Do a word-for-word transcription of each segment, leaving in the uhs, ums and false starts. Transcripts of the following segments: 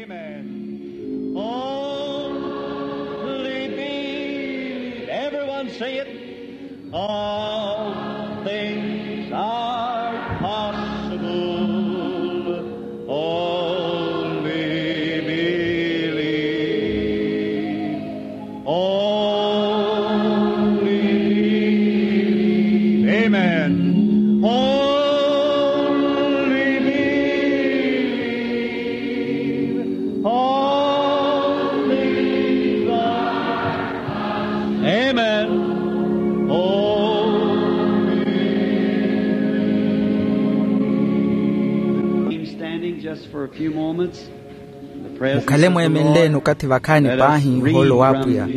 Amen. Only believe. Everyone say it. All things are possible. Only believe. Only believe. Amen. Only believe. All things are. Amen. Only believe. Standing just for a few moments. Mukhale mweemenleeni okathi vakhaani paahi nhoolo w'apwiya.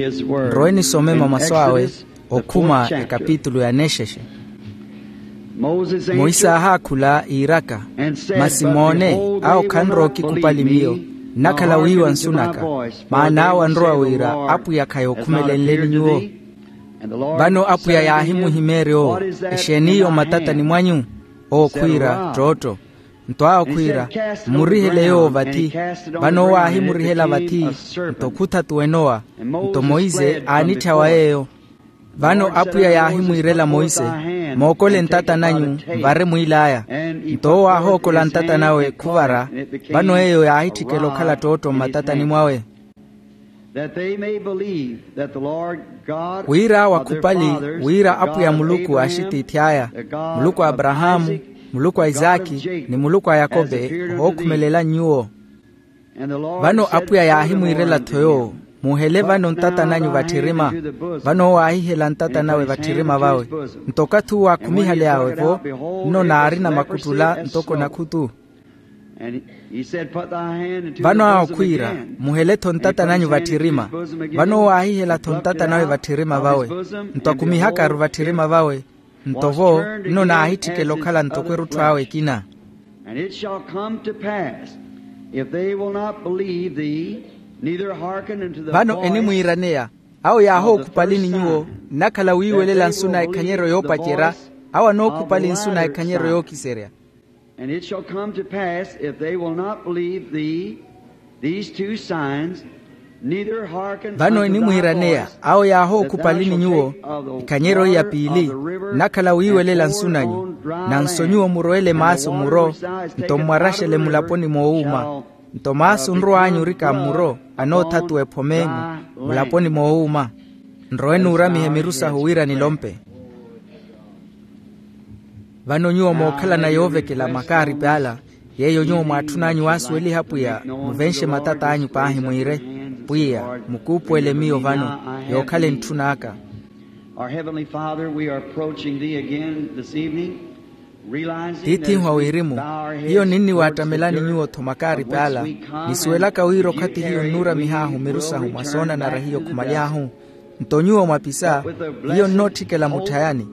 Nrowe nisome mamasu awe okhuma ekapitulu ya nexexe. Monse aahaakhula iiraka, masi moone, awo khanrowa okikupali miyo, nnakhala wiiwa nsu naka. Maana awo anrowa wira apwiya khayookhumelelenleni nyuwo. Vano apwiya yaahimuhimeerya owo, exeeni iyo mmatatani mwanyu? Owo khwiira, ttootto. Nto awo khwiira, mmurihele yoowo vathi. Vano owo aahimurihela vathi, nto khuthatuwa enowa. Nto monse aanitthyawa yeeyo. Vano apwiya yaahimwiirela monse, mookole ntata nanyu, mvare mwiil'aya. Nto owo aahookola ntata nawe khuvara. Vano eyo yaahitthikela okhala ttootto mmatatani mwawe. That they may believe that the Lord God, wira awo akhupali wira apwiya muluku a axitiith'aya, muluku a aparahaamu, muluku a isaki, ni muluku a yakobe, ohookhumelela nyuwo. Vano apwiya yaahimwiirela-tho yoowo, muuhele vano ntata nanyu vatthirima. Vano owo aahihela ntata nawe vatthirima vawe. Nto okathi uwo aakhumihaly'awe-vo, nno naarina makuttula ntoko nakhutu. Vano awo khwiira, muhele-tho ntata nanyu vatthirima. Vano owo aahihela-tho ntata nawe vatthirima vawe. Nto akumihaka-ru vatthirima vawe. Nto vo, nno naahitthikela okhala ntoko erutthu awe ekina. Vano enimwiiraneya, awo yaahookhupalini nyuwo, nnakhala wiiwelela nsu na ekhanyeryo yoopacerya. Awo anookhupali nsu na ekhanyeryo yookiserya. And it shall come to pass, if they will not believe thee, these two signs, neither hearken unto thy voice, that thou shalt shake of the water of the river, and the river will burst. Vano enimwiiraneya, awo yaahookhupalini nyuwo, ekhanyeryo ya piili, nnakhala wiiwelela nsu nanyu, nanso nyuwo murowele maasu muro, nto mmwaraxele mulaponi moowuuma, nto maasu nrow'anyu orika mmuro, anoothatuwa ephome-enu mulaponi moowuuma. Nrowe nuuramihe miru sahu wira nilompe. Vano nyuwo mookhalana yoovekela makaaripi ala, yeeyo nyuwo mwaatthun'anyu waasuweliha apwiya, muvenxe matat'anyu paahi mwiire, pwiya, mukuupuwele miyo vano, yookhala entthun'aka. Our Heavenly Father, we are approaching thee again this evening, realizing that as we bow our heads towards the dirt of whence we come, nisuwelaka wira okhathi hiyo nnuuramih'ahu miru sahu mwa soonanara hiyo khumaly'ahu. Nto nyuwo mwapisa, hiyo nnootthikela mutthayani,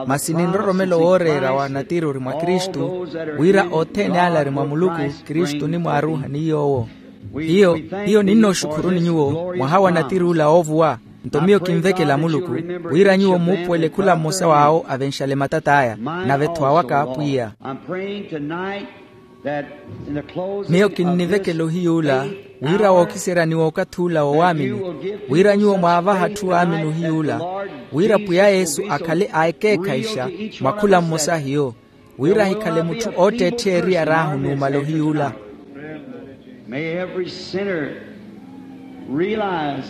masi ni nroromelo wooreera wa natiri ori mwa kristu, wira othene ale ari mwa muluku, kristu onimwaaruuhani yoowo. Hiyo, hiyo ninnooxukhuruni nyuwo mwaha wa natiri ola oovuwa. Nto miyo kinvekela muluku, wira nyuwo muupuwele khula mmosa w'awo avenxale matat'aya, nave-tho awaka pwiya. Miyo kinnivekela ohiy'ula, wira wookiserya ni w'okathi ula wowaamini, wira nyuwo mwaavaha atthu aamini ohiy'ula, wira pwiya yesu akhale a ekeekhayixa mwa khula mmosa hiyo, wira ahikhale mutthu ootteettheya eriyar'ahu numala ohiy'ula. May every sinner realize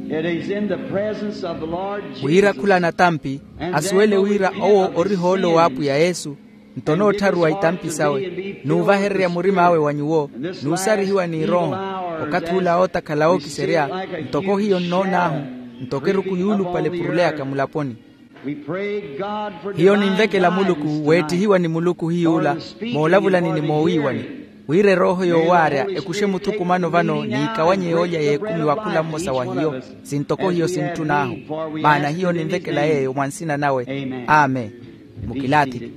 it is in the presence of the Lord Jesus. Wira khula natampi asuwele wira owo ori hoolo w'apwiya yesu, nto noottharuwa itampi sawe, nuuvahererya murim'awe wa nyuwo, nuusarihiwa n'irooho, okathi ula ootakhala ookiserya, ntoko hiyo nnoon'ahu, ntoko eruku yuulupale epuruleyaka mulaponi. Hiyo ninvekela muluku weettihiwa ni muluku hiy'ula, moolavulani ni moowiiwani, wira erooho yoowaarya ekuxe muthukumano vano n'ikawanye yoolya y'ekumi wa khula mmosa wa hiyo, sintoko hiyo sintthun'ahu. Maana hiyo ninvekela yeeyo mwa nsina nawe. Amen. Mukilaathiki.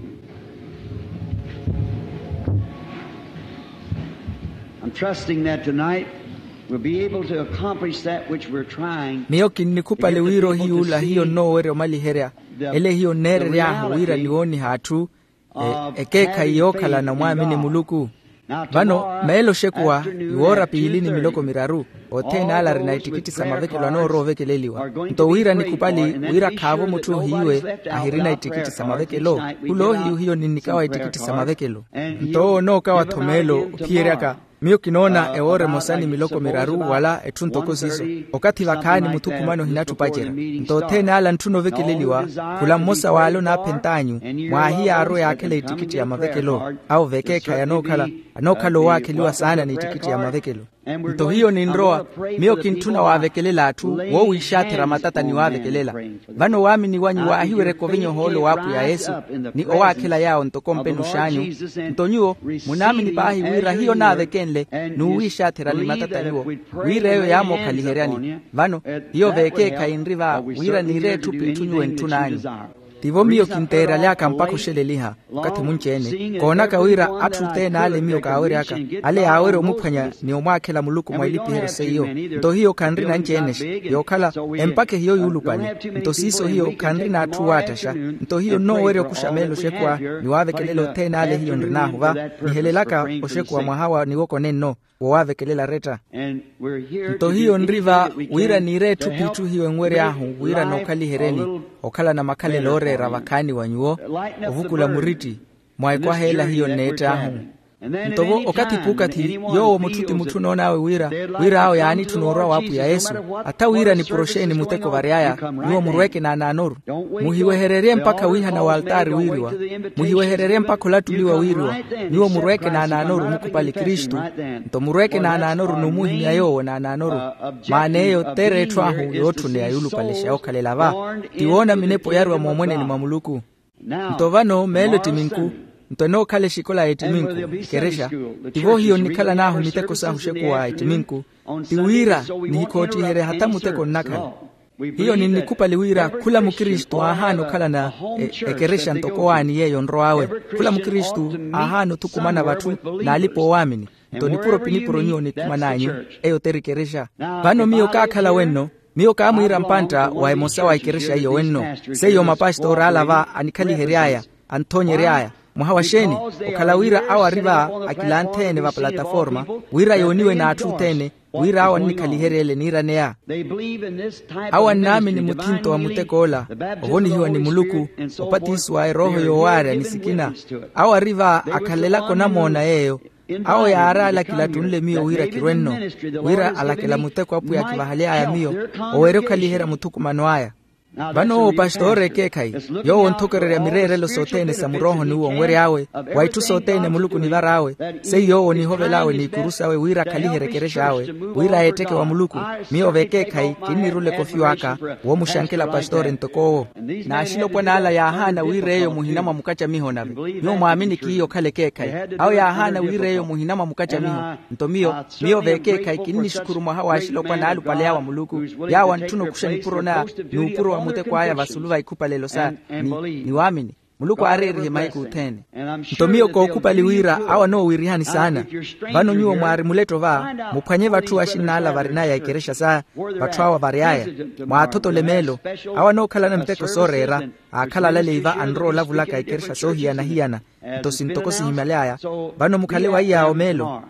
I'm trusting that tonight we'll be able to accomplish that which we're trying. Miyo kinnikhupale wira ohiy'ula hiyo nnoowerya omaliherya, ele hiyo nneerery'ahu wira niwooniha atthu, ekeekhayi yookhalana omwaamini muluku. Vano meelo oxekuwa, iwoora piili ni miloko miraru, othene ala arina ittikitti sa mavekelo anoorowa ovekeleliwa. Nto wira nikhupali wira khaavo mutthu ohiiwe ahirina ittikitti sa mavekelo. Khula ohiyu hiyo ninnikawa ittikitti sa mavekelo. Nto owo onookawa-tho meelo ophiyeryaka. Miyo kinoona ewoora emosa ni miloko miraru wala etthu ntoko siiso. Okathi vakhaani muthukumano ohinatthi opacerya. Nto othene ala antthuna ovekeleliwa. Khula mmosa w'ale onaaphent'anyu, mwaahiyaarwe yaakhela ittikitti ya mavekelo. Awo vekeekhayi anookhala anookhala owaakheliwa saana n'ittikitti ya mavekelo. Nto hiyo ninrowa, miyo kintthuna waavekelela atthu woowiixatherya matata ni waavekelela. Vano waamini wanyu waahiweryeke ovinya ohoolo w'apwiya yesu, ni owaakhela yaawo ntoko mpenux'anyu. Nto nyuwo munaamini paahi wira hiyo naavekenle n'uwiixatherya ni matata nyuwo, wira eyo yaamookhaliheryani. Vano hiyo vekeekhayi nri va wira niire etthu p'itthu nyuwo entthun'anyu. Tivo miyo kinteeraly'aka mpakha oxeleliha okathi munci-ene koonaka wira atthu othene ale miyo kaawery'aka, ale yaawerya omuphwanya ni omwaakhela muluku mwa ilipiheryo seiyo. Nto hiyo khanrina anci-ene-xe, yookhala empakha ehiyo yuulupale. Nto siiso hiyo khanrina atthu waattaxa. Nto hiyo nnoowerya okuxa meelo oxekuwa ni waavekelela othene ale hiyo nrin'ahu va, nihelelaka oxekuwa mwaha wa niwoko nenno wowaavekelela aretta. Nto hiyo nri va wira niire etthu p'itthu hiyo enwery'ahu wira nookhaliheryeni okhalana makhalelo ooreera vakhaani wa nyuwo, ovukula muritti mwa ekwaha ela hiyo nneett'ahu. Nto-vo okathi p'ukathi yoowo mutthu ti mutthu onoon'awe wira wira awo yaanitthuna orwa w'apwiya yesu. Atha wira nipuro xeeni muteko vary'aya, nyuwo murweeke naanaanoru. Muhiwehererye mpakha wiihana w'altaari wiiriwa. Muhiwehererye mpakha olattuliwa wiiriwa. Nyuwo murweeke naanaanoru mukhupali kristu. Nto murweeke naanaanoru n'umuhimya yoowo naanaanoru. Maana eyo t'ereetthw'ahu yootthuneya yuulupale xa yookhalela va. Ti woona minepo yaariwa moomweneni mwa muluku. Nto vano meelo ettiminku. Nto enookhala exikola y'ettiminku, ekerexa. Tivo hiyo nnikhalan'ahu miteko sahu oxekuwa ettiminku. Ti wira nihikhootthiherya hatha muteko nnakhala. Hiyo ninnikhupali wira khula mukristu aahaana okhalana ekerexa ntoko owaani yeeyo onrow'awe. Khula mukristu aahaana othukumana vatthu n'alipa oowaamini. Nto nipuro pinipuro nyuwo nikhuman'anyu, eyo t'eri ekerexa. Vano miyo kaakhala wenno. Miyo kaamwiira mpantta wa emosa wa ekerexa iyo wenno. Seiyo mapastoori ala va anikhalihery'aya, anthoonyery'aya. Mwaha wa xeeni? Okhala wira awo ari va akilantheene va plataforma, wira yooniwe n'atthu othene, wira awo annikhaliherye ele niiraneya. Awo annaamini muthinto wa mutek'ola, ovonihiwa ni muluku, opatisiwa erooho yoowaarya ni sikina. Awo ari va akhalelaka onamoona yeeyo. Awo yaari ala kilattunle miyo wira kirwenno, wira alakela muteko apwiya akivahaly'aya miyo, owerya okhaliherya muthukumano aya. Vano owo pastoori ekeekhayi, yoowo onthokererya mireerelo sothene sa murooho n'uwo onwery'awe, wa itthu sothene muluku onivar'awe, seiyo yoowo onihovel'awe n'ikuru sawe wira akhaliherye ekerex'awe, wira yeetteke wa muluku. Miyo vekeekhayi kinnirula ekofiw'aka, woomuxankela pastoori ntok'owo. N'axilopwana ala yaahaana wira eyo muhina mwa mukacamiho nave. Nyuwo mwaamini kiiyo okhala ekeekhayi. Awo yaahaana wira eyo muhina mwa mukacamiho. Nto miyo, miyo vekeekhayi kinnixukhuru mwaha w'axilopwana aalupaleya wa muluku, yaawo antthuna okuxa nipuro na n'upuro wa muteko aya vasulu va ikhupalelo sa ni waamini. Muluku aareerihe mahiku othene. Nto miyo kookhupali wira awo anoowirihani saana. Vano nyuwo mwaari muletto va, muphwanye vatthu axinn'ala varinaya ekerexa sa vatthu awo vary'aya, mwaathotole meelo. Awo anookhalana miteko sooreera, aakhala alaleiva anrowa olavulaka ekerexa soohiyana-hiyana. Nto sintoko sihimyaly'aya. Vano mukhale wa iy'awo meelo.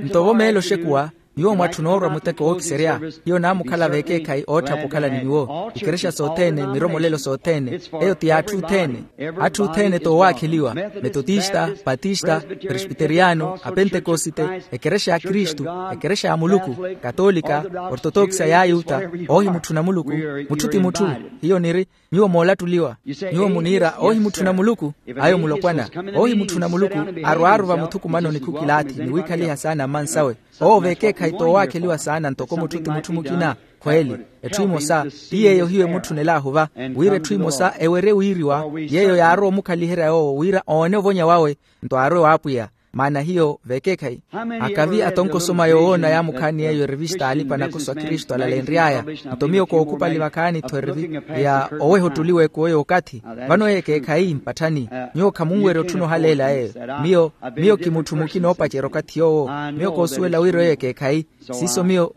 Nto vo meelo oxekuwa, nyuwo mwatthuna orwa muteko wookiserya. Hiyo naamukhala vekeekhayi ootthapa okhala ni nyuwo ikerexa sothene miromolelo sothene. Eyo ti y'atthu othene. Atthu othene t'owaakheliwa, metotista, patista, presbiteriyano, apentekosite, ekerexa ya kristu, ekerexa ya muluku, katolika, ortotokisa y'ayuta, oohimutthuna muluku. Mutthu ti mutthu. Hiyo niri, nyuwo moolattuliwa. Nyuwo muniira oohimutthuna muluku. Ayo mulopwana. Oohimutthuna muluku arwaaru vamuthukumanoni khukilaathi ni wiikhaliha saana mmansawe. Owo vekeekhayi t'owaakheliwa saana ntoko mutthu ti mutthu mukina. Khweeli, etthu emosa ti yeeyo hiyo emutthunel'ahu va, wira etthu emosa ewerye wiiriwa, yeeyo yaarowa omukhaliherya yoowo wira oone ovonya wawe. Nto aarwe w'apwiya. Maana hiyo vekeekhayi. Akavi atonko osoma yoowoona yaamukhaani yeeyo erevista alipa nakoso a kristu alalenry'aya. Nto miyo kookhupali vakhaani-tho erevi ya oweha ottuliwa ekuwo y'okathi. Vano eyo ekeekhayi mpatthani. Nyuwo khamunwerya otthuna ohaleela eyo. Miyo miyo kimutthu mukina oopacerya okathi yoowo. Miyo koosuwela wira eyo ekeekhayi. Siiso miyo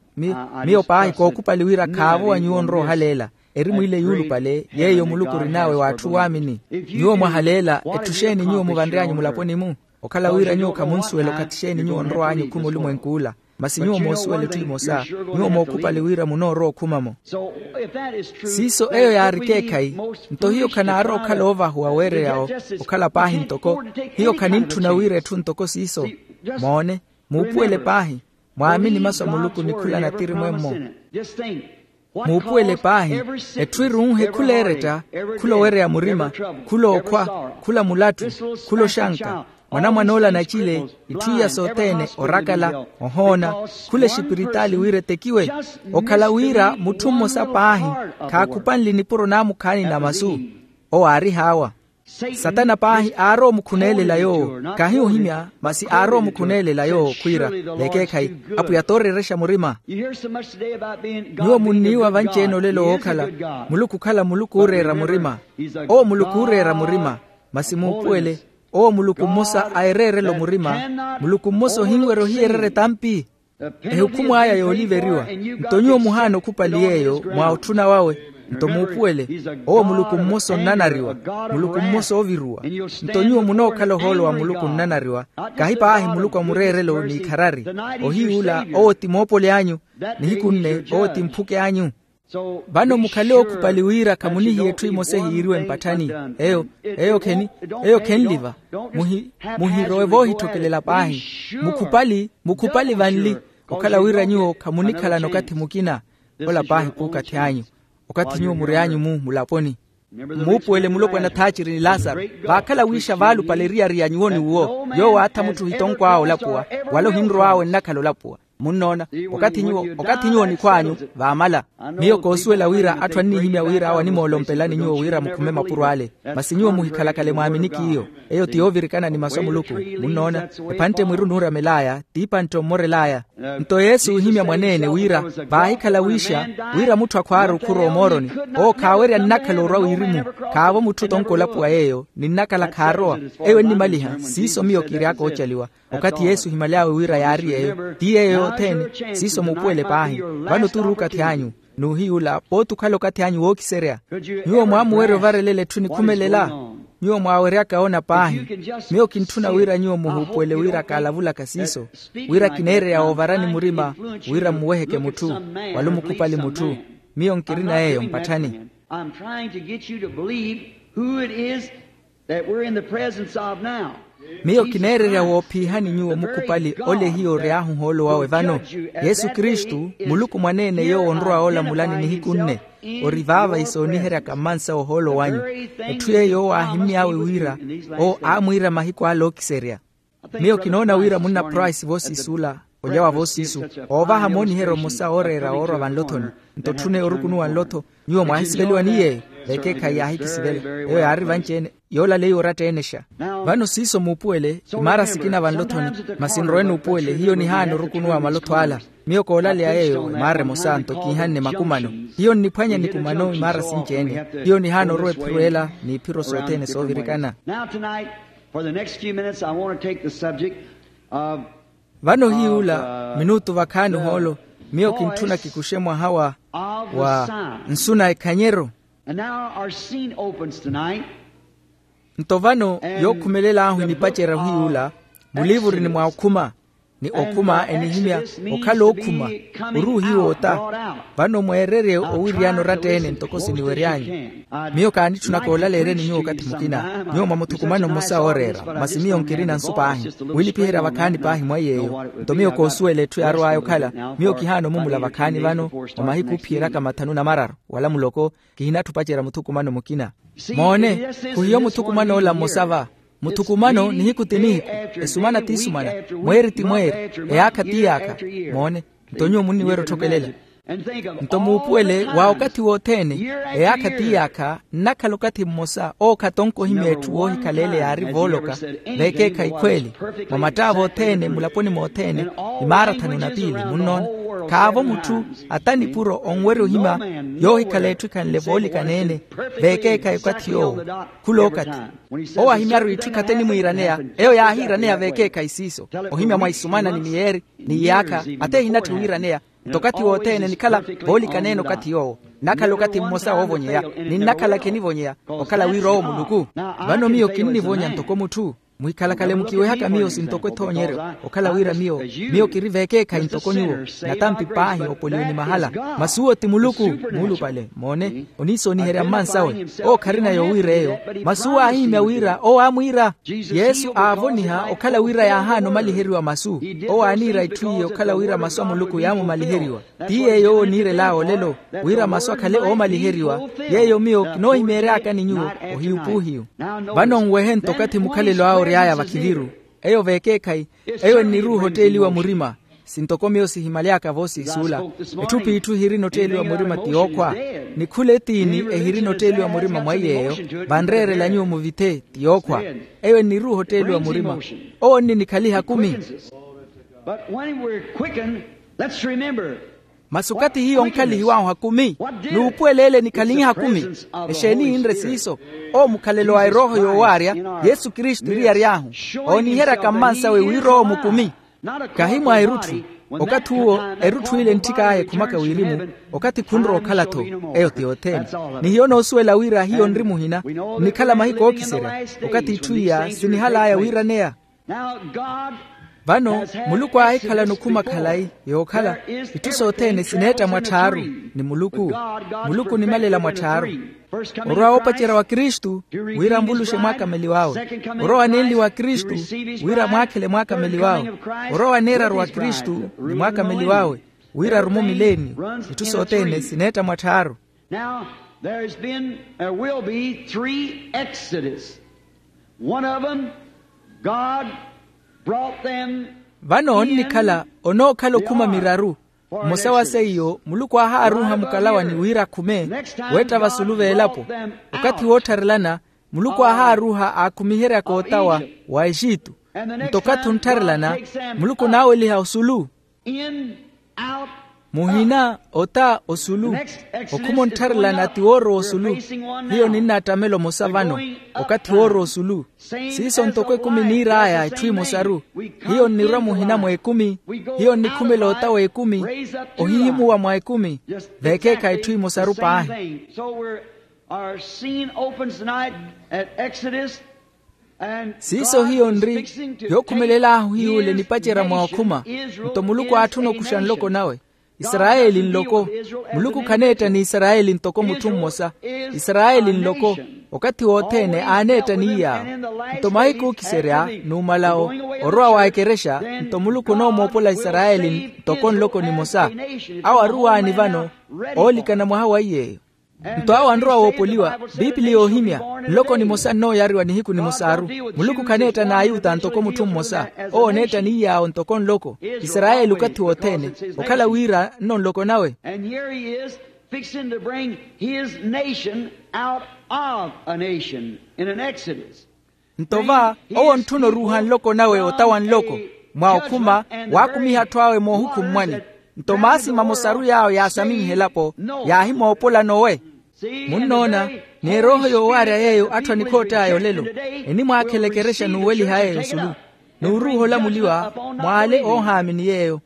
miyo paahi kookhupali wira khaavo wa nyuwo onrowa ohaleela. Eri mwiile yuulupale yeeyo muluku orin'awe w'atthu waamini. Nyuwo mwahaleela etthu exeeni nyuwo muvanry'anyu mulaponi-mu? Okhala wira nyuwo khamunsuwela okathi xeeni nyuwo onrow'anyu okhuma olumwenk'ula. Masi nyuwo moosuwela etthu emosa, nyuwo mookhupali wira munoorowa okhuma-mo. Siiso eyo yaari ekeekhayi. Nto hiyo khanaarowa okhala oovahuwa weereya'wo, okhala paahi ntoko hiyo khanintthuna wira etthu ntoko siiso. Moone, muupuwele paahi. Mwaamini masu a muluku ni khula natiri mwemmo. Muupuwele paahi. Etthu irunhe khula eretta, khula owereya murima, khula okhwa, khula mulattu, khula oxanka, mwanamwan'ola anacile, itthu iya sothene, orakala, ohoona, khula exipiritaali wira etekiwe. Okhala wira mutthu mmosa paahi, khaakhupanle nipuro naamukhaani na masu. Owo aari haawa. Satana paahi aarowa omukhuneelela yoowo, khahi ohimya masi aarowa omukhuneelela yoowo khwiira, vekeekhayi, apwiya tooreerexa murima. Nyuwo munniiwa vanci-ene olelo wookhala muluku okhala muluku ooreera murima. Owo muluku ooreera murima. Masi muupuwele, owo muluku mmosa a ereerelo murima. Muluku mmosa ohinwerya ohiyererya etampi. Ehukhumu aya yooliveriwa. Nto nyuwo muhaana okhupali yeeyo mwa otthuna wawe. Nto muupuwele, owo muluku mmosa onnanariwa, muluku mmosa ooviruwa. Nto nyuwo munookhala ohoolo wa muluku onnanariwa, kahi paahi muluku a mureerelo n'ikharari. Ohiy'ula owo ti moopoli anyu, nihiku nne owo ti mphuke anyu. Vano mukhale ookhupali wira khamunihiya etthu emosa ehiiriwe mpatthani. Eyo, eyo kheni, eyo khenliva. Muhirowe voohitthokelela paahi. Mukhupali mukhupali vanli, okhala wira nyuwo khamunikhalana okathi mukina. Ola paahi p'ukathi anyu, okathi nyuwo muryanyu-mu mulaponi. Mmuupuwele mulopwana thaaciri ni laasaro. Vaakhala wiixa vaalupale eriyari ya nyuwo ni uwo, yoowo aatha mutthu ohitonko awe olapuwa, wala ohinrow'awe ennakhala olapuwa. Munnoona, okathi nyuwo okathi nyuwo nikhw'anyu, vaamala. Miyo koosuwela wira atthu annihimya wira awo animoolompelani nyuwo wira mukhume mapuro ale. Masi nyuwo muhikhalakale mwaaminiki iyo. Eyo ti yoovirikana ni masu a muluku. Munnoona, ephantte mwiru nuuramel'aya t'ipantte ommorel'aya. Nto yesu oohimya mwaneene wira, vaahikhala wiixa, wira mutthu akhwaari okhurwa omooroni, owo khaawerya nnakhala orwa wirimu. Khaavo mutthu otonka olapuwa yeeyo ni nnakhala khaarowa. Eyo ennimaliha siiso miyo kiiry'aka oocaliwa. Okathi yesu ohimaly'awe wira yaari yeeyo ti yeeyo yothene. Siiso muupuwele paahi. Vano turi okathi anyu, n'uhiy'ula pooti okhala okathi anyu wookiserya. Nyuwo mwaamuwerya ovarelela etthu enikhumelela? Nyuwo mwaaweryaka woona paahi. Miyo kintthuna wira nyuwo muhuupuwele wira kaalavulaka siiso, wira kineereya woovarani murima wira mmuweheke mutthu, wala omukhupali mutthu. Miyo nkirina yeeyo mpatthani. I'm trying to get you to believe who it is that we're in the presence of now. Miyo kineererya woophiihani nyuwo mukhupali ole hiyo ory'ahu ohoolo wawe vano. Yesu kristu, muluku mwaneene yoowo onrowa oolamulani nihiku nne, ori vaava isooniheryaka mmansa ohoolo wanyu. Etthu yeeyo owo aahimmy'awe wira, owo aamwiira mahiku ale ookiserya. Miyo kinoona wira munna price voosiis'ula, olya wa voosiisu, oovaha mooniheryo mmosa ooreera woorwa vanlothoni. Nto tthuna eyo orukunuwa nlotho. Nyuwo mwaahisiveliwa ni yeeyo, vekeekhayi yaahikisivela. Eyo yaari vanci-ene, yoolaleyiwa oratta-enexa. Vano siiso muupuwele, imaara sikina vanlothoni, masi nrowe nuupuwele hiyo nihaana orukunuwa malotho ala. Miyo koolaleya yeeyo imaara emosa nto kiihanne makumano. Hiyo nniphwanya nikumano imaara sinci-ene. Hiyo nihaana orowa ephiro ela, n'iphiro sothene soovirikana. For the next few minutes, I want to take the subject of. Vano hiy'ula minutu vakhaani ohoolo, miyo kintthuna kikuxe mwaha wa, wa nsu na ekhanyero. And now our scene opens tonight. Nto vano, yookhumelel'ahu enipacerya ohiy'ula, muliivuri ni mwa okhuma, ni okhuma enihimya okhala ookhuma. Ori ohiwoota. Vano mweererye owiriyana oratta-ene ntoko siniwery'anyu. Miyo kaanitthuna koolaleeryani nyuwo okathi mukina. Nyuwo mwa muthukumano mmosa wooreera, masi miyo nkirina nsu paahi. Wilipiherya vakhaani paahi mwa yeeyo. Nto miyo koosuwela etthu yaarow'aya okhala. Miyo kihaana omumula vakhaani vano, mwa mahiku oophiyeraka mathanu na mararu wala muloko. Kihinatthi opacerya muthukumano mukina. Moone, khuhiyo muthukumano ola mmosa va. Muthukumano nihiku ti nihiku, esumana ti sumana, mweeri ti mweeri, eyaakha ti yaakha. Moone. Nto nyuwo munniwerya otthokelela. Nto muupuwele wa okathi wothene, eyaakha ti yaakha nnakhala okathi mmosa owo khatonka ohimya etthu woohikhala ele yaari vooloka. Vekeekhayi khweeli, mwa mattaavo othene mulaponi mothene, imaara thanu na piili munnoona. Khaavo mutthu ata nipuro onwerya ohimya yoohikhala etthu ekhanle voolikana-ene. Vekeekhayi okathi yoowo, khul'okathi owo ahimyaru itthu ekhathi enimwiiraneya, eyo yaahiiraneya vekeekhayi siiso. Ohimya mwa isumana ni miyeeri, ni iyaakha, ata ehinatthi wiiraneya. Nto okathi wothene nikhala voolikana-ene okathi yoowo. Nnakhala okathi mmosa woovonyeya, ni nnakhala khenivonyeya, okhala wira owo muluku. Vano miyo kinnivonya ntoko mutthu. Muhikhalakhale mukiwehaka miyo sintoko ethoonyeryo, okhala wira miyo miyo kiri veekeekhayi ntoko nyuwo. Natampi paahi opoliwe ni mahala. Masuwo ti muluku. Muulupale moone. Oniisooniherya mmansawe. Owo kharina yoowiira eyo. Masuwo aahihimya wira owo aamwiira. Yesu aavoniha okhala wira yaahaana omaliheriwa masu. Owo aaniira itthu iye okhala wira masu a muluku yaamumaliheriwa. Ti yeeyo owo oniirel'awe olelo, wira masu akhale oomaliheriwa. Yeeyo miyo kinoohimeery'aka ni nyuwo. Ohiyu p'uhiyu. Vano nwehe nto okathi mukhalelo awe ory'aya vakhiviru. Eyo veekeekhayi. Eyo enniruuha otteeliwa murima. Sintoko miyo sihimyaly'aka voosiisuula. Etthu p'itthu ehirina otteeliwa murima ti yookhwa. Ni khula etiini ehirina otteeliwa murima mwa iy'eyo. Vanreerela nyuwo muvithe ti yookhwa. Eyo enniruuha otteeliwa murima. Owo onninikhaliha kumi. But when we're quickened, let's remember. Masi okathi hiyo onkhalihiw'ahu hakumi. N'upuwela ele nikhalinyiha kumi. Exeeni yinre siiso? Owo mukhalelo wa erooho yoowaarya. Yesu kristu eriyaryahu. Ooniheryaka mmansawe wira owo mukumi. Kahi mwa erutthu. Okathi uwo erutthu ile entthik'aya ekhumaka wirimu. Okathi khunrowa okhala-tho. Eyo ti yothene. Ni hiyo noosuwela wira hiyo nri muhina. Nnikhala mahiku ookiserya. Okathi itthu iya sinihal'aya wiiraneya. Vano muluku aahikhalana okhuma khalayi yookhala itthu sothene sineetta mwatthaaru. Ni muluku muluku onimalela mwatthaaru. Orwa woopacerya wa kristu wira anvuluxe mwaakameliw'awe. Orwa wanenli wa kristu wira mwaakhele mwaakameliw'awe. Orwa waneeraru wa kristu ni mwaakameliw'awe wira arume omileniyo. Itthu sothene sineetta mwatthaaru. Now there's been there will be three exodus. One of them God brought them. Vano onnikhala onookhala okhuma miraru. Mmosa wa seiyo muluku aahaaruuha mukalawani wira akhume weetta vasulu v'elapo. Okathi woottharelana muluku aahaaruuha aakhumiheryaka otawa wa exitu. Nto okathi onttharelana muluku onaaweliha osulu. Muhina ota osulu. Okhuma onttharelana ti woorowa osulu. Hiyo ninnattamela omosa vano okathi woorowa osulu. Siiso ntoko ekumi niir'aya etthu emosaru. Hiyo nnirwa muhina mw'ekumi. Hiyo nnikhumela ota w'ekumi ohihimuwa mwa ekumi. Veekeekhayi etthu emosaru paahi. Our scene opens tonight at Exodus. Siiso hiyo nri yookhumelel'ahu hiy'ule nipacerya mwa okhuma. Nto muluku aatthuna okuxa nloko nawe. Isarayeli nloko. Muluku khaneetta ni isarayeli ntoko mutthu mmosa. Isarayeli nloko. Okathi wothene aaneetta ni iy'awo. Nto mahiku ookiserya numalawo orowa wa ekerexa. Nto muluku onoomoopola isarayeli ntoko nloko nimosa. Awo aruwaani vano oolikana mwaha wa iy'eyo. Nto awo anrowa woopoliwa. Biipili yoohimya nloko nimosa nnooyariwa nihiku nimosaaru. Muluku khaneetta n'ayuta ntoko mutthu mmosa. Owo oneetta ni iy'awo ntoko nloko. Isarayeli okathi wothene okhala wira nno nloko nawe. And here he is fixing to bring his nation out of a nation in an exodus. Nto va owo ontthuna oruuha nloko nawe ota wa nloko mwa okhuma. Waakumiha atthu awe moohukummwani. Nto maasi mamosaru yaawo yaasaminyiha elapo yaahimoopola nowe. Munnoona ni erooho yoowaarya yeeyo atthu anikhoott'aya olelo enimwaakhela ekerexa n'uweliha yeeyo osulu. N'uruuha olamuliwa mw'ale oohaamini yeeyo.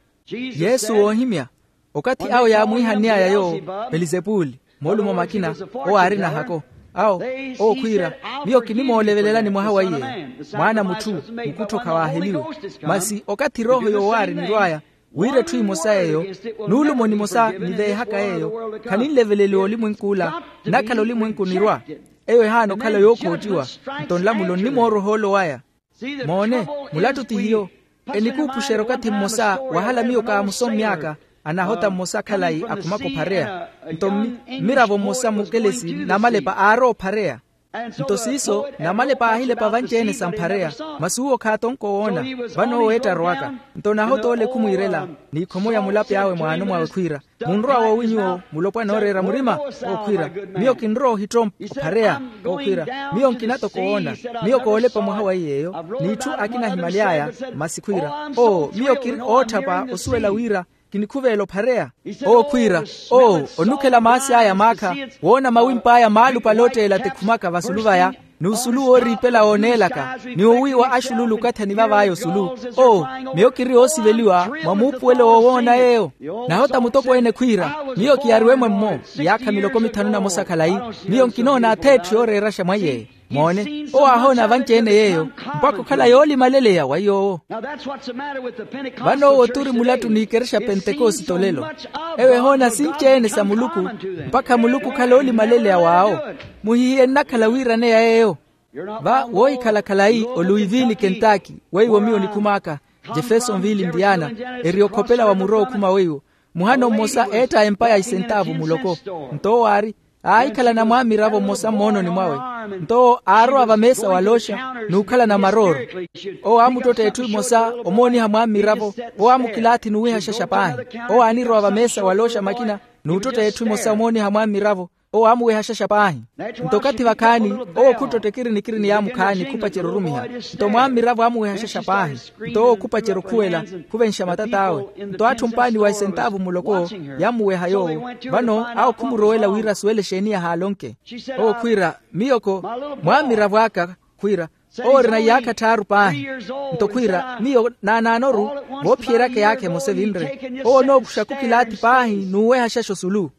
Yesu woohimya. Okathi awo yaamwiihann'aya yoowo pelizepuli moolumo makina. Owo aarina hako awo owo khwiira miyo kinimoolevelelani mwaha wa iye. Mwaana a mutthu mukuttho khawaaheliwe. Masi okathi erooho yoowaari enirw'aya wira etthu emosa yeeyo nuulumo nimosa niveehaka yeeyo khaninleveleliwa olimwenk'ula. Nnakhala olimwenku onirwa eyo ehaana okhala yookhootiwa. Nto nlamulo nnimooroha oolo waya. Moone mulattu ti hiyo. Enikuupuxerya okathi mmosa wahala miyo kaamusommy'aka anahota mmosa khalayi akhumaka ophareya. Nto mmiravo mmosa mukelesi namalepa aarowa ophareya. Nto siiso namalepa aahilepa vanci-ene samphareya. Masi uwo khaatonko woona vano owo eetta arowaka. Nto nahota ole khumwiirela n'ikhomo ya mulapi awe mwaano mwawe khwiira munrowa woowi nyuwo mulopwana ooreera murima? Owo khwiira miyo kinrowa ohittompa ophareya. Owo khwiira miyo nkina toko woona miyo koolepa mwaha wa iy'eyo. N'itthu akina ahimaly'aya masi khwiira owo miyo kiri ootthapa osuwela wira kinikhuveela ophareya. Owo khwiira owo onukhela maasi aya maakha woona mawimp'aya maalupale ootteela tikhumaka vasulu vaya n'usulu wooriipela wooneelaka ni owiiwa axululu okathi anivav'aya osulu. Owo miyo kiri oosiveliwa mwa muupuwelo woowoona yeeyo. Nahota mutokweene khwiira miyo kiyariwe-mwe-mmo iyaakha miloko mithanu namosa khalayi. Miyo nkinoona ath'etthu yooreeraxa mwa iy'eyo. Moone, owo aahoona vanci-ene yeeyo, mpakha okhala yoolimaleleya wa yoowo. Vano owo turi mulattu n'ikerexa pentekosite olelo. Ewo ehoona sinci-ene sa muluku, mpakha muluku okhala oolimaleleya w'awo. Muhihiye nnakhala wiiraneya yeeyo. Va woohikhala khalayi oluivili kentaki weiwo miyo nikhumaaka, jeffersonville indiana, eri okhopela wa muro okhuma weiwo. Muhano mmosa eetta empa ya isentaavu muloko. Nto owo aari, aahikhalana mwaamiravo mmosa mmoononi mwawe. Nto owo aarowa vameesa walooxa, n'ukhalana marooro. Owo aamuttotta etthu emosa omooniha mwaamiravo. Owo aamukilaathi n'uwihaxaxa paahi. Owo aanirowa vameesa walooxa makina, n'uttotta etthu emosa omooniha mwaamiravo. Owo aamuwehaxaxa paahi. Nto okathi vakhaani, owo khuttotta ekirinikirini yaamukhaani khupacerya orumiha. Nto mwaamiravo aamuwehaxaxa paahi. Nto owo khupacerya okhuwela, khuvenxa matat'awe. Nto atthu mpaani wa esentaavu muloko, yammuweha yoowo. Vano awo khumurowela wira asuwele exeeni yahaala onke. Owo khwiira, miyoko, mwaamiravo aka, khwiira, owo orina iyaakha tthaaru paahi. Nto khwiira, miyo naanaanoru, voophiyeryaka eyaakha emosa evinre. Owo onookuxaka okilaathi paahi n'uwehaxaxa osulu.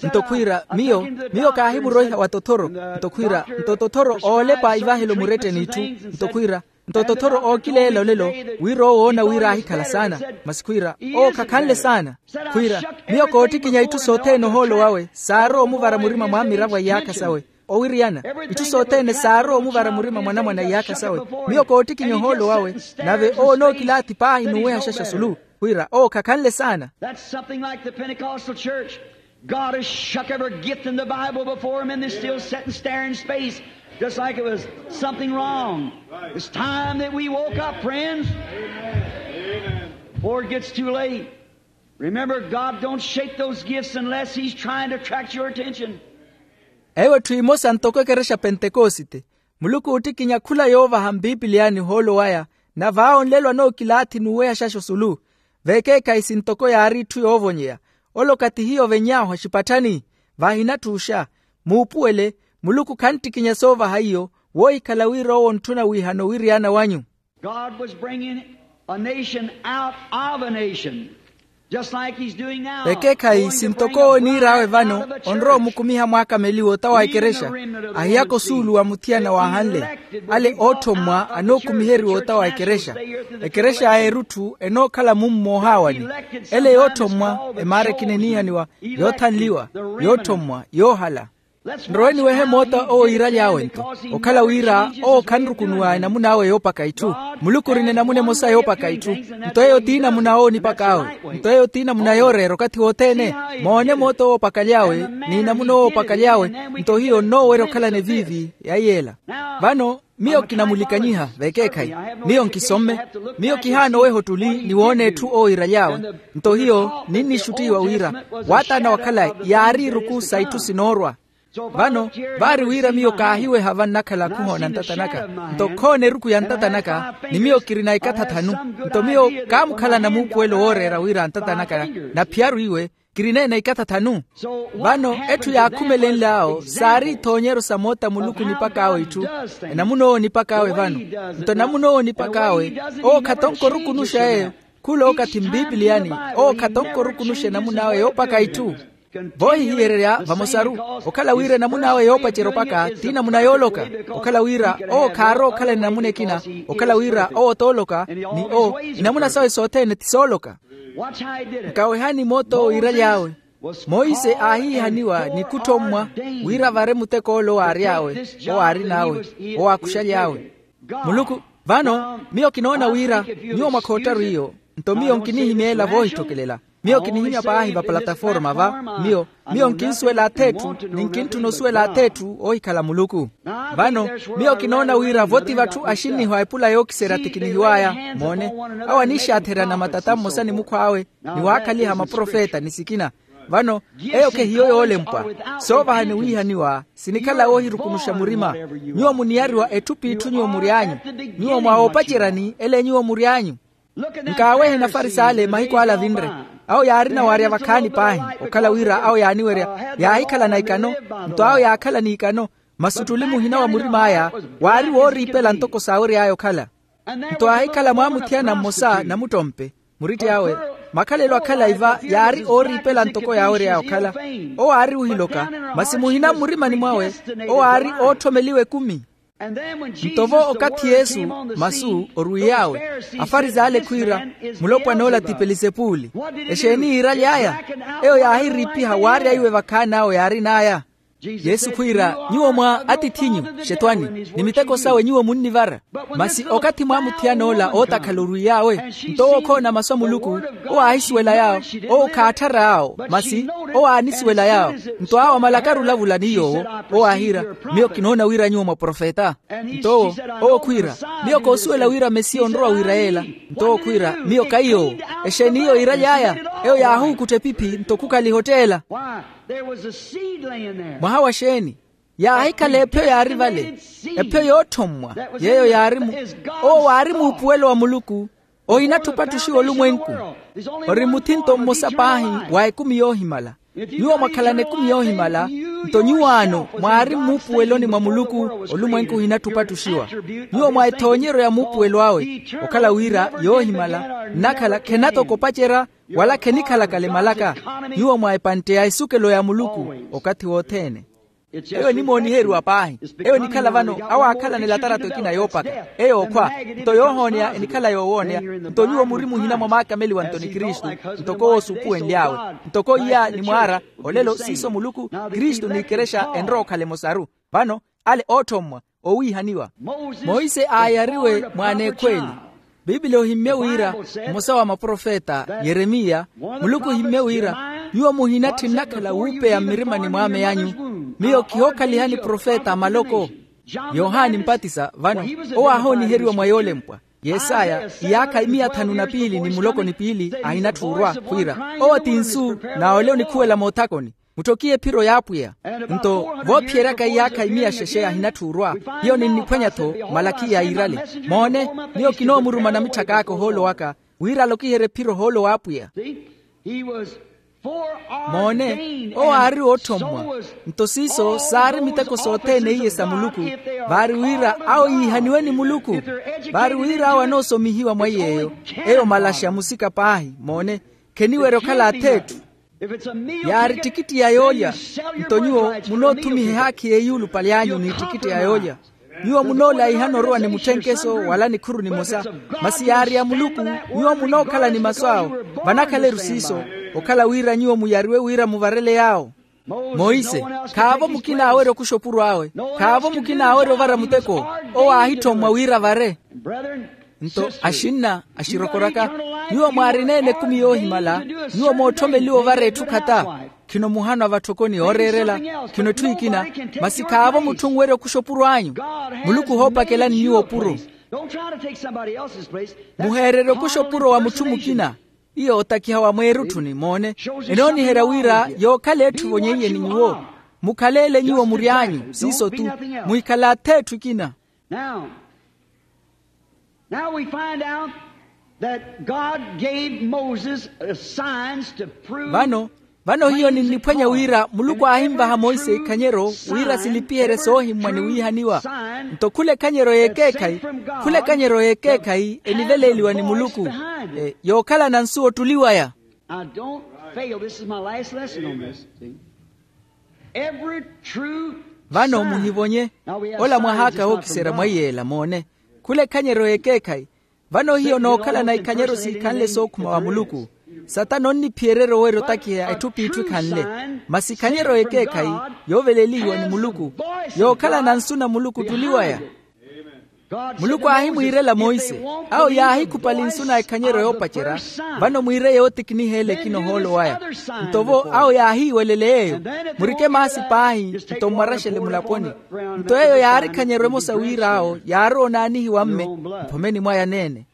Nto khwiira, miyo, miyo kaahimuroiha wa tothoro. Nto khwiira, nto tothoro oolepa ivahelo muretteni itthu. Nto khwiira, nto tothoro ookileela olelo, wira owo oona wira aahikhala saana. Masi khwiira, owo khakhanle saana. Khwiira, miyo koottikinya itthu sothene ohoolo wawe saarowa omuvara murima mwaamiravo a iyaakha sawe. Owiriyana, itthu sothene saarowa omuvara murima mwanamwane a iyaakha sawe. Miyo koottikinya ohoolo wawe, nave owo onookilaathi paahi n'uwehaxaxa osulu. Khwiira owo khakhanle saana. That's something like the Pentecostal church. God has shuck every gift in the Bible before them, and they still sit and stare in space, just like it was something wrong. It's time that we woke up, friends, before it gets too late. Remember, God don't shake those gifts unless He's trying to attract your attention. Ewo etthu emosa ntoko ekerexa pentekosite. Muluku oottikinya khula yoovaha mpipiliyani ohoolo waya, nave awo nlelo anookilaathi n'uwehaxaxa osulu. Vekeekhayi sintoko yaari itthu yoovonyeya. Ole okathi hiyo oveny'ahu axipatthani, vaahinatthuuxa. Muupuwele, muluku khanttikinya soovaha iyo, woohikhala wira owo ontthuna wiihana owiriyana wanyu. God was bringing a nation out of a nation, just like He's doing now. Ekeekhayi sintoko owo oniir'awe vano, onrowa omukumiha mwaakameliwa ota wa ekerexa, ahiyaka osuulu wa muthiyana waahanle. Ale oothommwa anookumiheriwa ota wa ekerexa. Ekerexa ya erutthu enookhala mummo ohaawani. Ele yoothommwa, emaara ekinenihaniwa yoothanliwa, yoothommwa yoohala. Nrowe niwehe moota owo yiiraly'awe-nto, okhala wira owo khanrukunuwa enamun'awe yoopaka itthu. Muluku orina enamuna emosa yoopaka itthu. Nto eyo t'inamuna owo onipak'awe. Nto eyo t'inamuna yooreera okathi wothene. Moone moota owo opakaly'awe, n'inamuna owo opakaly'awe. Nto hiyo nnoowerya okhalana eviivi ya yeela. Vano, miyo kinamulikanyiha vekeekhayi. Miyo nkisomme. Miyo kihaana oweha ottuli ni woona etthu owo yiiraly'awe. Nto hiyo ninnixuttiwa wira, waataana wa khalayi yaari iruku sa itthu sinoorwa. Vano, vaari wira miyo kaahiweha vannakhala khuhoona ntata naka. Nto khoona eruku ya ntata naka, ni miyo kirina ikatha thanu. Nto miyo kaamukhalana muupuwelo wooreera wira ntata naka, naphiyaru iwe, kirina-ene ikatha thanu. Vano, etthu yaakhumelenl'awo saari ithoonyeryo sa moota muluku onipak'awe itthu. Enamuna owo onipak'awe vano. Nto enamuna owo onipak'awe, owo khatonko orukunuxa eyo. Khula okathi mpipiliyani, owo khatonko orukunuxa enamun'awe yoopaka itthu. Voohihiyererya vamosaru, okhala wira enamun'awe yoopacerya opaka t'inamuna yooloka. Okhala wira owo khaarowa okhalana enamuna ekina. Okhala wira owo t'ooloka, ni owo enamuna sawe sothene ti sooloka. Nkawehani moota owo yiiraly'awe. Monse aahiihaniwa ni kutthommwa wira avare muteko ole owo aary'awe, owo aarin'awe, owo aakuxaly'awe. Muluku, vano, miyo kinoona wira nyuwo mwakhoottaru iyo. Nto miyo nkinihimya ela voohitthokelela. Miyo kinihimya paahi va plataforma va, miyo, miyo nkinsuwela ath'etthu ni nkintthuna osuwela ath'etthu oohikhala muluku. Vano, miyo kinoona wira vo ti vatthu axinnihu a epula yookiserya tikinihiw'aya. Moone, awo aniixaatherya na matata mmosa ni mukhw'awe, ni waakhaliha maprofeta ni sikina. Vano, eyo khehiyo yoolempwa. Soovahani wiihaniwa sinikhala woohirukunuxa murima. Nyuwo muniyariwa etthu p'itthu nyuwo mury'anyu. Nyuwo mwa oopaceryani ele nyuwo mury'anyu. Nkaawehe nafarisale mahiku ale avinre. Awo yaarina waarya vakhaani paahi, okhala wira awo yaaniwerya, yaahikhalana ikano. Nto awo yaakhala n'ikano, masi ottuli muhina wa murim'aya waari wooriipela ntoko saawery'aya okhala. Nto aahikhala mwaamuthiyana mmosa namuttompe. Muritti awe, makhalelo a khalayi va yaari ooriipela ntoko yaawery'aya okhala. Owo aari ohiloka, masi muhina mmurimani mwawe, owo aari ootthomeliwa ekumi. Nto vo okathi yesu masu orwiy'awe, afarisaayi ale khwiira, mulopwan'ola ti pelisepuli. Exeeni yiiraly'aya? Eyo yaahiriipiha waarya iwe vakhaan'awe yaarin'aya. Yesu khwiira, nyuwo mwa atith'inyu, xetwani, ni miteko sawe nyuwo munnivara. Masi okathi mwaamuthiyana ola ootakhala orwiy'awe, nto owo khoona masu a muluku, owo aahisuwela yaawo, owo khaatthara yaawo, masi owo aanisuwela yaawo. Nto awo amalakari olavula ni yoowo, owo aahiira, miyo kinoona wira nyuwo mwa profeta. Nto owo, owo khwiira, miyo koosuwela wira mesiya onrowa wira yeela. Nto owo khwiira, miyo kaiy'owo. Exeeni iyo yiiraly'aya? Eyo yaahuukuttha epiphi nto khukaliha otteela. Mwaha wa xeeni? Yaahikhala epyo yaari vale, epyo yootthommwa, yeeyo yaari mu owo waari muupuwelo wa muluku. Ohinatthu opattuxiwa olumwenku. Ori muthinto mmosa paahi wa ekumi yoohimala. Nyuwo mwakhalana ekumi yoohimala, nto nyuwaano mwaari mmuupuweloni mwa muluku. Olumwenku ohinatthu opattuxiwa. Nyuwo mwa ethoonyeryo ya muupuwelo awe, okhala wira yoohimala nnakhala khenatoka opacerya, wala khenikhalakale malaka. Nyuwo mwa epantte ya esukelo ya muluku okathi wothene. Eyo enimooniheriwa paahi. Eyo enikhala vano, awo aakhalana elatarato ekina yoopaka, eyo okhwa, nto yoohooneya enikhala yoowooneya. Nto nyuwo muri muhina mwa maakameliwa nto ni kristu, ntoko owo suupuwenly'awe, ntoko iya ni mwaara. Olelo siiso muluku, kristu n'ikerexa enrowa okhala emosaru. Vano, ale ootthommwa, owiihaniwa. Monse aayariwe mwaana ekhweeli. Piipili ohimmye wira, mmosa wa maprofeta yeremiya, muluku ohimmye wira, nyuwo muhinatthi nnakhala wuupeya mmirimani mwaame anyu. Miyo kihookhalihani profeta a maloko. Yohani mpatisa vano, owo aahooniheriwa mwa yoolempwa. Yesaya, iyaakha imiya thanu na piili ni muloko ni piili ahinatthi orwa khwiira, owo ti nsu, n'awo ole onikhuwela moothakoni. Mutthokihe ephiro y'apwiya. Nto voophiyeryaka iyaakha imiya xexe ahinatthi orwa, hiyo ninniphwanya-tho malakhiya yiirale. Moone, miyo kinoomuruma namitthaka aka ohoolo waka, wira alokiherye ephiro ohoolo w'apwiya. Moone, owo aari wootthommwa. Nto siiso saari miteko sothene iye sa muluku, vaari wira awo yiihaniwe ni muluku. Vaari wira awo anoosomihiwa mwa iy'eyo, eyo malaxa musika paahi. Moone, kheniwerya okhala ath'etthu. Yaari ettikitti ya yoolya. Nto nyuwo munoothumiha ehaakhi y'eyuulupale anyu n'ettikitti ya yoolya. Nyuwo munoolayihana orowa ni mutthenkeso wala nikhuru nimosa, masi yaari ya muluku. Nyuwo munookhala ni masu awo. Vanakhala-ru siiso, okhala wira nyuwo muyariwe wira muvarele yaawo. Monse, khaavo mukina aawerya okuxa opuro awe. Khaavo mukina aawerya ovara muteko. Owo aahittommwa wira avare. Nto axinna axirokoraka, nyuwo mwaarina-ene ekumi yoohimala, nyuwo mootthomeliwa ovara etthu khata. Khino muhanwa vatthokoni yooreerela, khino etthu ekina. Masi khaavo mutthu onwerya okuxa opuro anyu. Muluku ohoopakelani nyuwo opuro. Muheererye okuxa opuro wa mutthu mukina. Iyo otakiha wa mweerutthuni. Moone, enooniherya wira yookhala etthu evonyeiye ni nyuwo. Mukhaleele nyuwo mury'anyu siiso-tu. Muhikhale ath'etthu ekina. Now, now we find out that God gave Moses, uh, signs to prove. Vano, vano hiyo ninniphwanya wira muluku aahimvaha monse ikhanyero wira silipiherye soohimmwa ni wiihaniwa. Nto khula ekhanyero y'ekeekhayi, khula ekhanyero y'ekeekhayi eniveleeliwa ni muluku, eh, yookhalana nsu ottuli waya. Now, don't fail. This is my last lesson on this. See? Every true. Vano muhivonye. Ola mwahaaka wookiserya mwa iyeela. Moone, khula ekhanyeryo y'ekeekhayi. Vano hiyo nookhalana ikhanyeryo siikhanle sookhuma wa muluku. Satana onniphiyererya owerya otakiha etthu p'itthu ekhanle. Masi ikhanyeryo y'ekeekhayi, yooveleelihiwa ni muluku, yookhalana nsu na muluku ottuli waya. Muluku aahimwiirela monse, awo yaahikhupali nsu na ekhanyeryo yoopacerya. Vano mwiire yootikiniha ele ekina ohoolo waya. Nto vo awo yaahiiwelele eyo, murike maasi paahi, nto mmwaraxele mulaponi. Nto eyo yaari ekhanyeryo emosa wira awo yaarowa onaanihiwa mme mphomeni mwaya neene.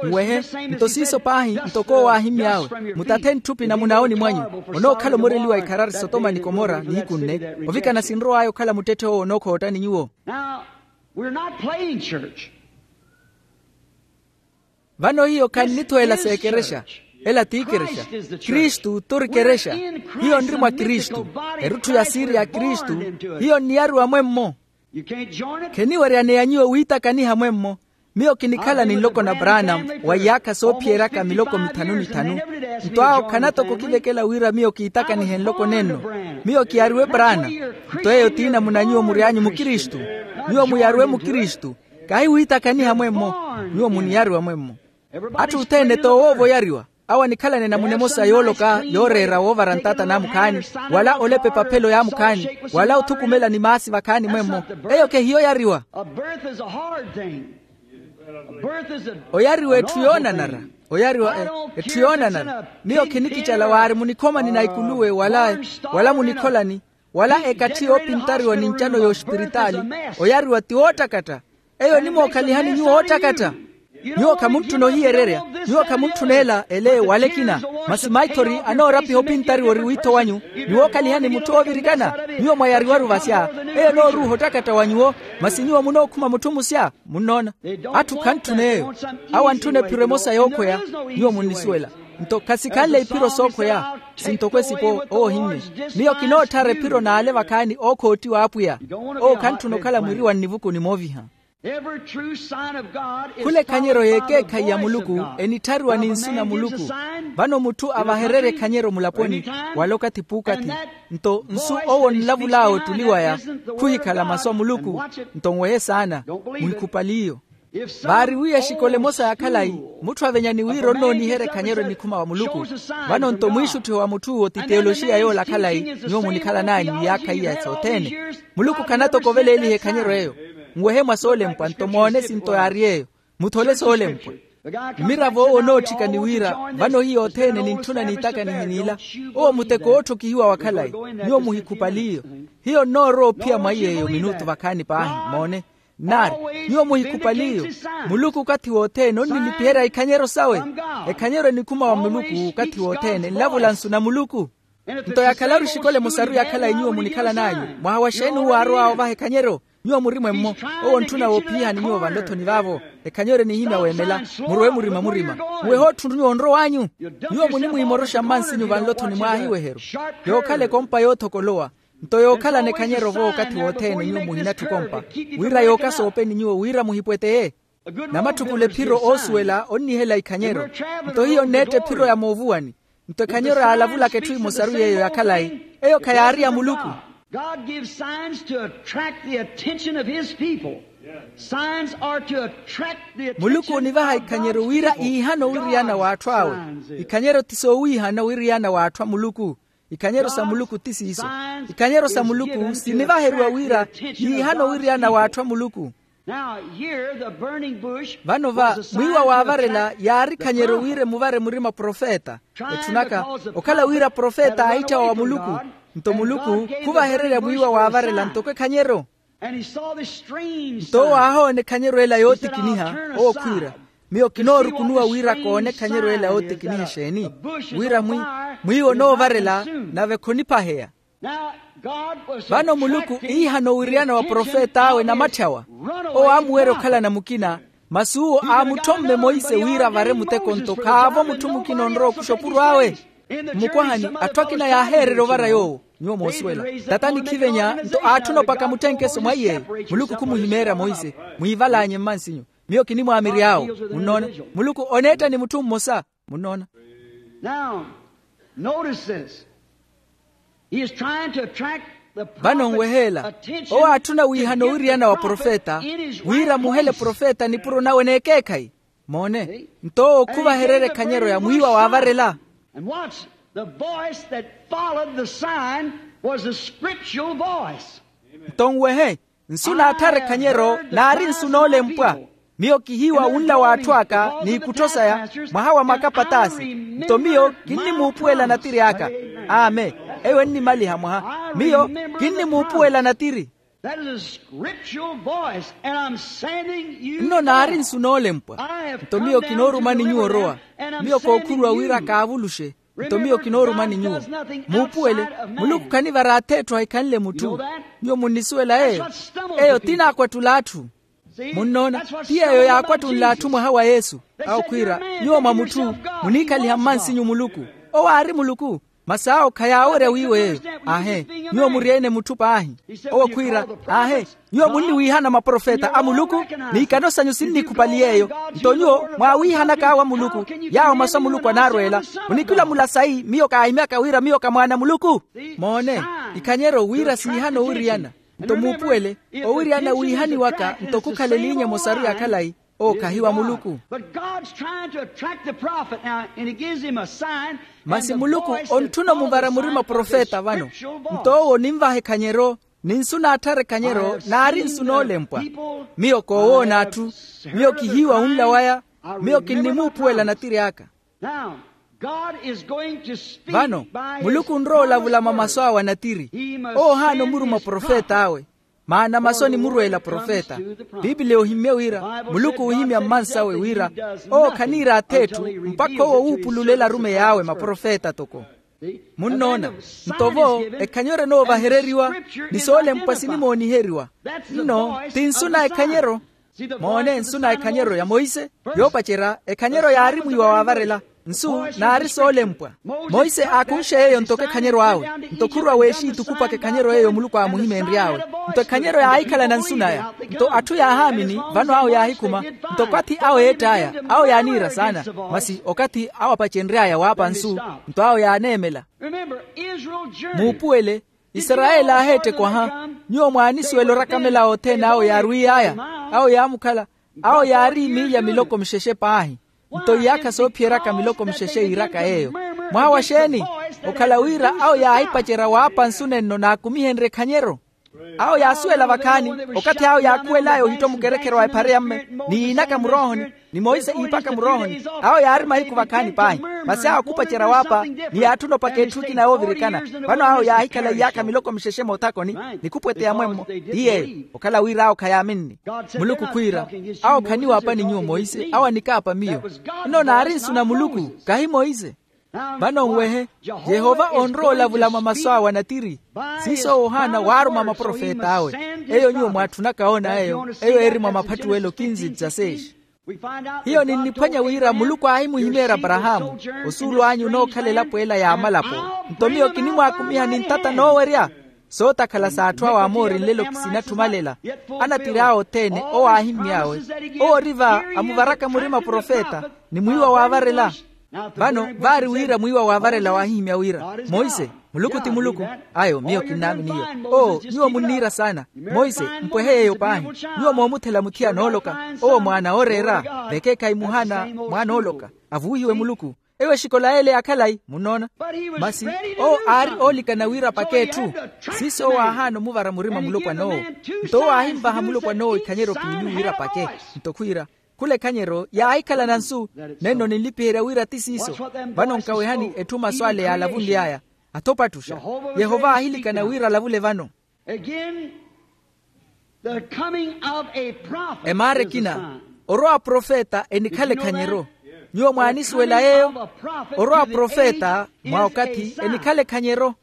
Nwehe, nto siiso paahi ntoko owo aahimmy'awe, mutathe ntthupi na munawoni mwanyu, onookhala omoreliwa ikharari sotoma ni komora nihiku nne, ovikana sinrow'aya okhala muttetthe owo onookhoottani nyuwo. We're not playing church. Vano hiyo khannithuwela s'ekerexa. Ela t'ikerexa. Kristu t'ori kerexa. Hiyo nri mwa kristu. Erutthu ya siiri ya kristu. Hiyo nniyariwa mwemmo. Kheniweryaneya nyuwo wiitakaniha mwemmo. Miyo kinikhala ni nloko na branham wa iyaakha soophiyeryaka miloko mithanu ni thanu. Nto awo khana toko kivekela wira miyo kiitakanihe nloko nenno. Miyo kiyariwe branham. Nto eyo t'inamuna nyuwo mury'anyu mukristu. Nyuwo muyariwe mukristu. Kahi wiitakaniha mwemmo. Nyuwo muniyariwa mwemmo. Atthu othene t'owoovo oyariwa. Awo anikhalana enamuna emosa yooloka yooreera woovara ntaata n'amukhaani, wala olepa epaphelo y'amukhaani, wala othukumela ni maasi vakhaani mwemmo. Eyo khehiyo oyariwa. Oyariwa etthu yoonanara. Oyariwa etthu yoonanara. Miyo khinikicala waari munikhomani na ikuluwe wala munikholani, wala ekatthi yoopintariwa ni ncano y'ospiritaali. Oyariwa ti woottakatta. Eyo enimwookhalihani nyuwo woottakatta. Nyuwo khamuntthuna ohiyererya. Nyuwo khamuntthuna ela ele wala ekina. Masi maithori anoorapiha opintariwa ori wiitho wanyu. Ni wookhalihani mutthu oovirikana. Nyuwo mwayariwaru vasya. Eyo enooruuha ottakatta wa nyuwo. Masi nyuwo munookhuma mutthu musya. Munnoona? Atthu khantthuna eyo. Awo antthuna ephiro emosa yookhoya. Nyuwo munnisuwela. Nto khasikhanle iphiro sookhweya. Sintoko esipo owo ohimmye. Miyo kinootthara ephiro n'ale vakhaani ookhoottiwa apwiya. Owo khantthuna okhala mwiri wa nnivukuni mooviha. Khula ekhanyero y'ekeekhayi ya muluku enitthariwa ni nsu na muluku. Vano mutthu avahererye ekhanyero mulaponi wala okathi p'ukathi. Nto nsu owo onlavul'awe ottuli waya khuhikhala masu a muluku. Nto nwehe saana. Muhikhupaliyo. Vaari wiiya exikola emosa ya khalayi. Mutthu avenya ni wira onnooniherya ekhanyero enikhuma wa muluku. Vano nto mwiixutthiho wa mutth'uwo ti teyoloxiya yoola khalayi. Nyuwo munikhalan'anyu iyaakha iya sothene. Muluku khanatokoveleliha ekhanyero eyo. Nwehe mwa soolempwa nto moone sinto yaari eyo. Muthole soolempwa. Mmiravo owo onootthika ni wira vano hiyo othene nintthuna niitakanihe n'ila. Owo muteko wootthokihiwa wa khalayi. Nyuwo muhikhupaliyo. Hiyo nnoorowa ophiya mwa iy'eyo minutu vakhaani paahi moone. Nnaari, nyuwo muhikhupaliyo. Muluku okathi wothene onnilipiherya ikhanyero sawe. Ekhanyero enikhuma wa muluku okathi wothene nlavula nsu na muluku. Nto yakhalaru exikola emosaru ya khalayi nyuwo munikhalan'anyu, mwaha wa xeeni uwo aarow'awe ovaha ekhanyero? Nyuwo muri mwemmo. Owo ontthuna woophiyihani nyuwo vanlothoni vaavo. Ekhanyero enihimya weemela. Murowe murima murima. Muwehe otthu nyuwo onrow'anyu. Nyuwo munimwiimoroxa mmansinyu vanlothoni mwaaha iweheru. Yookhala ekompa yoothokolowa. Nto yookhalana ekhanyero-vo okathi wothene nyuwo muhinatthi okompa, wira yookasa oopeni nyuwo wira muhipweteye. Namatthukulo ephiro oosuwela onnihela ikhanyero. Nto hiyo onneetta ephiro ya moovuwani. Nto ekhanyero yaalavulaka etthu emosaru yeeyo ya khalayi. Eyo khayaari ya muluku. God gives signs to attract the attention of his people. Signs are to attract the attention of God's people. Muluku onivaha ikhanyero wira iihana owiriyana w'atthu awe. Ikhanyero ti soowiihana owiriyana w'atthu a muluku. Ikhanyero sa muluku ti siiso. Ikhanyero sa muluku sinivaheriwa wira yiihana owiriyana w'atthu a muluku. Vano va mwiiwa waavarela yaari khanyero wira emuvare murima profeta. Etthunaka okhala wira profeta aahitthyawa wa muluku. Nto muluku khuvahererya mwiiwa waavarela ntoko ekhanyero. Nto owo aahoona ekhanyero ela yootikiniha. Owo khwiira, miyo kinoorukunuwa wira koone ekhanyero ela yootikiniha exeeni? Wira mwiiwa onoovarela nave khonipaheya. Vano muluku iihana owiriyana wa profet'awe namatthawa. Owo aamuwerya okhalana mukina. Masi uwo aamuthomme monse wira avare muteko nto khaavo mutthu mukina onrowa okuxa opuro awe. Mmukwahani atthu akina yaaheererya ovara yoowo. Nyuwo moosuwela, tata anikhivenya nto aatthuna opaka muttenkeso mwa iyeeyo. Muluku khumuhimeerya monse. Mwiivalaanye mmansinyu. Miyo kinimwaamiry'awo. Munnoona? Muluku oneetta ni mutthu mmosa. Munnoona? Now notice this. He is trying to attract the prophet's attention. Vano nweheela, owo aatthuna wiihana owiriyana wa profeta wira amuhele profeta nipuro nawe n'ekeekhayi. Moone. Nto owo khuvahererya ekhanyero ya mwiiwa waavarela. And watch, the voice that followed the sign was a scriptural voice. Nto nwehe, nsu naattharya ekhanyero naari nsu noolempwa. Miyo kihiiwa wunla w'atthu aka n'ikuttho saya mwaha wa makapatasi. Nto miyo kinnimuupuwela natiri aka. Amen. Eyo ennimaliha mwaha. Miyo kinnimuupuwela natiri. Nno naari nsu noolempwa. Nto miyo kinoorumani nyuwo orowa. Miyo kookhuruwa wira kaavuluxe. Nto miyo kinoorumani nyuwo. Muupuwele, muluku khanivara atheetthu ahikhanle mutthu. Nyuwo munnisuwela eyo? Eyo ti naakwattull'atthu. Munnoona? Ti yeeyo yaakwattunl'atthu mwaha wa yesu. Awo khwiira, nyuwo mwa mutthu muniikhaliha mmansinyu muluku. Owo aari muluku. Masi awo khayaawerya wiiwa eyo. Aahe. Nyuwo muri ene mutthu paahi. Owo khwiira, aahe, nyuwo munniwiihana maprofeta a muluku. N'ikano sanyu sinnikhupali yeeyo. Nto nyuwo mwaawiihanaka awo a muluku. Yaawo masu a muluku anaarweela. Munikilamula sayi miyo kaahimyaka wira miyo ka mwaana a muluku? Moone, ikhanyeryo wira siihana owiriyana. Nto muupuwele, owiryana wiihani waka nto khukhala eliinya emosaru ya khalayi. Owo khahi wa muluku. But god's trying to attract the prophet now and he gives him a sign. Masi muluku ontthuna omuvara murima profeta vano. Nto owo oninvaha ekhanyero, ni nsu naatthara ekhanyero naari nsu noolempwa. Miyo koowoona atthu. Miyo kihiiwa wunla waya. Miyo kinnimuupuwela natiri aka. Now god is going to speak. Vano muluku onrowa olavula mwa masu awe anatiri. Owo ohaana omuruma profeta awe. Maana masu onimurweela profeta. Piipiliya ohimmye wira muluku oohimya mmansawe wira owo khaniira ath'etthu mpakha owo wuupulule elarumeyi awe maprofeta toko. Munnoona? Nto vo ekhanyero enoovahereriwa ni soolempwa sinimooniheriwa. Nno ti nsu na ekhanyero. Moone nsu na ekhanyero ya monse. Yoopacerya ekhanyero yaari mwiiwa waavarela. Nsu naari soolempwa. Monse aakunxe yeeyo ntoko ekhanyero awe. Nto khurwa weexiitukupaka ekhanyero yeeyo muluku aamuhimeenry'awe. Nto ekhanyero yaahikhalana nsu naya. Nto atthu yaahaamini vano awo yaahikhuma. Nto okathi awo eett'aya awo yaaniira saana. Masi okathi awo apacenry'aya waapa nsu. Nto awo yaaneemela. Muupuwele. Isarayeli aaheettekwaha. Nyuwo mwaanisuwela orakamela othene awo yaarwiy'aya. Awo yaamukhala. Awo yaari emiilya miloko mixexe paahi. Nto iyaakha soophiyeraka miloko mixexe yiiraka yeeyo. Mwaawa xeeni? Okhala wira awo yaahipacerya waapa nsu nenno naakumihenrye ekhanyero. Awo yaasuwela vakhaani. Okathi awo yaakhuwel'aya ohitto mukerekheryo wa ephare ya mme ni yiinaka muroohoni ni monse iipaka muroohoni. Awo yaari mahiku vakhaani paahi. Masi awo khupacerya waapa ni yaatthuna opaka etthu ekina yoovirikana. Vano awo yaahikhala iyaakha miloko mixexe moothakoni ni khupweteya mwemmo. Ti yeeyo okhala wira awo khayaaminni. Muluku khwiira awo khaniwaapa ni nyuwo monse awo anikaapa miyo. Nno naari nsu na muluku kahi monse. Vano nwehe yehova onrowa olavula mwa masu awe anatiri. Siiso owo ohaana waaruma maprofet'awe. Eyo nyuwo mwaatthunaka oona eyo eyo eri mwa maphattuwelo kinzi dzaseexi. Hiyo ninniphwanya wira muluku aahimuhimeerya aparahaamu osuulu anyu onookhala elapo ela y'amalapo. Nto miyo kinimwaakumiha ni ntata noowerya. Sootakhala s'atthu awo amoori nlelo kisinatthuma lela. Anatiri awe othene owo aahimmy'awe. Owo ori va amuvaraka murima profeta ni mwiiwa waavarela. Vano vaari wira mwiiwa waavarela waahihimya wira monse muluku ti muluku. Ayo miyo kinnaaminiyo. Oo nyuwo munniira saana. Monse mpwehe yeeyo paahi. Nyuwo moomuthela muthiya nooloka owo mwaana ooreera. Vekeekhayi muhaana mwaana ooloka avuwihiwe muluku. Eyo exikola yeele ya khalayi munnoona. Masi owo aari oolikana wira apake etthu. Siiso owo aahaana omuvara murima mulopwan'owo. Nto owo aahimvaha mulopwan'owo ikhanyeryo piili wira apake. Nto khwiira khula ekhanyeryo yaahikhalana nsu. Nenno ninlipiherya wira ti siiso. Vano nkawehani etthu masu ale yaalavunly'aya. Atho opattuxa yehova aahilikana wira alavule vano. Again, the coming of a prophet. Emaara ekina orowa profeta enikhala ekhanyeryo. Nyuwo mwaanisuwela yeeyo. Orowa profeta mwa okathi enikhala ekhanyeryo.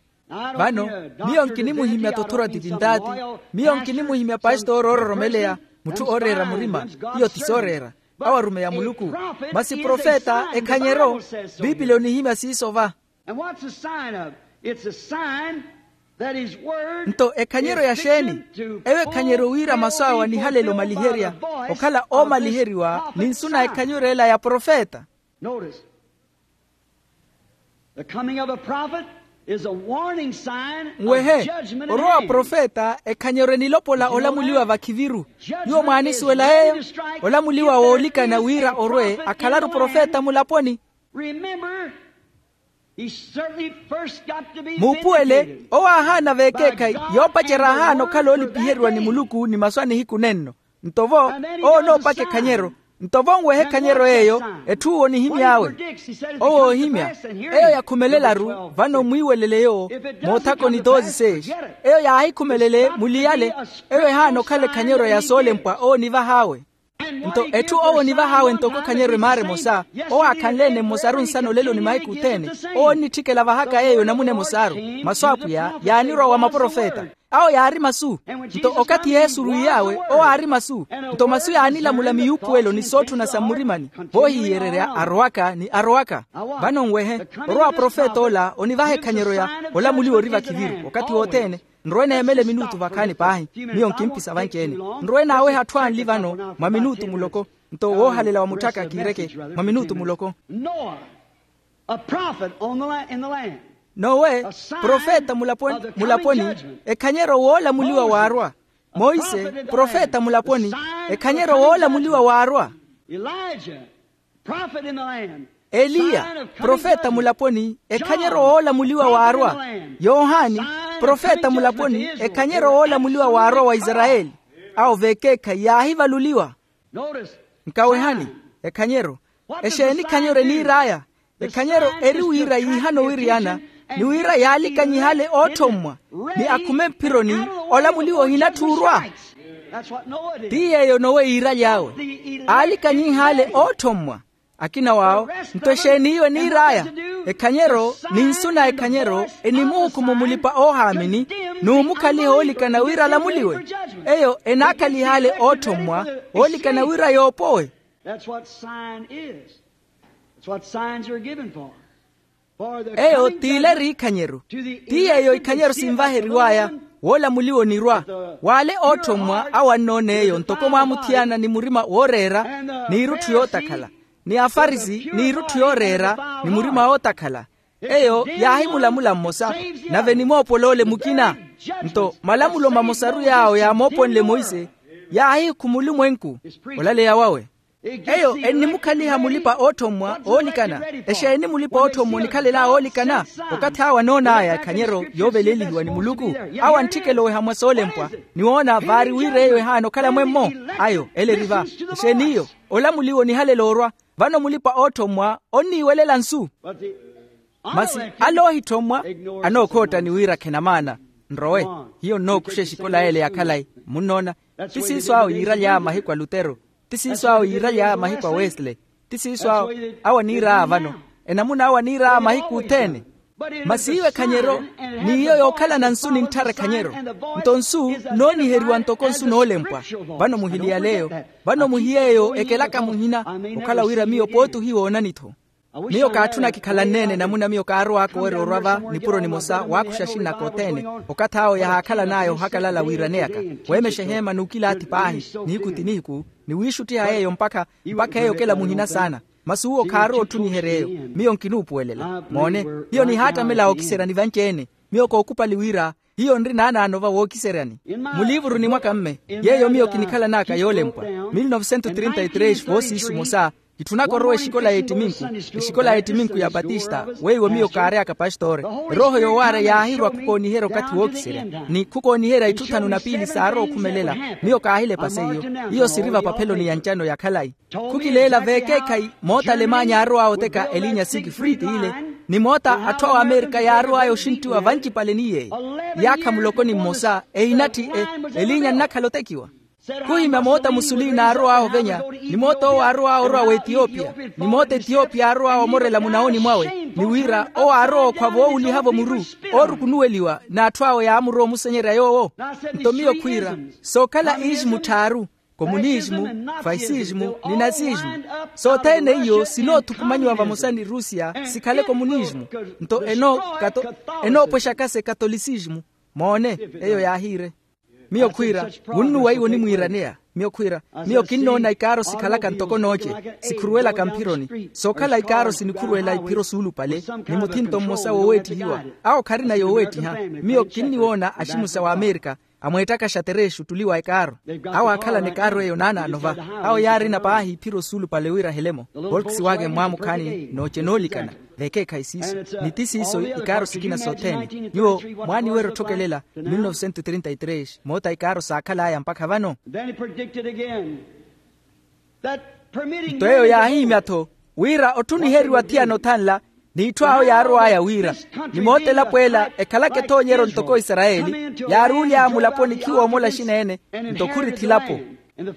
Vano miyo nkinimuhimya tothora tipintaati. Miyo nkinimuhimya pastori oororomeleya mutthu ooreera murima. Iyo ti sooreera. Awo arumeya muluku. Masi profeta ekhanyeryo. Piipiliya onihimya siiso va. And what's the sign of? It's a sign that his word. Nto ekhanyeryo ya xeeni? Eyo ekhanyeryo wira masu awe anihalele omaliherya okhala oomaliheriwa ni nsu na ekhanyeryo ela ya profeta. Notice the coming of a prophet is a warning sign. Nwehe orowa profeta ekhanyeryo enilopola olamuliwa vakhiviru. Nyuwo mwaanisuwela yeeyo. Olamuliwa woolikana wira orwe akhalaru profeta mulaponi. Remember, he certainly first got to be vindicated. Muupuwele owo aahaana veekeekhayi yoopacerya ahaana okhala oolipiheriwa ni muluku ni masu a nihiku nenno. Nto vo owo onoopaka ekhanyeryo. Nto vo nwehe ekhanyeryo yeeyo. Etthu owo onihimy'awe. Owo oohimya eyo yakhumelelaru vano mwiiwelele yoowo. Moothakoni doze seis eyo yaahikhumelele muliyale. Eyo ehaana okhala ekhanyeryo ya soolempwa owo onivah'awe. Nto etthu owo onivah'awe ntoko ekhanyeryo emaara emosa. Owo aakhanle-ene mmosaru nsana olelo ni mahiku othene. Owo onnitthikela vahaka yeeyo namuna emosaru. Masu a apwiya yaanirwa wa maprofeta. Awo yaari masu. Nto okathi yesu orwiy'awe owo aari masu. Nto masu yaanilamula miyuupuwelo ni sootthuna sa mmurimani. Voohiiyererya arowaka ni arowaka. Vano nwehe orowa profeta ola onivaha ekhanyeryo ya olamuliwa ori vakhiviru okathi wothene. Nrowe neemela minutu vakhaani paahi. Miyo nkimpisa vanci-ene. Nrowe naaweha atthu anli vano mwa minutu muloko. Nto woohalela wa mutthaka kiireke mwa minutu muloko. Noah, a prophet on the la- in the land. Nowe, profeta mulaponi mulaponi, ekhanyeryo woolamuliwa waarwa. Monse, profeta mulaponi, ekhanyeryo woolamuliwa waarwa. Eliya, profeta mulaponi, ekhanyeryo woolamuliwa waarwa. Yohani, profeta mulaponi, ekhanyeryo woolamuliwa waarwa wa isarayeli. Awo vekeekhayi yaahivaluliwa. Nkawehani, ekhanyeryo. Exeeni ekhanyeryo eniir'aya? Ekhanyeryo eri wira yiihana owiriyana, ni wira yaalikanyihale ootthommwa, ni akhume mphironi, olamuliwa ohinatthuurwa. Ti yeeyo nowe yiiraly'awe, aalikanyihale ootthommwa. Akina waawo, nto exeeni iyo eniir'aya? Ekhanyeryo, ni nsu na ekhanyeryo, enimuhukumu mulipa-oohaamini, n'umukhaliha oolikana wira alamuliwe. Eyo enaakhalihaale ootthommwa, oolikana wira yoopowe. That's what sign is. That's what signs are given for. Eyo t'ila eri ikhanyeryo. Ti yeeyo ikhanyeryo sinvaheriw'aya, woolamuliwa onirwa. W'ale ootthommwa awo annoona eyo ntoko mwaamuthiyana ni murima wooreera, n'irutthu yootakhala, ni afarisi n'irutthu yooreera, ni murima wootakhala. Eyo yaahimulamula mmosa, nave enimoopola ole mukina. Nto malamulo mamosaru yaawo yaamooponle monse, yaahihikhuma olumwenku. Olaleya wawe. Eyo ennimukhaliha mulipa-ootthommwa oolikana. Exeeni mulipa-ootthommwa onikhalel'awe oolikana? Okathi awo anoon'aya ekhanyeryo yoovelelihiwa ni muluku, awo antthikela oweha mwa soolempwa, ni woona vaari wira eyo ehaana okhala mwemmo. Ayo ela eri va. Exeeni iyo? Olamuliwa onihalela orwa. Vano mulipa-ootthommwa onniiwelela nsu. Masi ale oohithommwa anookhootta ni wira khenamaana. Nrowe, hiyo nnookuxa exikola y'ele ya khalayi. Munnoona? Ti siiso awo yiiraly'aya mahiku a lutero. Ti siiso awo yiiraly'aya mahiku a wesley. Ti siiso awo, awo aniir'aya vano. Enamuna awo aniir'aya mahiku othene. Masi iwe ekhanyeryo, n'iyo yookhalana nsu nintthara ekhanyeryo. Nto nsu nooniheriwa ntoko nsu noolempwa. Vano muhiliyale eyo. Vano muhiy'eyo ekelaka muhina, okhala wira miyo pooti ohiwoonani-tho. Miyo kaatthuna kikhalanne-ene namuna miyo kaarowaaka owerya orwa va nipuro nimosa waakuxa axin'aka othene. Okathi awo yahaakhalan'aya ohakalala wiiraneyaka, weemexa eheema n'ukilaathi paahi, nihiku ti nihiku, ni wiixuttiha yeeyo mpakha, mpakha eyo okela muhina saana. Masi uwo khaarowa otthuniherya eyo. Miyo nkinuupuwelela moone. Hiyo nihaattamela wookiseryani vanci-ene. Miyo kookupali wira hiyo nri naanaano va wookiseryani. Muliivuruni mwaka mme, yeeyo miyo kinikhalan'aka yoolempwa, mil novecentos trinta y tres voosiisu mosa, kitthunaka orowa exikola y'ettiminku, exikola y'ettiminku ya patista weiwo miyo kaary'aka pastoore. Erooho yoowaarya yaahirwa khukooniherya okathi wookiserya, ni khukooniherya itthu thanu na piili saarowa okhumelela. Miyo kaahilepa seiyo. Iyo siri vapapheloni ya ncano ya khalayi. Khukileela veekeekhayi moota alemanya yaarow'awe oteka elinya sikifriti ile, ni moota atthu awo amerika yaarow'aya oxinttiwa vancipale ni yeeyo. Yaakha muloko ni mmosa, ehinatthi elinya nnakhala otekiwa. Khuhimya moota musuliina yaarow'awe ovenya, ni moota owo yaarow'awe orwa w'etiyopiya, ni moota etiyopiya yaarow'awe omorela munawoni mwawe, ni wira owo aarowa okhwa voowuliha-vo muru, oorukunuweliwa n'atthu awe yaamurowa omusenyerya yoowo. Nto miyo khwiira, sookhala iisimu tthaaru, komunismu, fasismu, ni nasismu. Sothene iyo sinoothukumanyiwa vamosa ni rusia sikhale komunismu. Nto enoopwexaka se katolisismu. Moone, eyo yaahiire. Miyo khwiira, wunnuwa iwo onimwiiraneya. Miyo khwiira, miyo kinnoona ikaaro sikhalaka ntoko nooce, sikhuruwelaka mphironi. Sookhala ikaaro sinikhuruwela iphiro suulupale, ni muthinto mmosa wooweettihiwa. Awo kharina yooweettiha. Miyo kinniwoona aximusa wa amerika, amweettaka xatereexi ottuli wa ekaaro. Awo aakhalana ekaaro eyo naanaano va. Awo yaarina paahi iphiro suulupale wira helemo, volkswagen mwaamukhaani nooce noolikana. Vekeekhayi siiso. Ni ti siiso ikaaro sikina sothene. Nyuwo mwaaniwerya otthokelela. Mil novecentos trinta y tres moota ikaaro saakhal'aya mpakha vano. Nto eyo yaahihimya-tho wira otthuniheriwa athiyana othanla, n'itthu awo yaarow'aya wira, ni moota elapo ela ekhalaka ethoonyeryo ntoko isarayeli, yaaruuly'aya mulaponi khiwoomola axina-ene. Nto khurithi elapo.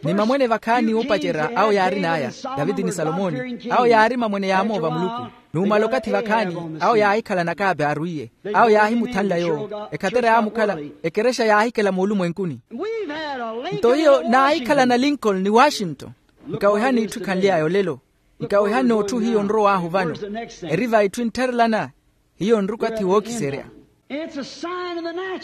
Ni mamwene vakhaani oopacerya awo yaarin'aya, taviti ni salomoni, awo yaari mamwene yaamoova muluku. N'umala okathi vakhaani, awo yaahikhala nakaapi aarwiiye. Awo yaahimuthanla yoowo ekhatera yaamukhala, ekerexa yaahikela moolumwenkuni. Nto hiyo naahikhalana lincoln ni washington. Nkawehani itthu ekhanly'aya olelo. Nkawehani otthu hiyo nrow'ahu vano. Eri va itthu enttharelana. Hiyo nri okathi wookiserya.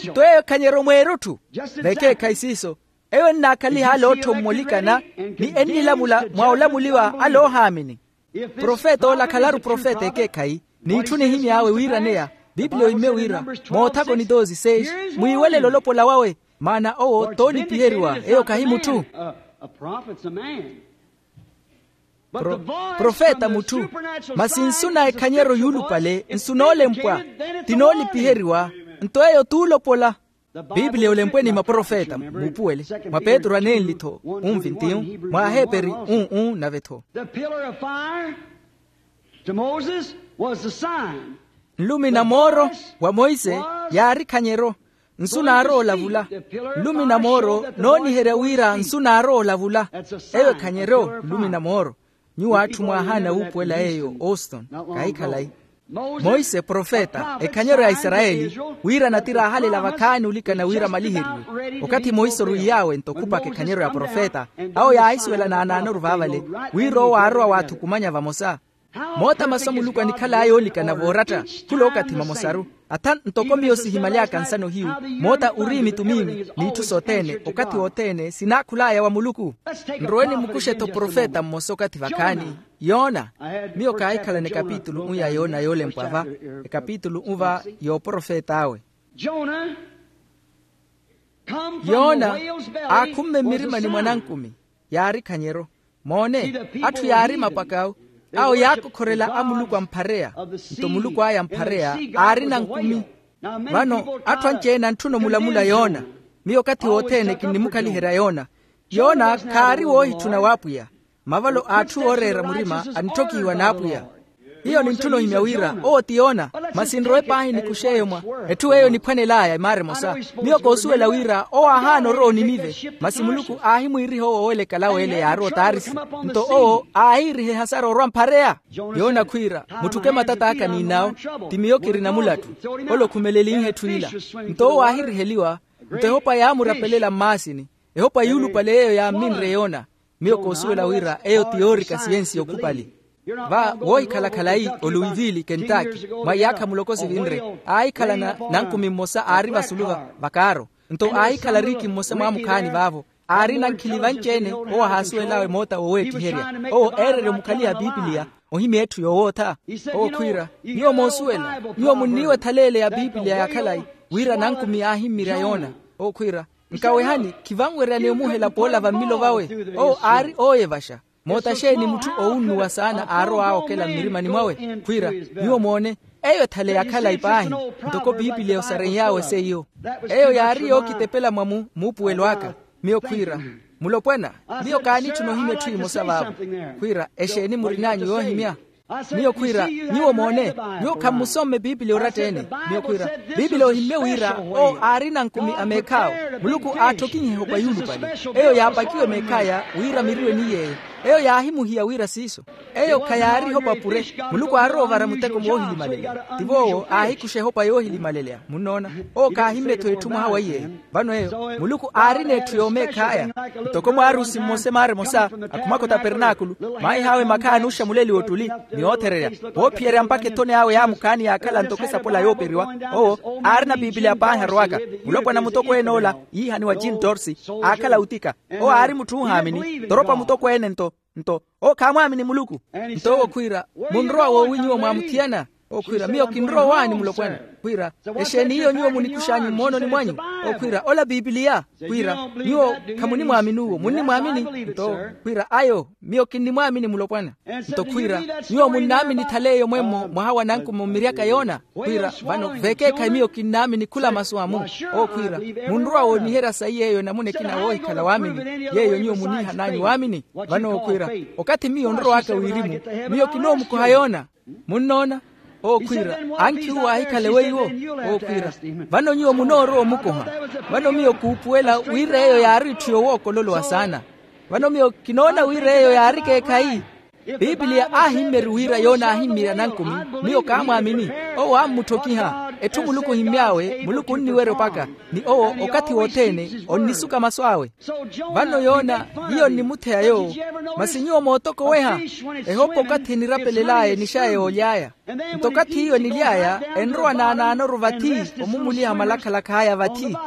Nto eyo ekhanyeryo mweerutthu. Vekeekhayi siiso. Eyo ennaakhaliha ale ootthommolikana, ni ennilamula mwa olamuliwa ale oohaamini. Profeta ola khalaru profeta ekeekhayi, n'itthu nihimy'awe wiiraneya. Piipiliya ohimmye wira, moothakoni doze seis, mwiiwelele olopola wawe. Maana owo t'olipiheriwa, eyo khahi mutthu. Profeta mutthu. Masi nsu na ekhanyeryo yuulupale nsu noolempwa, ti noolipiheriwa. Nto eyo t'ulopola. Piipiliya olempwe ni maprofeta muupuwele, mwa petru anenli-tho, unvintiyu, mwa aheperi, un-un nave-tho. The pillar of fire to Moses was the sign. Nlumi na mooro wa monse yaari khanyeryo. Nsu naarowa olavula. Nlumi na mooro nooniherya wira nsu naarowa olavula. Eyo ekhanyeryo nlumi na mooro. Nyuwo atthu mwaahaana wuupuwela yeeyo auston. Kahikhalayi. Monse profeta ekhanyeryo ya isarayeli, wira natiri aahalela vakhaani olikana wira maliheriwe. Okathi monse orwiy'awe nto khupaka ekhanyeryo ya profeta, awo yaahisuwela naanaanoru vaavale, wira owo aarowa waathukumanya vamosa. Moota masu a muluku anikhal'aya oolikana vooratta khula okathi mamosaru. Atha ntoko miyo sihimaly'aka nsano hiyu, moota uriimi tumiimi n'itthu sothene okathi wothene sinaakhul'aya wa muluku. Nrowe nimukuxe-tho profeta mmosa okathi vakhaani. Yona. Miyo kaahikhalana ekapitulu u ya yona yoolempwa va, ekapitulu u va y'oprofet'awe. Yona aakhumme mmirimani mwa nankumi, yaari khanyeryo. Moone, atthu yaari mapakau, awo yaakokhorela a muluku amphareya. Nto muluku aya amphareya aari nankumi. Vano atthu anci-ene antthuna omulamula yona. Miyo okathi wothene kinnimukhaliherya yona. Yona khaari woohitthuna w'apwiya. Mavalo a atthu ooreera murima anitthokhihiwa n'apwiya. Hiyo nintthuna ohimya wira owo ti yona. Masi nrowe paahi nikuxe eyo mwa etthu eyo eniphwanel'aya emaara emosa. Miyo koosuwela wira owo aahaana orowa oninive. Masi muluku aahimwiiriha owo oowelekala w'ele yaarowa otarisi. Nto owo aahiiriha ehasara orwa mphareya. Yona khwiira, mutthuke matat'aka n'inawo. Ti miyo kirina mulattu. Ole okhumelenlihe etthu ila. Nto owo aahiriheliwa. Nto ehopa yaamurapelela mmaasini. Ehopa yuulupale yeeyo yaamminre yona. Miyo koosuwela wira eyo ti yoorika siyensi okhupali. Va woohikhala khalayi oluwivili kentaki mwa iyaakha muloko sivinre, aahikhala nankumi mmosa aari vasulu va kaaro. Nto aahikhala riiki mmosa mwaamukhaani vaavo. Aari nankhili vanci-ene owo ahaasuwel'awe moota woweettiherya. Owo eererya omukhaliha a pipiliya ohimya etthu yoowootha. Owo khwiira, nyuwo moosuwela, nyuwo munniiwetha leele ya pipiliya ya khalayi, wira nankumi aahimmirya yoona. Owo khwiira, nkawehani, khivanweryani omuhela poola vammilo vawe. Owo aari ooyevaxa. Moota xeeni mutthu oowunnuwa saana aarow'awe okela mmirimani mwawe? Khwiira, nyuwo moone, eyo ethale ya khalayi paahi. Ntoko pipiliya osarenhy'awe seiyo. Eyo yaari yookitepela mwa muupuwelo aka. Miyo khwiira, mulopwana, miyo kaanitthuna ohimya etthu emosa vaavo. Khwiira, exeeni murin'anyu yoohimya? Miyo khwiira, nyuwo moone, nyuwo khammusomme pipiliya oratta-ene. Miyo khwiira, pipiliya ohimmye wira owo aari nankumi a meekh'awe. Muluku aatthokihiha ehopa yuulupale. Eyo yaapakiwe meekh'aya wira miriwe ni yeeyo. Eyo yaahimuhiya wira siiso. Eyo khayaari ehopa pure. Muluku aarowa ovara muteko moohilimaleleya. Tivo owo aahikuxa ehopa yoohilimaleleya, munnoona. Owo khaahimme-tho etthu mwaha wa iyeeyo. Vano eyo muluku aarina etthu yoomeekh'aya. Ntoko mwaarusi mmosa emaara emosa akhumaka otapernaakulu, maahih'awe makhaani oxamuleliwa ottuli ni oothererya, woophiyerya mpakha ethoni awe yaamukhaani yaakhala ntoko esapola yooperiwa. Owo aarina pipiliya paahi arowaka. Mulopwana mutokweene ola yiihaniwa jin torsi, aakhala utika. Owo aari mutthu oohaamini toropa mutokweene nto nto owo khaamwaamini muluku. Nto owo khwiira, munrowa woowi nyuwo mwaamuthiyana? Owo khwiira, miyo kinrowa owaani mulopwana. Khwiira, exeeni hiyo nyuwo munikux'anyu mmoononi mwanyu? Owo khwiira, ola pipiliya. Khwiira, nyuwo khamunimwaamini uwo munnimwaamini? Nto owo khwiira, ayo, miyo kinnimwaamini mulopwana. Nto khwiira, nyuwo munnaamini thaleeyo mwemmo mwaha wa nankumi ommiryaka yoona? Khwiira, vano vekeekhayi miyo kinnaamini khula masu amu. Owo khwiira, munrowa wooniherya sayi yeeyo enamuna ekina woohikhala waamini, yeeyo nyuwo muniihan'anyu waamini. Vano owo khwiira, okathi miyo nrow'aka wirimu, miyo kinoomukoha yoona. Munnoona? Owo khwiira, ankhi uwo aahikhale weiwo. Owo khwiira, vano nyuwo munoorowa omukoha. Vano miyo kuupuwela wira eyo yaari etthu yoowokololowa saana. Vano miyo kinoona wira eyo yaari ekeekhayi. Pipiliya aahimmeri wira yoona aahimmirya nankumi, miyo kaamwaamini. Owo aammutthokiha. Etthu muluku ohimmy'awe muluku onniwerya opaka, ni owo okathi wothene onnisuka masu awe. Vano yoona hiyo nnimutheya yoowo. Masi nyuwo mootokoweha? Ehopa okathi enirapelel'aya enixaya yooly'aya. Nto okathi hiyo enily'aya, enrowa naanaanoru vathi, omumuliha malakhalakha aya vathi.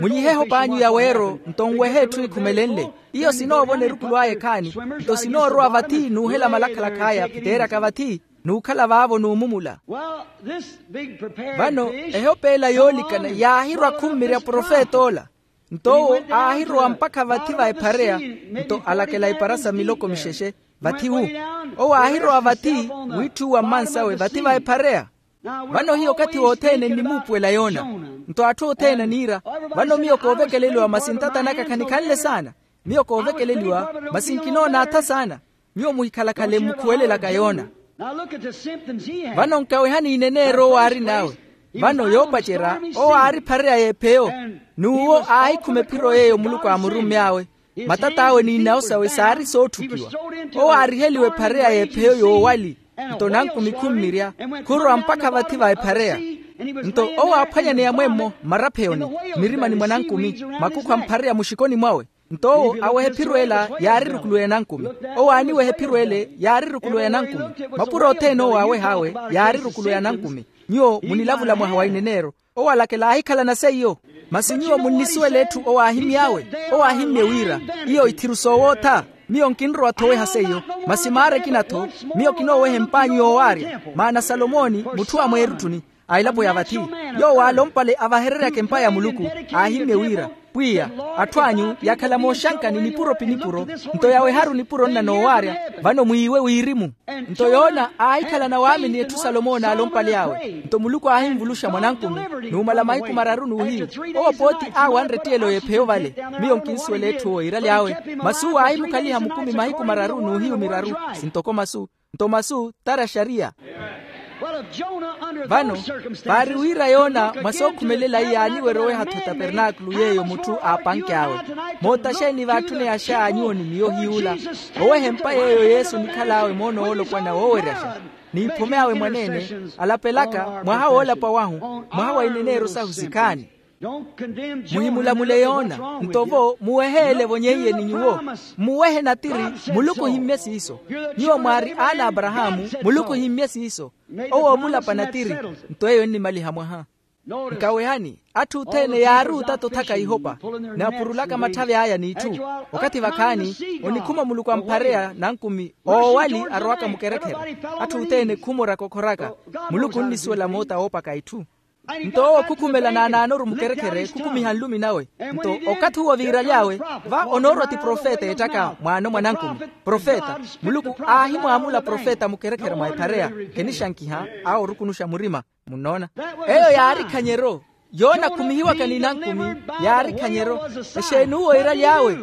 Mulyihe ehop'anyu ya weero nto nwehe etthu ekhumelenle. Iyo sinoovona erukulu aya ekhaani, nto sinoorowa vathi n'uhela malakhalakha aya phiteeryaka vathi. n'ukhala vaavo n'umumula. Vano ehopeela yoolikana yaahirwa khummirya profet'ola. Nto owo aahirowa mpakha vathi va ephareya. Nto alakela ipara sa miloko mixexe vathi wu. Owo aahirowa vathi wiitthuwa mmansawe vathi va ephareya. Vano hiyo okathi wothene nnimuupuwela yona. Nto atthu othene aniira, vano miyo koovekeleliwa masi ntata naka khanikhanle saana. Miyo koovekeleliwa masi nkinoonatha saana. Miyo muhikhalakhale mmukhuwelelaka yoona. Vano nkawehani ineneero owo aarin'awe. Vano yoopacerya owo aari phareya y'epheyo. N'uwo aahikhuma ephiro yeeyo muluku aamurumy'awe. Matat'awe n'inawo sawe saari sootthukiwa. Owo aariheliwe phareya y'epheyo yoowali. Nto nankumi khummirya, khurowa mpakha vathi va ephareya. Nto owo aaphwanyaneya mwemmo mmarapheyoni, mmirimani mwa nankumi, makukhu a mphareya muxikoni mwawe. Nto owo aweha ephiro ela yaari erukuluweya nankumi. Owo aaniweha ephiro ele yaari erukuluweya nankumi. Mapuro othene owo aaweh'awe yaari erukuluweya nankumi. Nyuwo munilavula mwaha wa ineneero. Owo alakela aahikhalana seiyo. Masi nyuwo munnisuwela etthu owo aahimy'awe. Owo aahimmye wira, iyo ithiru soowootha. Miyo nkinrowa-tho oweha seiyo. Masi maara ekina-tho, miyo kinooweha emp'anyu yoowaarya. Maana salomoni mutthu a mweerutthuni a elapo ya vathi, yoowo aalompale avahereryaka empa ya muluku, aahimmye wira, pwiya, atthu anyu yaakhala mooxankani nipuro pi nipuro. Nto yaweharu nipuro nna noowaarya, vano mwiiwe wirimu. Nto yoona aahikhalana waamini etthu salomoni aalompale awe. Nto muluku aahinvuluxa mwa nankumi, numala mahiku mararu n'uhiyu. Owo pooti aawanre ettiyelo y'epheyo vale. Miyo nkinsuwela etthu owo iiraly'awe. Masi owo aahimukhaliha mukumi mahiku mararu n'uhiyu miraru. Sintoko masu, nto masu tari axariya. Vano, vaari wira yona mwa sookhumelela iyaaniwerya oweha-tho etapernaakulu yeeyo mutthu aapanky'awe. Moota xeeni vaatthuney'axa nyuwo ni miyo hiy'ula? Oweha empa yeeyo yesu onikhal'awe moono woolopwana wooweryasha, n'iphomy'awe mwaneene, alapelaka mwaha woolapa wahu, mwaha wa ineneero sahu sikhaani. Muhimulamule yoona. Nto-vo muwehe ele evonyeiye ni nyuwo. Mmuwehe natiri. Muluku ohimmye siiso. Nyuwo mwaari aana a aparahaamu. Muluku ohimmye siiso. Owo omulapa natiri. Nto eyo ennimaliha mwaha. Nkawehani, atthu othene yaari otatta othaka ihopa, ni apurulaka matthavi aya n'itthu. Okathi vakhaani, onikhuma muluku amphareya nankumi oowali arowaka mukerekhere. Atthu othene khumoraka okhoraka. Muluku onnisuwela moota woopaka itthu. Nto owo khukhumela naanaanoru mukerekhere khukumiha nlumi nawe. Nto okathi uwo viiraly'awe, va onoorwa ti profeta eettaka mwaano mwa nankumi. Profeta. Muluku aahimwaamula profeta mukerekhere mwa ephareya. Khenixankiha awo orukunuxa murima. Munnoona? Eyo yaari khanyero. Yoona akhumihiwaka ni nankumi, yaari khanyero. Exeeni uwo iiraly'awe?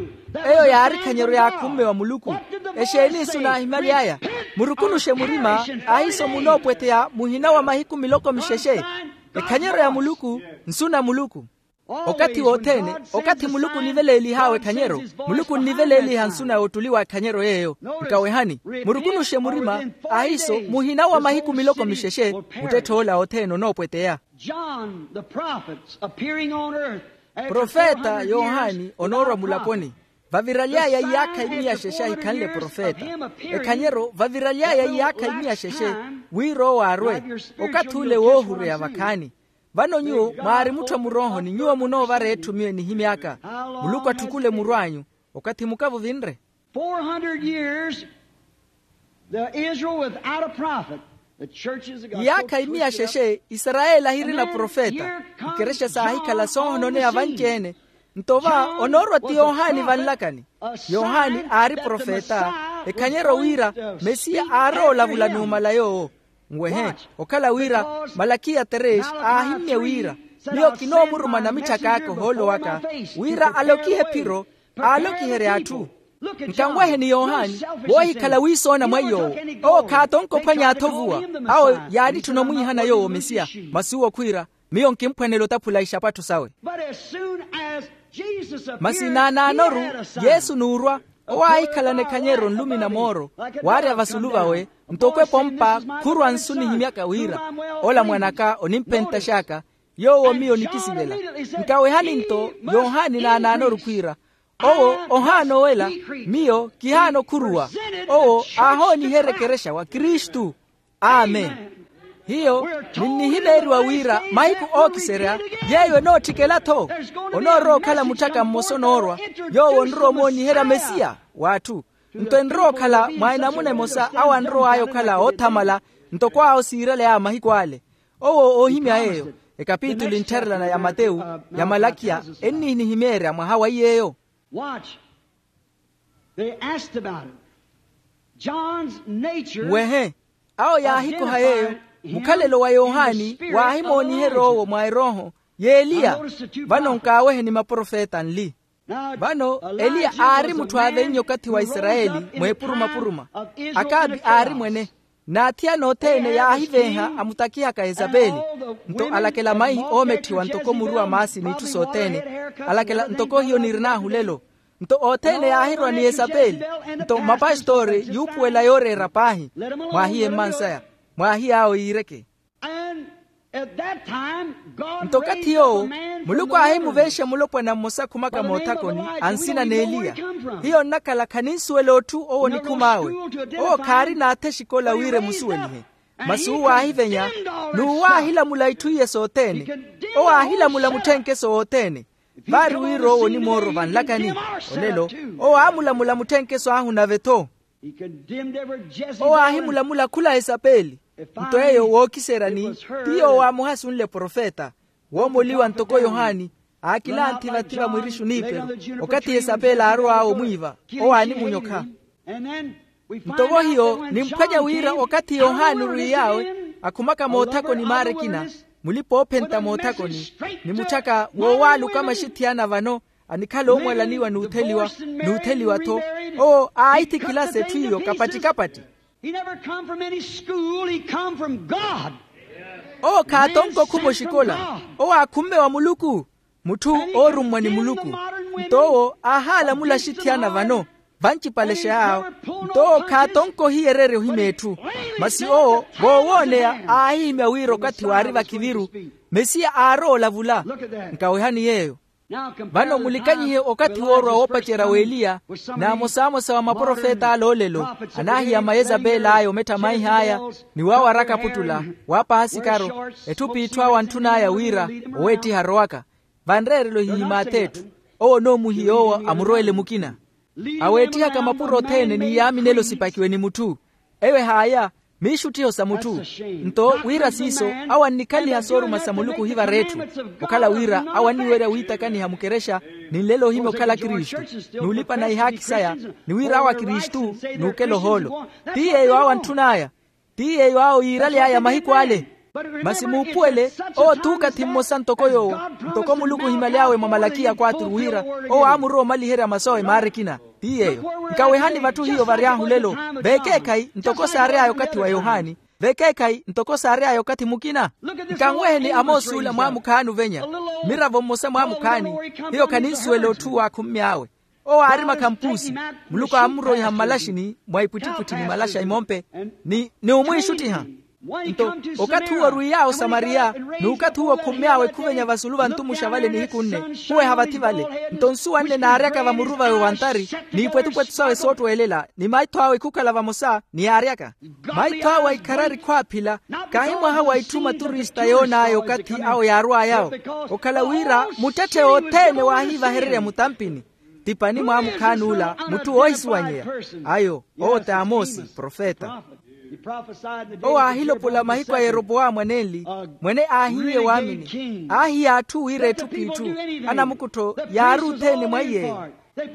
Eyo yaari khanyero yaakhumme wa muluku. Exeeni isu naahimaly'aya? Murukunuxe murima. Ahiiso munoopwetheya muhina wa mahiku miloko mixexe. Ekhanyero ya muluku, nsu na muluku. Okathi wothene, okathi muluku oniveleelih'awe ekhanyero, muluku onniveleeliha nsu na ottuli wa ekhanyero yeeyo. Nkawehani, murukunuxe murima. Ahiiso muhina wa mahiku miloko mixexe, muttetthe ola othene onoopweteya. John the prophet appearing on earth. Profeta yohani onoorwa mulaponi. Vaviraly'aya iyaakha imiya xexe ahikhanle profeta. Ekhanyero vaviraly'aya iyaakha imiya xexe, wira owo arwe. Okathi ule woohureya vakhaani. Vano nyuwo mwaari mutthu a muroohoni, nyuwo munoovara etthu miyo enihimy'aka. Muluku atthukule muru anyu. Okathi muka vuvinre. Four hundred years, the Israel without a prophet. The churches of God. Iyaakha imiya xexe isarayeli ahirina profeta. Ikerexa saahikhala soohononeya vanci-ene. Nto va onoorwa ti yohani vanlakani. Yohani aari profeta. Ekhanyeryo wira mesiya aarowa olavula numala yoowo. Nwehe, okhala wira malakiya terex aahimmye wira, miyo kinoomuruma namitthaka aka ohoolo waka, wira alokihe ephiro, aalokiherye atthu. Nkanweheni yohani, woohikhala wiisoona mwa iy'owo. Owo khaatonka ophwanya atthu ovuwa. Awo yaanitthuna omwiihana yoowo mesiya. Masi uwo khwiira, miyo nkimphwanela otaphula ixapatthu sawe. Masi naanaanoru, yesu nuurwa, owo aahikhalana ekhanyeryo nlumi na mooro, waarya vasulu vawe, ntoko epompa khurwa nsu nihimyaka wira, ola mwan'aka onimphentax'aka, yoowo miyo nikisivela. Nkawehani nto yohani naanaanoru khwiira, owo ohaana owela, miyo kihaana okhuruwa. Owo aahooniherya ekerexa wa kristu. Amen. Hiyo, ninnihimeeriwa wira mahiku ookiserya yeeyo enootthikela-tho. Onoorowa okhala mutthaka mmosa onoorwa, yoowo onrowa omooniherya mesiya w'atthu. Nto enrowa okhala mwa enamuna emosa awo anrow'aya okhala oothamala, Ntoko awo siirale a mahiku ale. Owo oohimya yeeyo, ekapituli nttharelana ya matewu, ya malakiya, ennihinihimeerya mwaha wa iy'eyo. Wehe, awo yaahikoha yeeyo. Mukhalelo wa yohani waahimooniherya owo mwa erooho, y'eliya. Vano nkaawehe ni maprofeta nli. Vano eliya aari mutthu aavennya okathi wa isarayeli, mweepuruma-puruma. Akabi aari mwene. N'athiyana othene yaahivenha amutakihaka yesapeli. Nto alakela maihi oometthiwa ntoko muru wa maasi n'itthu sothene. Alakela ntoko hiyo nirin'ahu lelo. Nto othene yaahirwa ni yesapeli. Nto mapastori yuupuwela yooreera paahi. Mwaahiye mmansaya. Mwaahiy'awo yiireke. Nto okathi yoowo, muluku aahimuvenxa mulopwana mmosa akhumaka moothakoni, a nsina n'eliya. Hiyo nnakhala khaninsuwela otthu owo onikhum'awe. Owo khaari n'atha exikola wira emusuwelihe. Masi uwo aahivenya, n'uwo aahilamula itthu iye sothene. Owo aahilamula mutthenkeso wothene. Vaari wira owo onimooro vanlakani. Olelo, owo aamulamula mutthenkeso ahu nave-tho. Owo aahimulamula khula esapeli. Nto eyo wookiserya ni, ti yoowo aamuhasunle profeta, woomoliwa ntoko yohani. Aakilanthi vathi va mwirishu n'iperu. Okathi esapeli aarow'awe omwiiva, owo aanimunyokha. Nto vo hiyo nimphwanya wira okathi yohani orwiy'awe, akhumaka moothakoni maara ekina, mulipa-oophenta moothakoni, ni mutthaka woowaaluka maxithiyana vano, anikhala oomwalaniwa n'utheliwa, n'utheliwa-tho. Owo aahithikhilasa etthu iyo kapatti-kapatti. He never come from any school, he come from God. Owo khaatonka okhuma oxikola. Owo aakhumme wa muluku, mutthu oorummwa ni muluku. Nto owo aahaalamula axithiyana vano, vancipalexa yaawo. Nto owo khaatonka ohiyererya ohima etthu. Masi owo voowooneya aahihimya wira okathi waari vakhiviru, mesiya aarowa olavula. Nkawehani yeeyo. Vano mulikanyihe okathi woorwa woopacerya w'eliya, n'amosamosa wa maprofeta ale olelo, anaahiyama yezapeli aya omettha maih'aya, ni waawaraka aputtula, waapaha sikaro, etthu p'itthu awo antthun'aya wira, oweettiha arowaka. Vanreerelo ehihim'ath'etthu. Owo onoomuhiya owo amurowele mukina. Aweettihaka mapuro othene ni yaaminelo sipakiwe ni mutthu. Eyo ehaaya, miixuttiho sa mutthu. Nto wira siiso, awo annikhaliha sooruma sa muluku ohivara etthu. Okhala wira awo anniwerya wiitakaniha mukerexa, ni nlelo ohimya okhala kristu, n'ulipana ihaakhi saya, ni wira awo akristu, n'ukela ohoolo. Ti yeeyo awo antthun'aya. Ti yeeyo awo yiiraly'aya mahiku ale. Masi muupuwele, owo t'ukathi mmosa ntoko yoowo. Ntoko muluku ohimyaly'awe mwa malakiya quatru wira, owo aamurowa omaliherya masu awe maara ekina. Ti yeeyo. Nkawehani vatthu hiyo vary'ahu lelo. Vekeekhayi ntoko saary'aya okathi wa yohani. Vekeekhayi ntoko saary'aya okathi mukina. Nkanweheni amosi ula mwaamukhaani ovenya. Mmiravo mmosa mwaamukhaani. Hiyo khaninsuwela otthu owo aakhummy'awe. Owo aari makhampuusi. Muluku aamuroiha mmalaxini mwa ipwittipwitthi ni malaxa imompe, ni ni omwiixuttiha. Nto okathi uwo orwiy'awe osamariya, n'ukathi uwo okhummy'awe khuvenya vasulu va ntumuxa vale nihiku nne, khuweha vathi vale. Nto nsuwa nne naaryaka vamuru vawe wa ntari, n'ipwetupwetu sawe soottweelela ni maitho awe khukhala vamosa ni yaaryaka. Maitho awe aikharari khwaaphila. Kaahi mwaha wa itthu maturista yoon'aya okathi awo yaarw'ay'awo. Okhala wira muttetthe othene waahiivahererya mutampini. Ti pani mwaamukhaani ula mutthu woohisuwanyeya. Ayo owo t'amosi profeta. Owo aahilopola mahiku a yeropowamu anenli, mwene aahiiye waamini. Aahiya atthu wira etthu p'itthu, anamukuttho yaari othene mwa iy'eyo.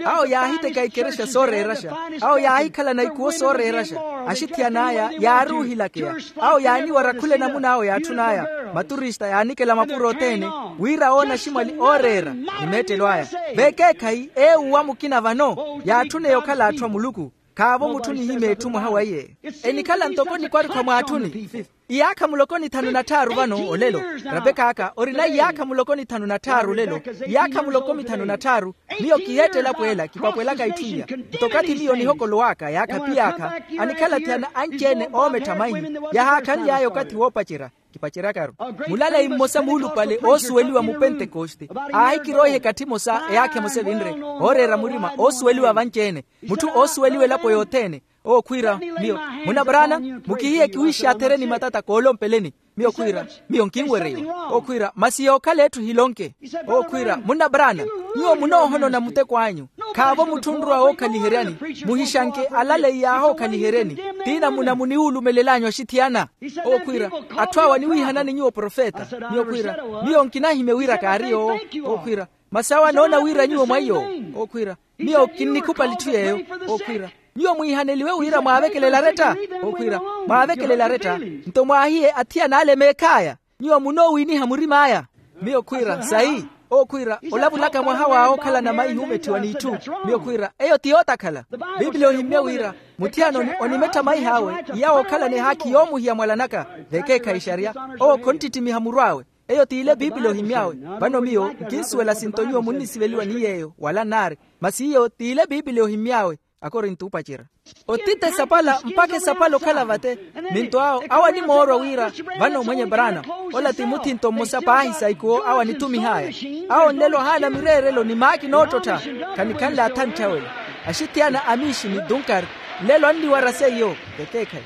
Awo yaahiteka ikerexa sooreeraxa. Awo yaahikhalana ikuwo sooreeraxa. Axithiyana aya yaari ohilakeya. Awo yaaniwara khula enamuna awo yaatthun'aya. Maturista yaanikela mapuro othene, wira oona aximwali ooreera ni meettelo aya. Vekeekhayi ewu wa mukina vano yaatthuneya okhala atthu a muluku. Khaavo mutthu onihimya etthu mwaha wa iye. Enikhala ntoko nikwarikha mwaatthuni. Iyaakha muloko ni thanu na tthaaru vano olelo. Rapek'aka orina iyaakha muloko ni thanu na tthaaru olelo. Iyaakha muloko ni thanu na tthaaru. Miyo kiheettela pweela kipapwelaka itthu iya. Nto okathi miyo nihokolow'aka yaakha piy'akha, anikhala thiyana anci-ene oomettha maihi. Yahaakhanly'aya okathi woopacerya. Kipaceryakaru. Mulaleyi mmosa muulupale oosuweliwa mu pentekoste, aahikiroiha ekathi emosa eyaakha emosa evinre, ooreera murima oosuweliwa vanci-ene. Mutthu oosuweliwa elapo yothene. Owo khwiira miyo, muna brana, mukihiye kiwiixatherye ni matata koolompeleni. Miyo khwiira, miyo nkinwereiwa. Owo khwiira, masi yookhala etthu hilonke. Owo khwiira, munna brana, nyuwo munoohonona muteko anyu. Khaavo mutthu onrowa wookhaliheryani. Muhixanke alaleyi yaahookhaliheryeni. Tiina muna muniwulumelel'anyu axithiyana. Owo khwiira, atthu awo aniwiihanani nyuwo profeta. Miyo khwiira, miyo nkinahimya wira kaari yoowo. Owo khwiira, masi awo anoona wira nyuwo mwa iyoowo. Owo khwiira, miyo kinnikhupali etthu yeeyo. Owo khwiira, nyuwo mwiihaneliwe wira mwaavekelela aretta. Owo khwiira, mwaavekelela aretta. Nto mwaahiye athiyana ale meekh'aya. Nyuwo munoowiiniha murim'aya. Miyo khwiira sayi. Owo khwiira, olavulaka mwaha wa okhalana maihi omethiwa n'itthu. Miyo khwiira, eyo ti yootakhala. Pipili ohimmya wira muthiyana onimettha maih'awe iya wookhalana ehaakhi yoomuhiya mwalanaka. Vekeekhayi xariya, owo khonttittimiha muru awe. Eyo t'ile pipili ohimmy'awe. Vano miyo nkinsuwela sinto nyuwo munnisiveliwa ni yeeyo wala nnaari. Masi iyo t'ile pipili ohimmy'awe. Akorinto opacerya. Otite esapala mpakha esapala okhala vate. Ni nto awo awo animoorwa wira, vano mwenye brana, ola ti muthinto mmosa paahi sa ikuwo awo anithumih'aya. Awo nlelo ahaana mireerelo ni maakina oottottha. Khanikhanle athanttha wela. Axithiyana a miixi ni dunkar nlelo anniwara seiyo. Vekeekhayi.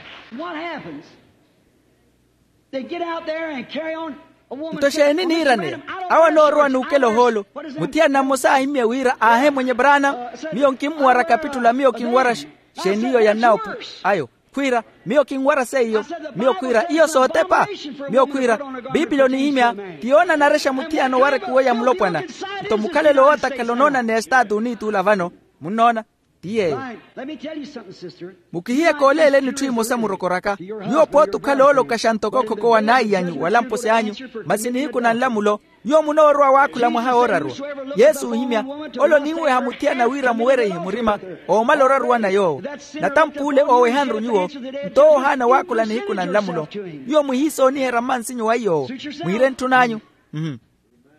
Nto xeeni niiraneya? Awo anoorowa n'ukela ohoolo. Muthiyana mmosa aahimmye wira aahe mwenye brana, miyo nkimmuwara kapitula miyo kinwara xeeni iyo ya nnawopu ayo. Khwiira, miyo kinwara seiyo. Miyo khwiira iyo sootepa. Miyo khwiira, pipili onihimya ti yoonanarexa muthiyana owarekuwo ya mulopwana. Nto mukhalelo wootakhala onoonaneya estaati oniituula vano. Munnoona? Ti yeeyo. Mukihiye kooleeleni etthu emosa murokoraka. Nyuwo pooti okhala oolokaxa ntoko khoko wa naayi anyu wala mposi anyu. Masi nihiku na nlamulo nyuwo munoorowa waakhula mwaha wooraruwa. Yesu oohimya, ole oninweha muthiyana wira muwereihe murima. Oomala oraruwana yoowo. Natampuule oowehanru nyuwo. Nto owo ohaana waakhula nihiku na nlamulo. Nyuwo muhiisooniherya mmansinyo wa iyoowo. Mwiire ntthun'anyu.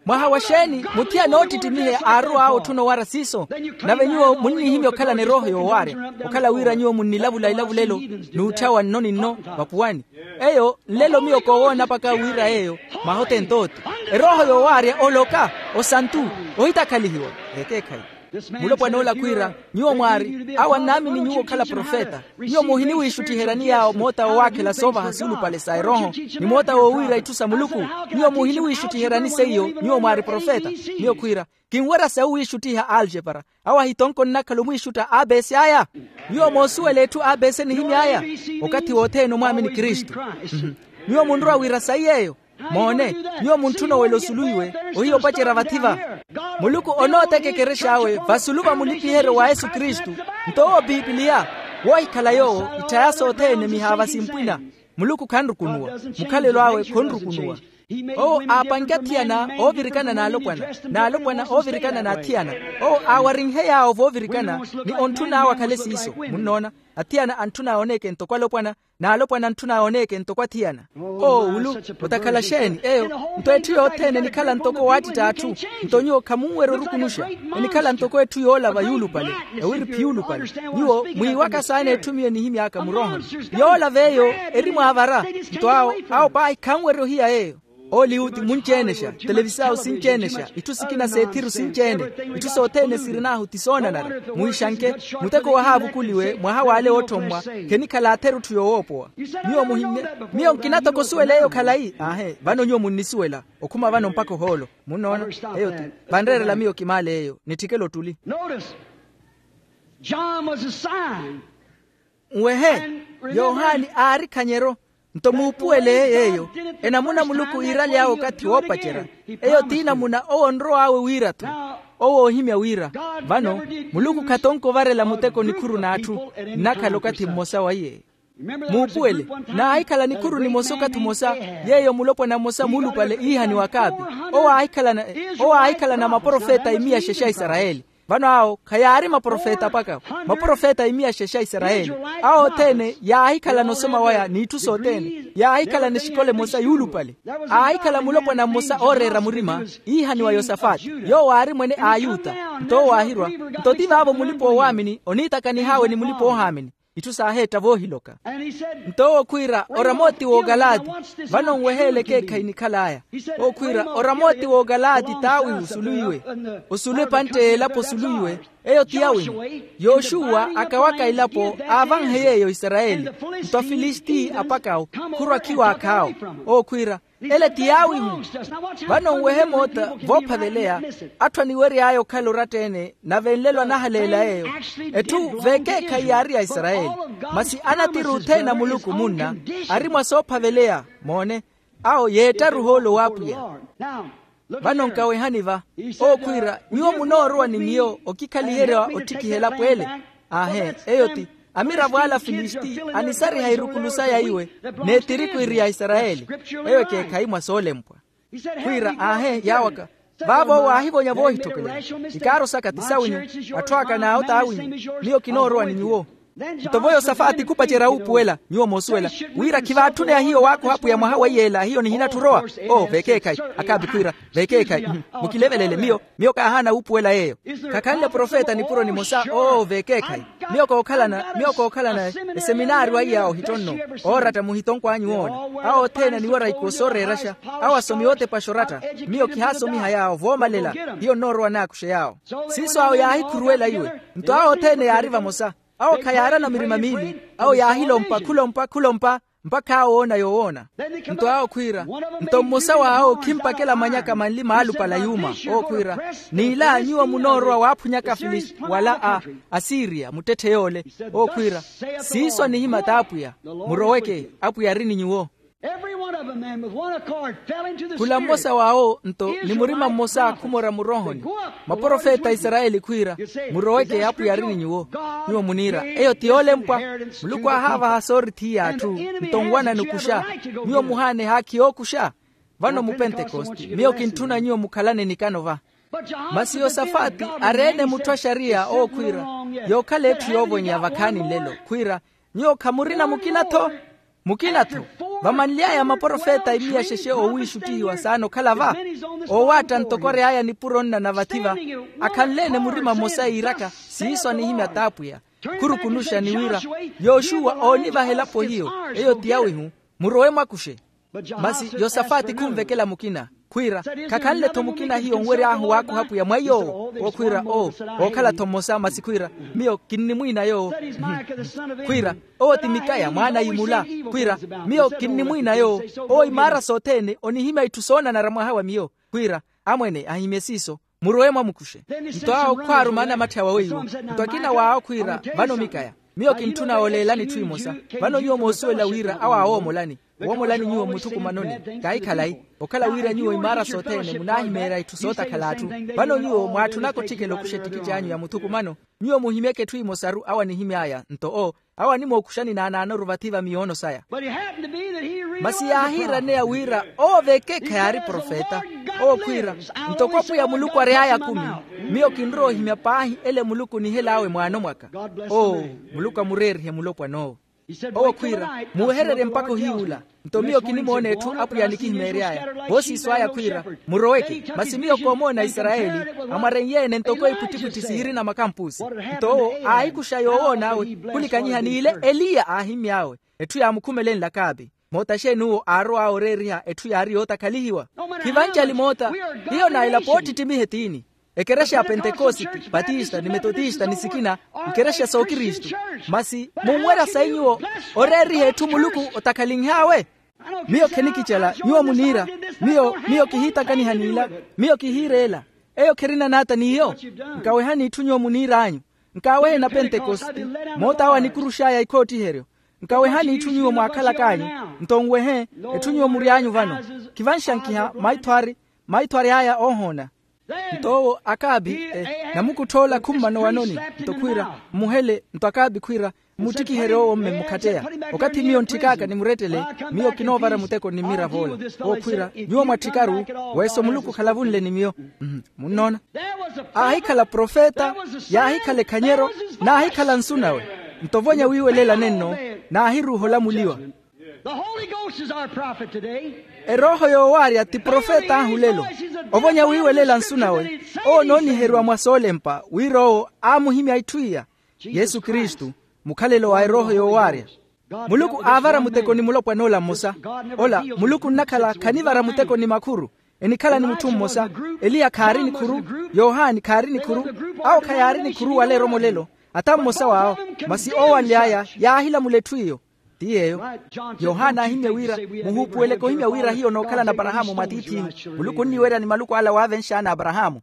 Mwaha wa xeeni? Muthiyana oottittimihe aarowa awo otthuna owara siiso. Nave nyuwo munnihimya okhalana erooho yoowaarya, okhala wira nyuwo munnilavula ilavulelo n'utthawa nno ni nno vapuwani. Eyo nlelo miyo koowoona paka wira yeeyo. Mwaha othene t'ote, erooho yoowaarya oloka, osantu, ohitakhalihiwa. Ekeekhayi. Mulopwana ola khwiira, nyuwo mwaari awo annaamini nyuwo okhala profeta. Nyuwo muhiniwiixuttiheryani yaawo moota woowakhela soovaha suulupale sa erooho, ni moota woowiira itthu sa muluku. Nyuwo muhiniwiixuttiheryani seiyo nyuwo mwaari profeta. Miyo khwiira, kinwerya sawi wiixuttiha aljepara. Awo ahitonko nnakhala omwiixutta aapesi aya. Nyuwo moosuwela etthu aapesi enihimy'aya. Okathi wothene omwaamini kristu. Nyuwo munrowa wira sayi yeeyo. Moone, nyuwo muntthuna owela osuluwiwe. Ohiya opacerya vathi-va. Muluku onootteka ekerex'awe vasulu va mulipiheryo wa yesu kristu. Nto owo pipiliya, woohikhala yoowo itthaya sothene mihaava simpwina. Muluku khanrukunuwa. Mukhalelo awe khonrukunuwa. Owo aapanke athiyana oovirikana n'alopwana, n'alopwana oovirikana n'athiyana. Owo aawarinhe yaawo voovirikana, ni ontthun'awe akhale siiso. Munnoona? Athiyana antthun'awe oneeke ntoko alopwana, n'alopwana antthun'awe oneeke ntoko athiyana. Oo wulu, otakhala xeeni eyo? Nto etthu yothene enikhala ntoko owaattitta atthu. Nto nyuwo khamunwerya orukunuxa. Enikhala ntoko etthu yoolava yuulupale, ewiriphi yuulupale. Nyuwo mwiiwaka saana etthu miyo enihimy'aka muroohoni. Yoolava eyo eri mwaavara. Nto awo, awo paahi khanwerya ohiya eyo. Oliwuti munci-enexa, televisao sinci-enexa, itthu sikina s'ethiru sinci-ene. Itthu sothene sirin'ahu ti soonanara. Muhixanke, muteko wahaavukuliwe mwaha w'ale wootthommwa. Khenikhala atheru etthu yoowoopowa. Nyuwo muhinne, miyo nkina toko osuwela eyo khalayi aahe vano nyuwo munnisuwela. Okhuma vano mpakha ohoolo. Munnoona? Eyo ti vanreerela miyo kimaale eyo nitthikela ottuli. John was a sign. Nwehe, yohani aari khanyero. Nto muupuwele yeeyo, enamuna muluku iiraly'awe okathi woopacerya. Eyo t'inamuna owo onrow'awe wira-tho. Owo oohimya wira, vano, muluku khatonko ovarela muteko nikhuru n'atthu. Nnakhala okathi mmosa wa iye. Muupuwele, naahikhala nikhuru nimosa okathi omosa. Yeeyo mulopwana mmosa muulupale iihaniwa akaapi. Owo aahikhala na, owo aahikhala na maprofeta imiya xexe a isarayeli. Vano awo khayaari maprofeta paka, maprofeta imiya xexe a isarayeli. Awo othene yaahikhalana osoma waya n'itthu sothene. Yaahikhalana exikola emosa yuulupale. Aahikhala mulopwana mmosa ooreera murima, iihaniwa yosafati, yoowo aari mwene a ayuta. Nto owo aahirwa. Nto ti vaavo mulipa-oowaamini oniitakanih'awe ni mulipa-oohaamini. Itthu saaheetta voohiloka. Nto owo khwiira oramooti w'okalaati. Vano nweheele ekeekhayi nikhal'aya. Owo khwiira oramooti w'okalaati t'awihu osuluwiwe. Osulu epantte y'elapo osuluwiwe. Eyo ti yawihu. Yoxuwa akawaka elapo aavanhe yeeyo isarayeli. Nto afilisti apaka'wo khurwa khiwaakh'awo. Owo khwiira ele ti yaawihu. Vano nwehe moota voophaveleya. Atthu aniwery'aya okhala oratta-ene nave nlelo anahaleela yeeyo. Etthu veekeekhayi yaari ya isarayeli. Masi anatiru othene a muluku munna ari mwa soophaveleya. Moone, awo yeettaru ohoolo w'apwiya. Vano nkawehani va. Owo khwiira, nyuwo munoorowa ni miyo okikhaliherya ottikiha elapo ele. Aahe, eyo ti amiravo ala afilisti anisariha irukulu saya iwe n'etiriku iri ya isarayeli. Eyo ekeekhayi mwa soolempwa. Khwiira aahe yaawaka. Vaavo owo aahivonya voohitthokela. Ikaaru saka ti sawinyu. Atthu aka n'awo t'awinyu. Miyo kinoorowa ni nyuwo. Nto vo yosafaati khupacerya wuupuwela nyuwo moosuwela wira khivaatthuneya hiyo waakuha apwiya mwaha weiyeela hiyo nihinatthi orowa. Oo veekeekhayi. Akaapi khwiira veekeekhayi. Mukilevelele miyo. Miyo kaahaana wuupuwela yeeyo. Khakhanle profeta nipuro nimosa oo veekeekhayi. Miyo kookhalana miyo kookhalana eseminaari waiya ohittonno. Ooratta muhitonkw'anyu woona. Awo othene aniwerya ikoo sooreeraxa. Awo asomi ootepaxa oratta. Miyo khihaasomiha yaawo voomalela. Hiyo nnoorowa naakuxe yaawo. Siiso awo yaahikhuruwela iwe. Nto awo othene yaari vamosa. Awo khayaarana mirima miili. Awo yaahilompa khulompa khulompa. Mpakha awo oona yowoona. Nto awo khwiira. Nto mmosa w'awo khimpakela manyaka manli maalupala yuuma. Owo khwiira. N'ila nyuwo munoorowa waaphunyaka afilisti wala a asiriya muttetthe yoole. Owo khwiira. Siiso anihimya t'apwiya. Muroweke. Apwiya ari ni nyuwo. Khula mmosa w'awo nto ni murima mmosa khumora murohoni. Maprofeta a isarayeli khwiira. Muroweke apwiya ari ni nyuwo. Nyuwo muniira eyo ti yoolempwa. Muluku aahaavaha soorithiya atthu. Nto nwanani okuxa. Nyuwo muhaana ehaakhi yookuxa. Vano mupentekoste miyo kintthuna nyuwo mukhalane nikano va. Masi yosafaati ari-ene mutthu a xariya ookhwiira. Yookhala etthu yoovonyeya vakhaani nlelo khwiira. Nyuwo khamurina mukina-tho. Mukina-tho. Vamanly'aya maprofeta imiya xexe oowiixuttihiwa saana okhala va. Oowaatta ntoko ary'aya nipuro nna na vathi va. Akhanle-ene murima mmosa yiiraka siiso anihimya t'apwiya. Khurukunuxa ni wira. Yoxuwa oonivaha elapo hiyo. Eyo ti yawihu. Murowe mwakuxe. Masi yosafaati khunvekela mukina khwiira. Khakhanle-tho mukina hiyo nwery'ahu waakuha apwiya mwaiy'owo. Owo khwiira oo. Ookhala-tho mmosa masi khwiira. Miyo kinnimwiina yoowo. Khwiira owo ti mikaya mwaana a imula. Khwiira miyo kinnimwiina yoowo. Owo imaara sothene onihimya itthu soonanara mwaha wa miyo. Khwiira amwene ahimye siiso. Murowe mwamukuxe. Nto awo khwaaruma anamatthi awe weiwo. Nto akina w'awo khwiira vano mikaya. Miyo kintthuna ooleelani itthu imosa. Vano nyuwo moosuwela wira awo aawoomolani. Owoomolani nyuwo mmuthukumanoni. Kaahikhalayi. Okhala wira nyuwo imaara sothene munaahimeerya itthu sootakhala atthu. Vano nyuwo mwaatthunaka otthikela okuxa ettikitthi anyu ya muthukumano. Nyuwo muhimyeke etthu imosaru awo anihimy'aya nto oo. Awo animookuxani naanaanoru vathi va miyoono saya. Masi yaahiiraneya wira owo veekeekha yaari profeta. Owo khwiira ntoko apwiya muluku ary'aya akumi. Miyo kinrowa ohimya paahi ele muluku onihel'awe mwaano mwaka. Oo muluku amureerihe mulopwan'owo. Owo khwiira muwehererye mpakha ohiyuula. Nto miyo kinimoona etthu apwiya anikihimeery'aya. Voosiiso aya khwiira muroweke masi miyo koomoona isarayeli. Amwarennye-ene ntoko iputtiputthi siirina makampusi. Nto owo aahikuxa yoowoon'awe. Khulikanyiha n'ile eliya aahimmy'awe. Etthu yaamukhumelenle akaapi. Moota xeeni uwo aarow'awe oreeriha etthu yaari yootakhalihiwa. Khivancali moota. Hiyo naila poottittimiha etiini. Ekerexa ya pentekositi, patista ni metotista ni sikina. Nkerexa sookristu. Masi munwerya sayi nyuwo oreeriha etthu muluku otakhalinh'awe. Miyo khenikicela nyuwo muniira. Miyo miyo kihiitakaniha n'ila. Miyo kihiira ela. Eyo kherina n'ata n'iyo. Nkawehani itthu nyuwo muniir'anyu. Nkaawehe na pentekositi. Moota awo anikurux'aya ikhootiheryo. Nkawehani itthu nyuwo mwaakhalak'anyu. Nto nwehe etthu nyuwo mury'anyu vano. Khivanxankiha maitho ari maitho ary'aya oohoona. Nto owo akaapi namukuttha ola khummana owanoni. Nto khwiira mmuhele nto akaapi khwiira mmuttikiherye owo mme mmukhatteya. Okathi miyo ntthik'aka nimurettele miyo kinoovara muteko ni mmirav'ola. Owo khwiira nyuwo mwatthikaru. Weeso muluku khalavunle ni miyo. Munnoona. Aahikhala profeta. Yaahikhala ekhanyeryo. Naahikhala nsu nawe. Nto ovonya wiiwelela nenno naahiruuha olamuliwa. Erooho yoowaarya ti profet'ahu lelo. Ovonya wiiwelela nsu nawe owo onooniheriwa mwa soolempa wira owo aamuhimya itthu iya. Yesu kristu. Mukhalelo wa erooho yoowaarya. Muluku aavara muteko ni mulopwan'ola mmosa. Ola muluku nnakhala khanivara muteko ni makhuru. Enikhala ni mutthu mmosa. Eliya khaari nikhuru. Yohani khaari nikhuru. Awo khayaari nikhuru wala eromolelo. Ata mmosa w'awo. Masi oowanly'aya yaahilamula etthu iyo. Ti yeeyo. Yohana aahimmye wira, muhuupuweleke ohimmya wira hiyo nookhala n'aparahaamu mwatiith'ihu. Muluku onniwerya ni maluku ala waavenx'ana aparahaamu.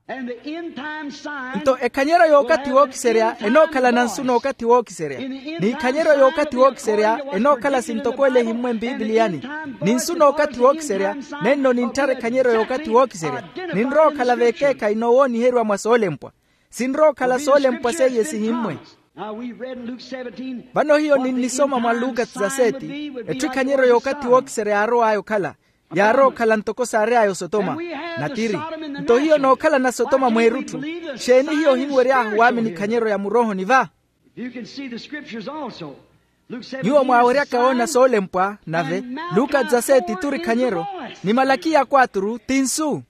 Nto ekhanyeryo y'okathi wookiserya enookhalana nsu n'okathi wookiserya. N'ikhanyeryo y'okathi wookiserya enookhala sintoko ele ehimmwe mpipiliyani. Ni nsu n'okathi wookiserya nenno nintthara ekhanyeryo y'okathi wookiserya. Ninrowa okhala v'ekeekhayi noowooniheriwa mwa soolempwa. Sinrowa okhala soolempwa seiye sihimmwe. Vano hiyo ninnisoma mwa luka dezaseti. Etthu ekhanyeryo y'okathi wookiserya yaarow'aya okhala. Yaarowa okhala ntoko saary'aya osotoma. Natiri. Nto hiyo nookhalana sotoma mweerutthu. Xeeni hiyo ohinwery'ahu waamini ekhanyeryo ya muroohoni va? Nyuwo mwaaweryaka woona soolempwa nave. Luka dezaseti turi ekhanyeryo. Ni malakiya kwaturu ti nsu.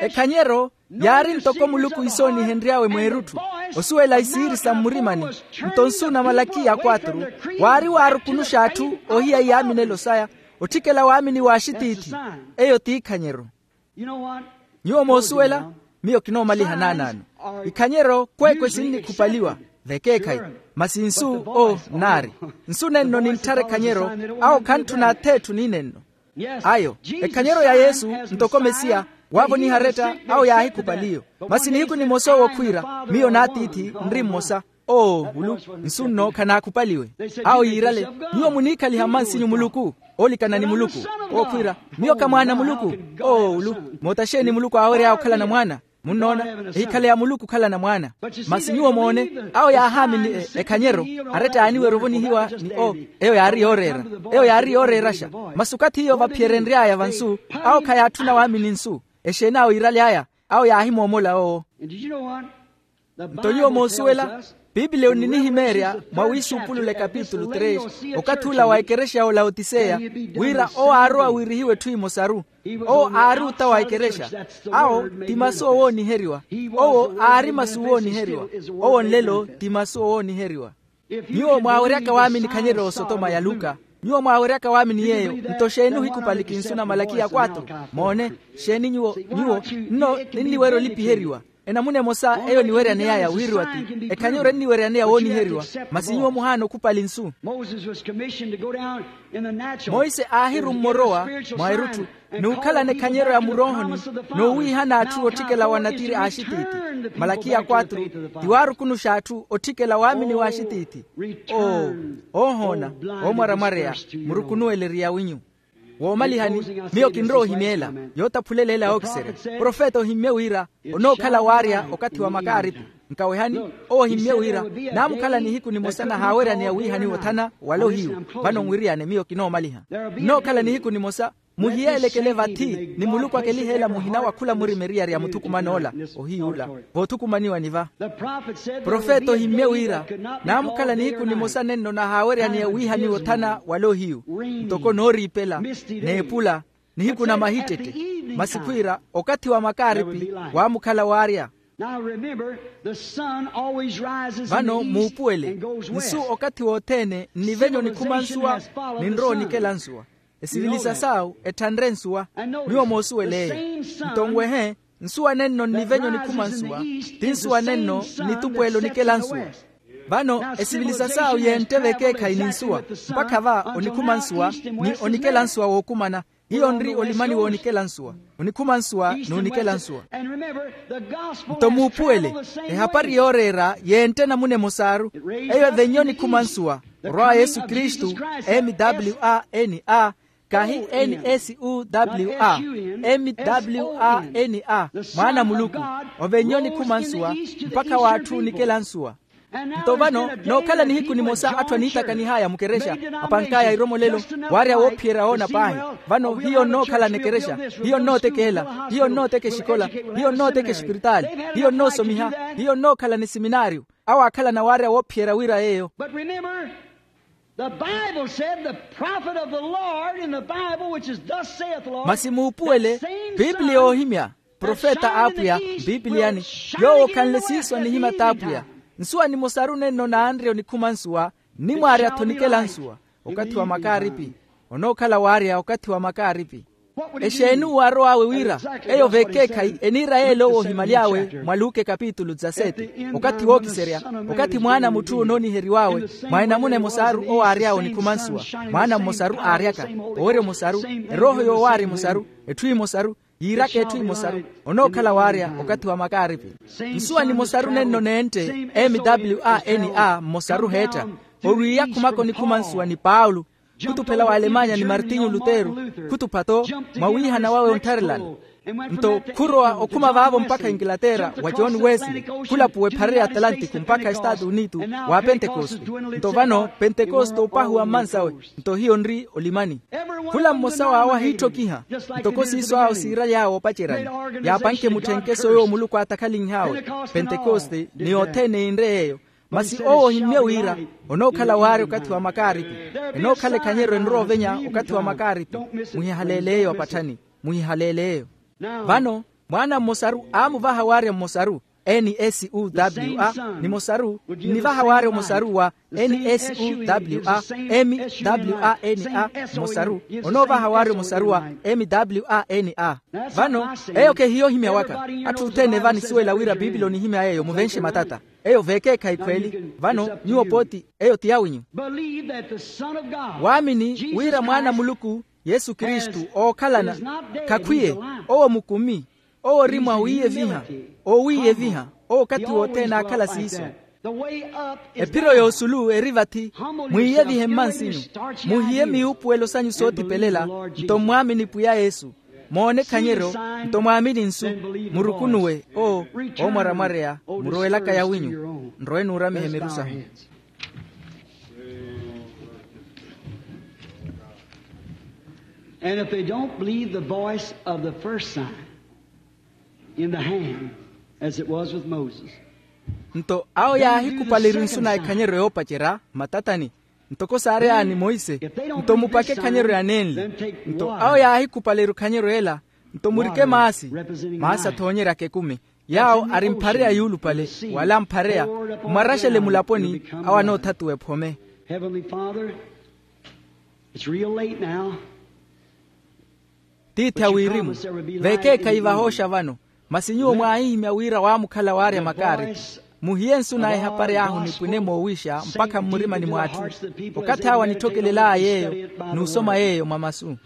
Ekhanyero yaari ntoko muluku isoonihenry'awe mweerutthu. Osuwela isiiri sa mmurimani. Nto nsu na malakiya kwaturu waari waarukunuxa atthu ohiya iyaaminelo saya. Otthikela waamini w'axitiithi. Eyo ti ekhanyero. Nyuwo moosuwela. Miyo kinoomaliha naanaano. Ikhanyero kweekwe sinnikhupaliwa. Vekeekhayi. Masi nsu o nnaari. Nsu nenno nintthara ekhanyero. Awo khantthuna ath'etthu ni nenno. Ayo. Ekhanyero ya yesu ntoko mesiya. Waavoniha aretta awo yaahikhupaliyo. Masi nihiku nimosa owo khwiira miyo n'atiithi nri mmosa. Oo ulu nsu nno khanaakhupaliwe. Awo yiirale nyuwo muniikhaliha mmansinyu muluku. Oolikana ni muluku. Owo khwiira miyo kha mwaana a muluku. Oo ulu moota xeeni muluku aawery'aya okhalana mwaana? Munnoona ehikhale ya muluku okhalana mwaana. Masi nyuwo moone awo yaahaamini ekhanyero. Aretta yaaniwerya ovonihiwa ni o eyo yaari yooreera. Eyo yaari yooreeraxa. Masi okathi hiyo vaphiyerenry'aya va nsu awo khayaatthuna waamini nsu. Exeeni awo yiiraly'aya awo yaahimoomola owo. Nto nyuwo moosuwela piipiliya oninihimeerya mwa wiisuupulula ekapitulu tres okathi ula wa ekerexa ya olaotiseya wira owo aarowa wiirihiwe etthu emosaru. Owo aari ota wa ekerexa. Awo ti masu owooniheriwa. Owo aari masu owooniheriwa. Owo nlelo ti masu owooniheriwa. Nyuwo mwaaweryaka waamini ekhanyeryo y'osotoma ya luka. Nyuwo mwaaweryaka waamini yeeyo. Nto xeeni ohikupaliki nsu na malakiya kwatru? Moone. Xeeni nyuwo nyuwo nno ninniwerya olipiheriwa. Enamuna emosa eyo eniweryaney'aya wiiriwa ti ekhanyeryo enniweryaneya wooniheriwa. Masi nyuwo muhaana okhupali nsu. Monse aahirummorowa mwa erutthu n'ukhalana ekhanyeryo ya muroohoni n'uwiihana atthu otthikela wa natiri a axitiithi. Malakiya kwatru ti waarukunuxa atthu otthikela waamini w'axitiithi. Oo oohoona oomwaramwareya murukunuwele eriyawinyu. Woomalihani miyo kinrowa ohimyeela yootaphulela ela yookiserya. Profeta ohimmye wira onookhala waarya okathi wa makaaripi. Nkawehani owo ohimmye wira naamukhala nihiku nimosa nahaaweryaneya wiihaniwa othana wala ohiyu. Vano nwiriyane miyo kinoomaliha nnookhala nihiku nimosa muhiyeelekele vathi ni muluku akeliheela muhina wa khula murima eriyari ya muthukuman'ola. Ohiy'ula voothukumaniwani va profeta ohimmye wira naamukhala nihiku nimosa nenno nahaaweryaneya wiihaniwa othana wala ohiyu ntoko nooriipela n'epula nihiku na mahittette. Masi khwiira okathi wa makaaripi waamukhala waarya. Vano muupuwele nsu okathi wothene nnivenye onikhuma nsuwa ninrowa onikela nsuwa. Esivilisa saawu etthanre nsuwa. Nyuwo moosuwel'eyo nto nwehe nsuwa nenno nnivenye onikhuma nsuwa ti nsuwa nenno nnitupweela onikela nsuwa. Vano esivilisa saawu yentte vekeekhayi ni nsuwa mpakha va onikhuma nsuwa ni onikela nsuwa wookumana. Hiyo nri olimani woonikela nsuwa onikhuma nsuwa n'unikela nsuwa. Nto muupuwele ehapari yooreera yentte namuna emosaaru eyo evenye onikhuma nsuwa orwa wa yesu kristu. Mwr kahi nsuwa mwr mwaana a muluku ovenye onikhuma nsuwa mpakha w'atthu onikela nsuwa. Nto vano nookhala nihiku nimosa atthu aniitakanih'aya mukerexa apank'aya iromolelo waarya woophiyerya woona paahi. Vano hiyo nnookhalana ekerexa hiyo nnootekehela hiyo nnooteka exikola hiyo nnooteka exipiritaali hiyo nnoosomiha hiyo nnookhalana esiminaariyo. Awo aakhalana waarya woophiyerya wira yeeyo. Masi muupuwele piipiliya oohimya profeta a apwiya, mpipiliyani, yoowo okhanle siiso anihimya t'apwiya. Nsuwa nimosaru nenno naanrye onikhuma nsuwa, nnimwaarya-tho nikela nsuwa. Okathi wa makaaripi. Onookhala waarya okathi wa makaaripi. Exeeni uwo arow'awe wira? Eyo vekeekhayi eniira yeel'owo ohimaly'awe mwa luke kapitulu dizasete, okathi wookiserya, okathi mwaana a mutthu onooniheriw'awe mwa enamuna emosaru owo aary'awe onikhuma nsuwa. Mwaana mmosaru aaryaka, owerya omosaru, erooho yoowaarya emosaru, etthu emosaru, yiiraka etthu emosaru. Onookhala waarya okathi wa makaaripi. Nsuwa nimosaru nenno neentte, m w a n a mmosaru heetta, orwiiya khumaka onikhuma nsuwa ni paulo, khutuphela wa alemanya ni martinyu lutero, khutupha-to mwawiihana wawe onttharelana. Nto khurowa okhuma vaavo mpakha inglaterra wa john wesley, khulapuwa ephare ya atlantiku mpakha estaatu unitu, wa pentekoste. Nto vano pentekoste opahuwa mmansawe. Nto hiyo nri olimani. Khula mmosa w'awo ahiitthokiha, ntoko siiso awo siiraly'awe opaceryani, yaapanke mutthenkeso yoowo muluku aatakhalinh'awe. Pentekoste ni yothene yinre yeeyo. Masi owo ohimmye wira onookhala waarya okathi wa makaaripi. Enookhala ekhanyeryo enrowa ovenya okathi wa makaaripi. Muhihaleele eyo apatthani. Muhihaleele eyo. Vano mwaana mmosaru aamuvaha waarya mmosaru, n s u w a, nimosaru nnivaha waarya omosaru wa n s u w a, m w a n a, mmosaru onoovaha waarya omosaru wa m w a n a. Vano eyo khehiya ohimya waka. Atthu othene va anisuwela wira piipili onihimya yeeyo muvenxe matata. Eyo veekeekhayi khweeli. Vano nyuwo pooti eyo ti yawinyu. Waamini wira mwaana a muluku yesu kristu ookhalana, khakhwiye, owo mukumi, owo ori mwa wiiyeviha, owiiyeviha, owo okathi wothene aakhala siiso. Ephiro yoosulu eri vathi. Mwiiyevihe mmansinyu, muhiye miwuupuwelo sanyu sootipelela, nto mmwaamini pwiya yesu. Moone ekhanyeryo, nto mwaamini nsu, murukunuwe. O oomwaramwareya, murowelaka yawinyu. Nrowe nuuramihe miru sahu. And if they don't believe the voice of the first sign in the hand, as it was with Moses. Nto awo yaahikhupaleriwa nsu na ekhanyeryo yoopacerya, matatani, ntoko saary'ani monse, nto mupake ekhanyeryo ya nenli. Nto awo yaahikhupaleriwa ekhanyeryo ela, nto murike maasi, maasi athoonyeryaka ekumi, yaawo ari mphareya yuulupale, wala mphareya, mmwaraxele mulaponi, awo anoothatuwa ephome. Heavenly Father, it's real late now. Tiithi a wirimu, veekeekhayi vahooxa vano, masi nyuwo mwaahihimya wira waamukhala waarya makaari. Muhiye nsu na ehapari ahu nipwine moowiixa mpakha mmurimani mw'atthu. Okathi awo anitthokelelay'eyo, n'usoma yeeyo mwa masu.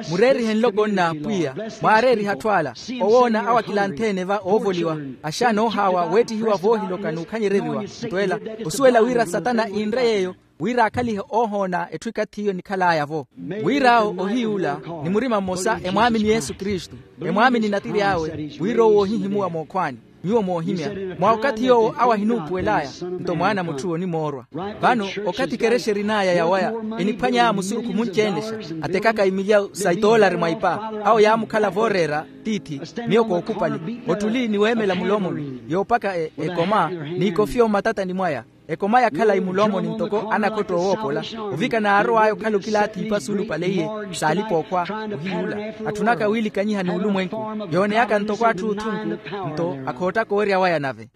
Mureerihe nloko nna pwiya, mwaareeriha atthu ala, owoona awo akilanthe-ene va oovoliwa, axaana oohaawa weettihiwa voohiloka n'ukhanyereriwa. Nto ela osuwela wira satana iinre yeeyo, wira akhalihe oohoona etthu ikathi iyo nikhal'aya-vo. Wir'awo ohiy'ula, ni murima mmosa emwaamini yesu kristu, emwaamini natiri awe, wira owo ohihimuwa mookhwaani. Nyuwo moohimya, mwa okathi yoowo awo ahinuupuwel'aya, nto mwaana a mutthu onimoorwa. Vano okathi ekerexa erin'aya yawaya, eniphwany'aya musurukhu munci-ene-xa, atekaka imilyawu sa itoolari mwa ipa, awo yaamukhala vooreera, tiithi, miyo kookhupali, ottuli ni weemela mulomoni yoopaka ekoma, n'ikofiyo mmatatani mwaya. Ekoma yakhala imulomoni ntoko anakhotto owoopola, ovika naarow'aya okhala okilaathi ipa suulupale iye, saalipa okhwa. Ohiy'ula, atthunaka wiilikanyiha n'ulumwenku, yooneyaka ntoko atthu othunku, nto akhoottaka owerya waya nave.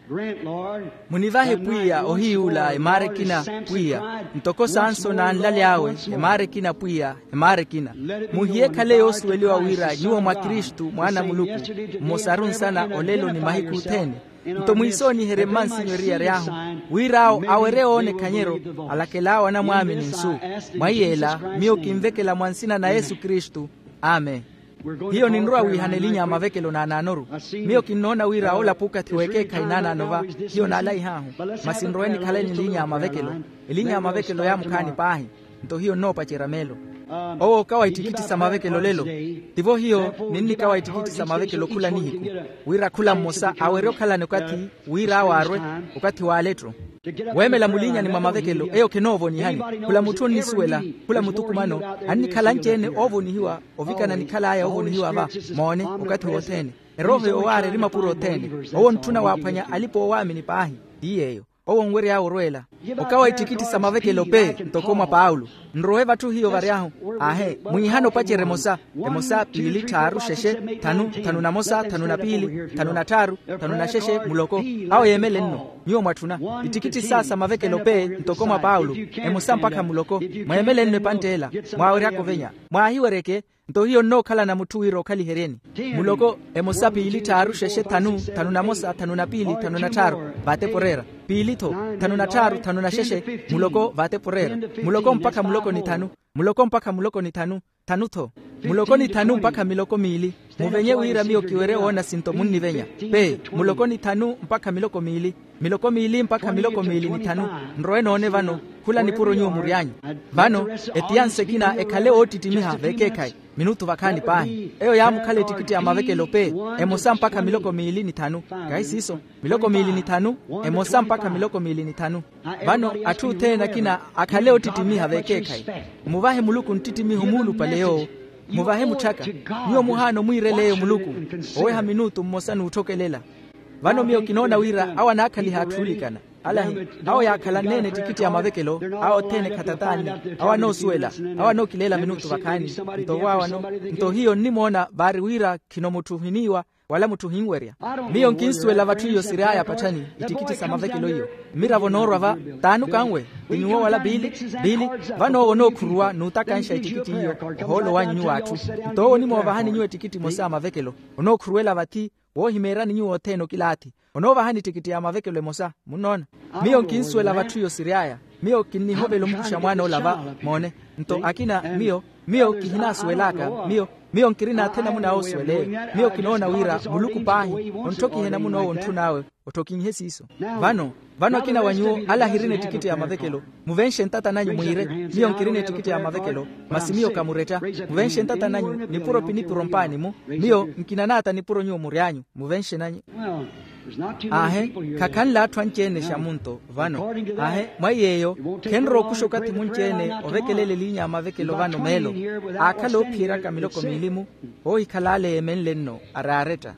Munivahe pwiya ohiy'ula emaara ekina, pwiya, ntoko sansoni anlaly'awe, emaara ekina pwiya, emaara ekina. Muhiye ekhale yoosuweliwa wira nyuwo mwa kristu mwaana a muluku, mmosaru nsana olelo ni mahiku othene. Nto mwiisooniherye mmansinyu eriyari ahu, wira awo awerye oona ekhanyeryo, alakel'awe anamwaamini nsu. Mwa yeela, miyo kinvekela mwa nsina na yesu kristu. Amen. Hiyo ninrowa wiihana elinya ya mavekelo naanaanoru. Miyo kinnoona wira ola p'ukathi w'ekeekhayi naanaano va, hiyo naalaihahu. Masi nrowe nikhaleni elinya ya mavekelo. Elinya ya mavekelo yaamukhaani paahi. Nto hiyo nnoopacerya meelo. Owo okawa ittikitti sa mavekelo lelo. Tivo hiyo ninnikawa ittikitti sa mavekelo khula nihiku, wira khula mmosa awerye okhalani okathi, wira awo arwe, okathi w'aletto. Weemela mulinyani mwa mavekelo eyo khenoovonihani. Khula mutthu onnisuwela, khula muthukumano, annikhala anci-ene oovonihiwa, ovikana nikhal'aya oovonihiwa va. Moone, okathi wothene, erooho yoowaarya eri mapuro othene. Owo ontthuna waaphwanya alipa oowaamini paahi. Ti yeeyo. owo onwery'awe orweela. Okawa ittikitti sa mavekelo pe ntoko mwa paulo. Nrowe vatthu hiyo vary'ahu. Aahe, mwiihana opacerya emosa, emosa piili tthaaru xexe, thanu thanu na mosa thanu na piili, thanu na tthaaru, thanu na xexe muloko. Awo yeemele nno. Nyuwo mwatthuna ittikitti sa sa mavekelo pe ntoko mwa paulo, emosa mpakha muloko. Mweemele nno epantt'ela, mwaaweryaka ovenya, mwaahiweryeke. Nto hiyo nnookhalana mutthu wira okhaliheryeni. Muloko, emosa piili tthaaru xexe thanu, thanu na mosa thanu na piili thanu na tthaaru, vaatepo oreera. Piili-tho, thanu na tthaaru thanu na xexe, muloko vaatepo oreera. Muloko mpakha muloko ni thanu. Muloko mpakha muloko ni thanu. Thanu-tho. Muloko ni thanu mpakha miloko miili. Muvenye wira miyo kiwerye woona sinto munnivenya. Pe, muloko ni thanu mpakha miloko miili. Miloko miili mpakha miloko miili ni thanu. Nrowe noone vano. Khula nipuro nyuwo mury'anyu. Vano, etiyansi ekina ekhale oottittimiha vekeekhayi. Minutu vakhaani paahi eyo yaamukhala ettikitti ya mavekelo pe. Emosa mpakha miloko miili ni thanu. Kahi siiso? Miloko miili ni thanu. Emosa mpakha miloko miili ni thanu. Vano, atthu othene akina akhale oottittimiha vekeekhayi. Muvahe muluku nttittimiho muulupale yoowo. Muvahe mutthaka. Nyuwo muhaana omwiirela eyo muluku. Oweha minutu mmosa n'utthokelela. Vano miyo kinoona wira awo anaakhaliha atthu oolikana. Alahi, awo yaakhalanneene ettikitti ya mavekelo. Awo othene khatat'anne. Awo anoosuwela. Awo anookileela minutu vakhaani. Nto waawano. Nto hiyo nnimoona vaari wira khino mutthu ohiniiwa, wala mutthu ohinwerya. Miyo nkinsuwela vatthu iyo siry'aya patthani. Ettikitti sa mavekelo iyo. Mmiravo noorwa va. T'anukanwe. Ti nyuwo wala biili. Biili. Vano owo onookhuruwa n'utakanxa ettikitti iyo. Ohoolo wanyu nyuwo atthu. Nto owo onimoovahani nyuwo ettikitti emosa ya mavekelo. Onookhuruwela vathi. Woohimeeryani nyuwo othene okilaathi. Onoovahani ettikitti ya mavekelo emosa munnoona. Miyo nkinsuwela vatthu iyo siry'aya. Miyo kinnihovela omukuxa mwaan'ola va. Moone. Nto akina miyo, miyo kihinaasuwel'aka. Miyo, miyo nkirina athe namun'awe osuwel'eyo. Miyo kinoona wira muluku paahi ontthokihe namun'owo ontthun'awe. Ottokinhe siiso. Vano, vano akina wa nyuwo ala ahirina ettikitti ya mavekelo. Muvenxe ntata nanyu mwiire. Miyo nkirina ettikitti ya mavekelo. Masi miyo kamuretta. Muvenxe ntata nanyu nipuro pinipuro mpaani-mu. Miyo nkinanaata nipuro nyuwo mury'anyu. Muvenxe nanyu. Aahe, khakhanle atthu anci-ene xamunto. Vano, aahe, mwa iy'eyo, khenrowa okuxa okathi munci-ene ovekelela eliinya ya mavekelo vano meelo. Aakhala oophiyeryaka miloko miili-mu. Oohikhala ale yeemenle-nno araaretta.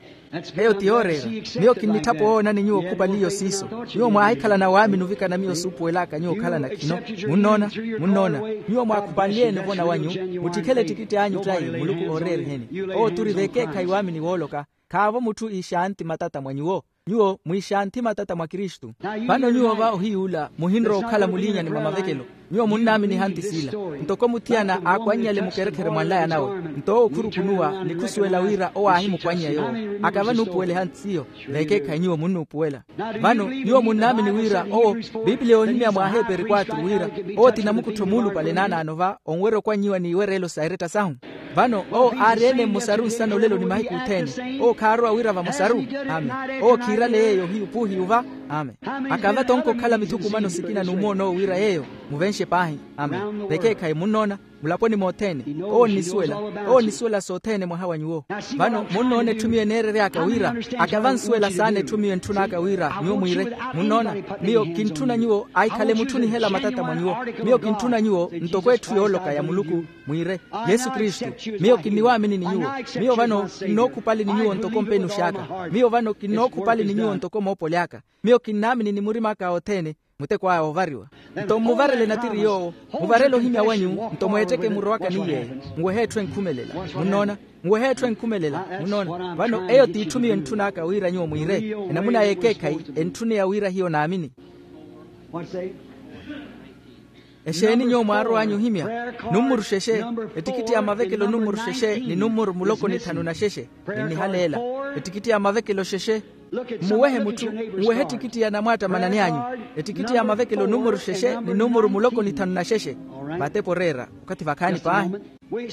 Eyo ti yooreera. Miyo kinnitthapa owoonani nyuwo okhupali iyo siiso. Nyuwo mwaahikhalana waamini ovikana miyo suupuwel'aka nyuwo okhalana khino. Munnoona? Munnoona? Nyuwo mwaakhupanly'ene ovona wanyu. Muttikhele ettikitti anyu ttayi muluku ooreeriheni. Owo turi vekeekhayi waamini wooloka. Khaavo mutthu iixanthi matata mwa nyuwo. Nyuwo mwiixanthi matata mwa kristu. Vano nyuwo va ohiy'ula muhinrowa okhala muliinyani mwa mavekelo. Nyuwo munnaamini ehanthi sila. Ntoko muthiyana aakwannyale mukerekhere mwa nlaya nawe. Nto owo khurukunuwa ni khusuwela wira owo aahimukwannya yoowo. Akava nuupuwela ehanthi siyo. Vekeekhayi nyuwo munnuupuwela. Vano nyuwo munnaamini wira owo. Piipiliya oohimya mwa aheeperi kwatru wira owo ti namukuttho muulupale naanaano va onwerya okwannyiwa n'iwereelo sa eretta sahu. Vano owo aari-ene mmusaru nsana olelo ni mahiku othene. Owo khaarowa wira vamosaru. Amen. Owo khiirale yeeyo hiyu puuhiyu va. Amen. Akava tonko okhala mithukumano sikina n'umoona owo wira yeeyo. Muvenxe paahi. Amen. Vekeekhayi munnoona. Mulaponi mothene. Owo onnisuwela. Owo onnisuwela sothene mwaha wa nyuwo. Vano munnoona etthu miyo eneerery'aka wira. Akava ansuwela saana etthu miyo entthun'aka wira nyuwo mwiire. Munnoona? Miyo kintthuna nyuwo ahikhale mutthu onihela matata mwa nyuwo. Miyo kintthuna nyuwo ntoko etthu yooloka ya muluku. Mwiire, yesu kristu, miyo kinniwaamini ni nyuwo. Miyo vano kinnookhupali ni nyuwo ntoko mpenux'aka. Miyo vano kinnookhupali ni nyuwo ntoko moopoli aka. Miyo kinnaamini ni murim'aka othene. Muteko aya oovariwa. Nto mmuvarele natiri yoowo. Muvarele ohimya wanyu. Nto mweetteke emuro aka ni yeeyo. Muwehe etthu enkhumelela. Munnoona? Muwehe etthu enkhumelela. Munnoona? Vano eyo t'itthu miyo entthun'aka wira nyuwo mwiire. Enamuna y'ekeekhayi. Entthuneya wira hiyo naamini. Exeeni nyuwo mwaarow'anyu ohimya? Nummuru xexe. Ettikitti ya mavekelo nummuru xexe ni nummuru muloko ni thanu na xexe. Ninnihaleela. Ettikitti ya mavekelo xexe. Mmuwehe mutthu. Mmuwehe ettikitti ya namwaattamanani anyu. Ettikitti ya mavekelo nummuru xexe ni nummuru muloko ni thanu na xexe. Vatepa oreera. Okathi vakhaani paahi.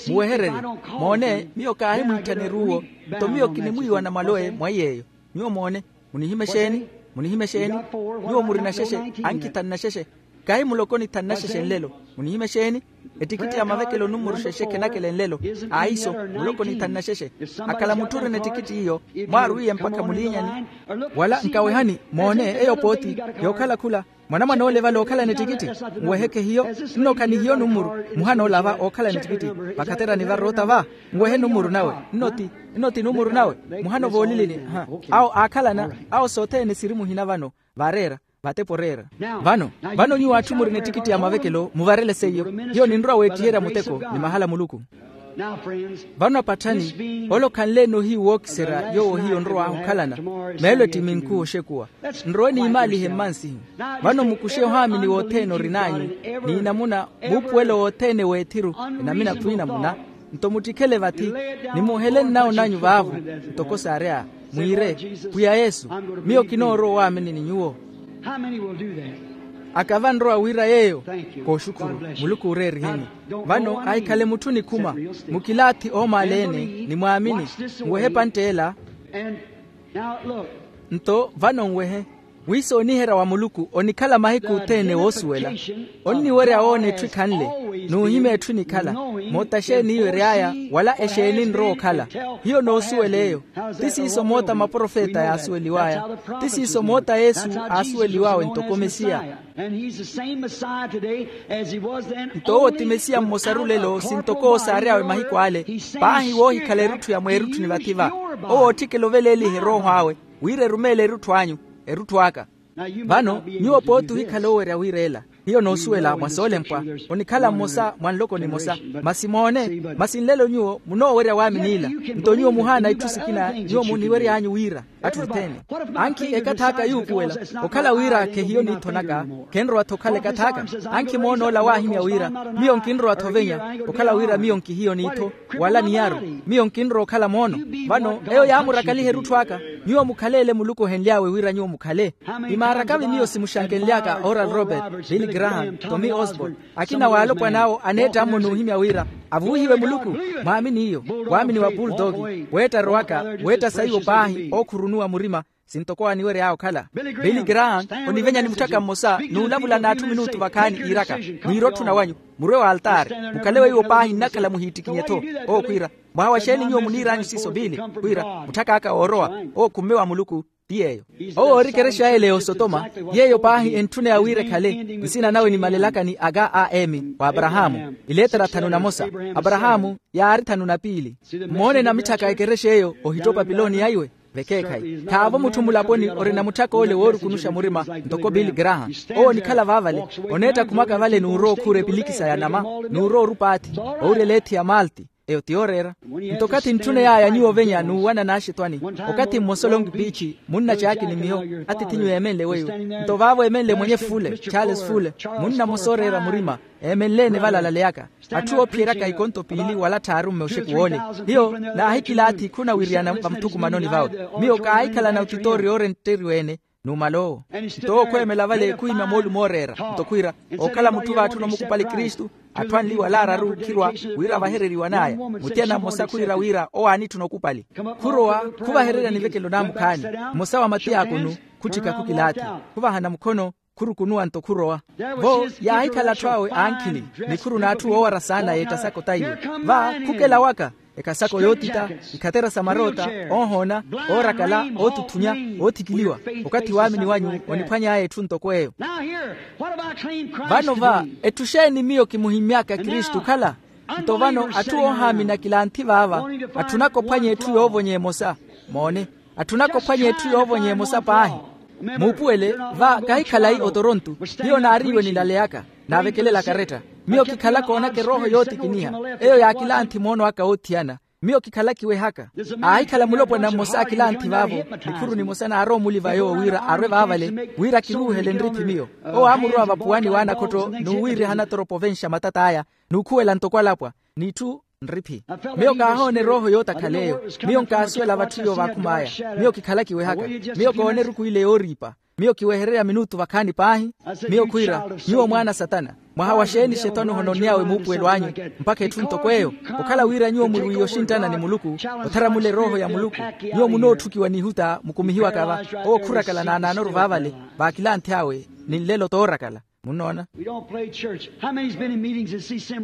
Muwehererye. Moone, miyo kaahimwiitthaneru uwo. Nto miyo kinimwiiwa namwalowe mwa iy'eyo. Nyuwo moone. Munihime xeeni? Munihime xeeni? Nyuwo murina xexe. Ankhi thanu na xexe. Kahi muloko ni thanu na xexe nlelo. Munihime xeeni? Ettikitti ya mavekelo nummuru xexe khenakele nlelo. Aiso, muloko ni thanu na xexe. Akhala mutthu orina ettikitti iyo. Mwaarwiiye mpakha muliinyani. Wala nkawehani. Moone, eyo pooti. Yookhala khula. Mwanamwane ole vale ookhalana ettikitti. Nweheke hiyo. Nno khanihiyo nummuru. Muhana ole ava ookhalana ettikitti. Vakhaterani varoota va. Nwehe nummuru nawe. Nno ti nummuru nawe. Muhana ovoolilini. Awo aakhalana. Awo sothene siri muhina vano. Vaareera. Vatepo oreera. Vano, vano nyuwo atthu murina ettikitti ya mavekelo muvarele seiyo. Hiyo ninrowa weettiherya muteko ni mahala a muluku. Vano apatthani, ole okhanle-ene ohiyu wookiserya yoowo hiyo nrow'ahu okhalana. Meelo ettiminku oxekuwa. Nrowe niimaalihe mmansihu. Vano mukuxe ohaamini wothene orin'anyu, n'inamuna, muupuwelo wothene w'ethiru, enamina khwiinamuna. Nto muttikhele vathi, nimuhele nnawo nanyu vaavo. Ntoko saarya, mwiire, pwiya yesu, miyo kinoorowa owaamini ni nyuwo. Aka vanrowa wira yeeyo? Kooxukhuru. Muluku ooreeriheni. Vano ahikhale mutthu nikhuma, mukilaathi oomaala-ene, nimwaamini, nwehe epantt'ela. Nto vano nwehe, wiisooniherya wa muluku onikhala mahiku othene woosuwela. Onniwerya woona etthu ekhanle, n'uhimya etthu enikhala, moota xeeni iwery'aya, wala exeeni nrowa okhala. Hiyo noosuwela eyo. Ti siiso moota maprofeta yaasuweliw'aya. Ti siiso moota yesu aasuweliw'awe ntoko mesiya. Nto owo ti mesiya mmosaru lelo sintoko owo saary'awe mahiku ale. Paahi woohikhala erutthu ya mweerutthu ni vathi-va. Owo ootthikela oveleeliha erooho awe, wira erumeele erutthu anyu, erutthu aka. Vano nyuwo pooti ohikhala oowerya wira ela. Hiyo noosuwela mwa soolempwa, onikhala mmosa mwa nloko nimosa. Masi moone, masi nlelo nyuwo munoowerya waamini ila. Nto nyuwo muhaana itthu sikina nyuwo muniwery'anyu wira atthu othene. Ankhi ekath'aka yuupuwela, okhala wira khehiyo niitho naka, khenrowa-tho okhala ekath'aka. Ankhi moon'ola waahimya wira, miyo nkinrowa-tho ovenya, okhala wira miyo nkihiyo niitho, wala niyaru, miyo nkinrowa okhala moono. Vano eyo yaamurakaliha erutthu aka. Nyuwo mukhaleele muluku ohenly'awe wira nyuwo mukhale. Imaarakavi miyo simuxankenly'aka oral robert, billy graham, tommy osborn, akina w'alopwana awo aneetta-mo n'uhimya wira, avuwihiwe muluku, mwaamini iyo, waamini wa pultoki, weetta rowaka, weetta saiwo paahi ookhurunuwa murima, sintoko aniwery'awe okhala. Billy graham, onivenya ni mutthaka mmosa n'ulavula n'atthu minutu vakhaani iiraka, mwiire otthuna wanyu, murwe w'altaari, mukhale weiwo paahi nnakhala muhiittikinye-tho. Owo khwiira, mwaha wa xeeni nyuwo muniir'anyu siiso billy? Khwiira, mutthak'aka woorowa. Owo khumme wa muluku. Ti yeeyo. Owo oori ekerexa y'eleyo osotoma, yeeyo paahi entthuneya wira ekhale. Nsina nawe nimalelaka ni aga a emi wa aparahaamu, iletera thanu na mosa. Aparahaamu yaari thanu na piili. Mmoone namitthaka ekerexa eyo ohitto opapiloniya iwe. Vekeekhayi khaavo mutthu mulaponi orina mutthaka ole woorukunuxa murima, ntoko billy graham. Owo onikhala vaavale, oneetta khumwaka vale n'urowa okhuura epilikisa ya nama, n'urowa orupa athi, owirya eleethi ya malti. Eyo ti yooreera. Nto okathi ntthuney'aya nyuwo ovenya n'uwana n'axitwani, okathi mmosa olonki piichi, munna caaki ni miyo, atiithi nyuwo eemenle weiwo. Nto vaavo eemenle mwenye fule, charles fule, munna mmosa ooreera murima, eemenle-ene vale alaleyaka. Atthu oophiyeryaka ikonto piili wala tthaaru mmoxeku woole. Hiyo naahikilaathi khunawiriyana vamuthukumanoni vawe. Miyo kaahikhalana otitooriya oorentteriwa-ene, numala owo. Nto owo khweemela vale khuhimya moolumo ooreera, nto khwiira, ookhala mutthu vaatthuna omukupali kristu. Atthu anli wala araru khirwa wira vahereriwan'aya. Muthiyana mmosa khwiira wira owo aanitthuna okupali. Khurowa, khuvahererya nivekelo naamukhaani, mmosa wa matiyakunu, khutthika khukilaathi, khuvahana mukhono, khurukunuwa nto khurowa. Vo yaahikhala atthu awe ankhili, nikhuru n'atthu woowara saana yeetta saka otaiwe. Va khukela waka, ekasako yootita, ikhatera sa maroota, oohoona, oorakala, ootutthunya, oothikiliwa. Okathi waamini wanyu oniphwany'aya etthu ntoko eyo. Vano va, etthu xeeni miyo kimuhimmy'aka kristu okhala? Nto vano atthu oohaamini akilanthi vaava, atthunaka ophwanya etthu yoovonya emosa. Moone, atthunaka ophwanya etthu yoovonya emosa paahi. Muupuwele, va kahi khalayi otoronto. Hiyo naari iwe nilaleyaka, naavekelela karetta. Miyo kikhalaka oonaka erooho yootikiniha, eyo yaakilanthi moono aka oothiyana. Miyo kikhalaka iwehaka. Aahikhala mulopwana mmosa akilanthi vaavo, nikhuru nimosa naarowa omuli va yoowo wira arwe vaavale, wira kiruuhele nriphi miyo. Owo aamurowa vapuwani w'anakhotto n'uwiiriha anatoropa ovenxa matat'aya, n'ukhuwela ntoko alapwa, n'itthu nriphi. Miyo kaahoona erooho yootakhala eyo. Miyo nkaasuwela vatthu iyo vaakhum'aya. Miyo kikhalaka iwehaka. Miyo koona eruku ile yooriipa. Miyo kiwehererya minutu vakhaani paahi. Miyo khwiira, nyuwo mwaana a satana, mwaha wa xeeni xetwani ohononny'awe muupuwelo anyu? Mpakha etthu ntoko eyo, okhala wira nyuwo murwiiye oxinttana ni muluku, otharamula erooho ya muluku, nyuwo munootthukiwa n'ihuta mukumihiwaka va. Owo khurakala naanaanoru vaavale, vaakilanthi awe, ni nlelo toorakala. Munnoona?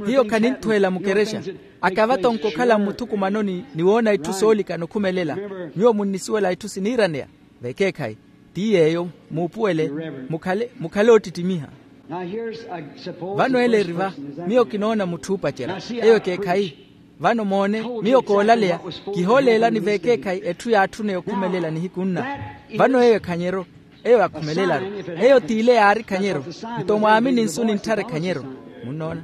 Hiyo khaninthuwela mukerexa. Akava tonkokhala mmuthukumanoni ni woona itthu soolikana okhumelela. Nyuwo munnisuwela itthu siniiraneya. Vekeekhayi, ti yeeyo, muupuwele, mukhale oottittimiha. Vano ele eri va, miyo kinoona mutthu oopacerya. Eyo ekeekhayi. Vano moone, miyo koolaleya, kihooleelani vekeekhayi etthu yaatthuneya okhumelela nihiku nna. Vano eyo ekhanyeryo. eyo yakhumelelaru. Eyo t'ile yaari khanyero. Nto mwaamini nsu nintthara ekhanyero. Munnoona?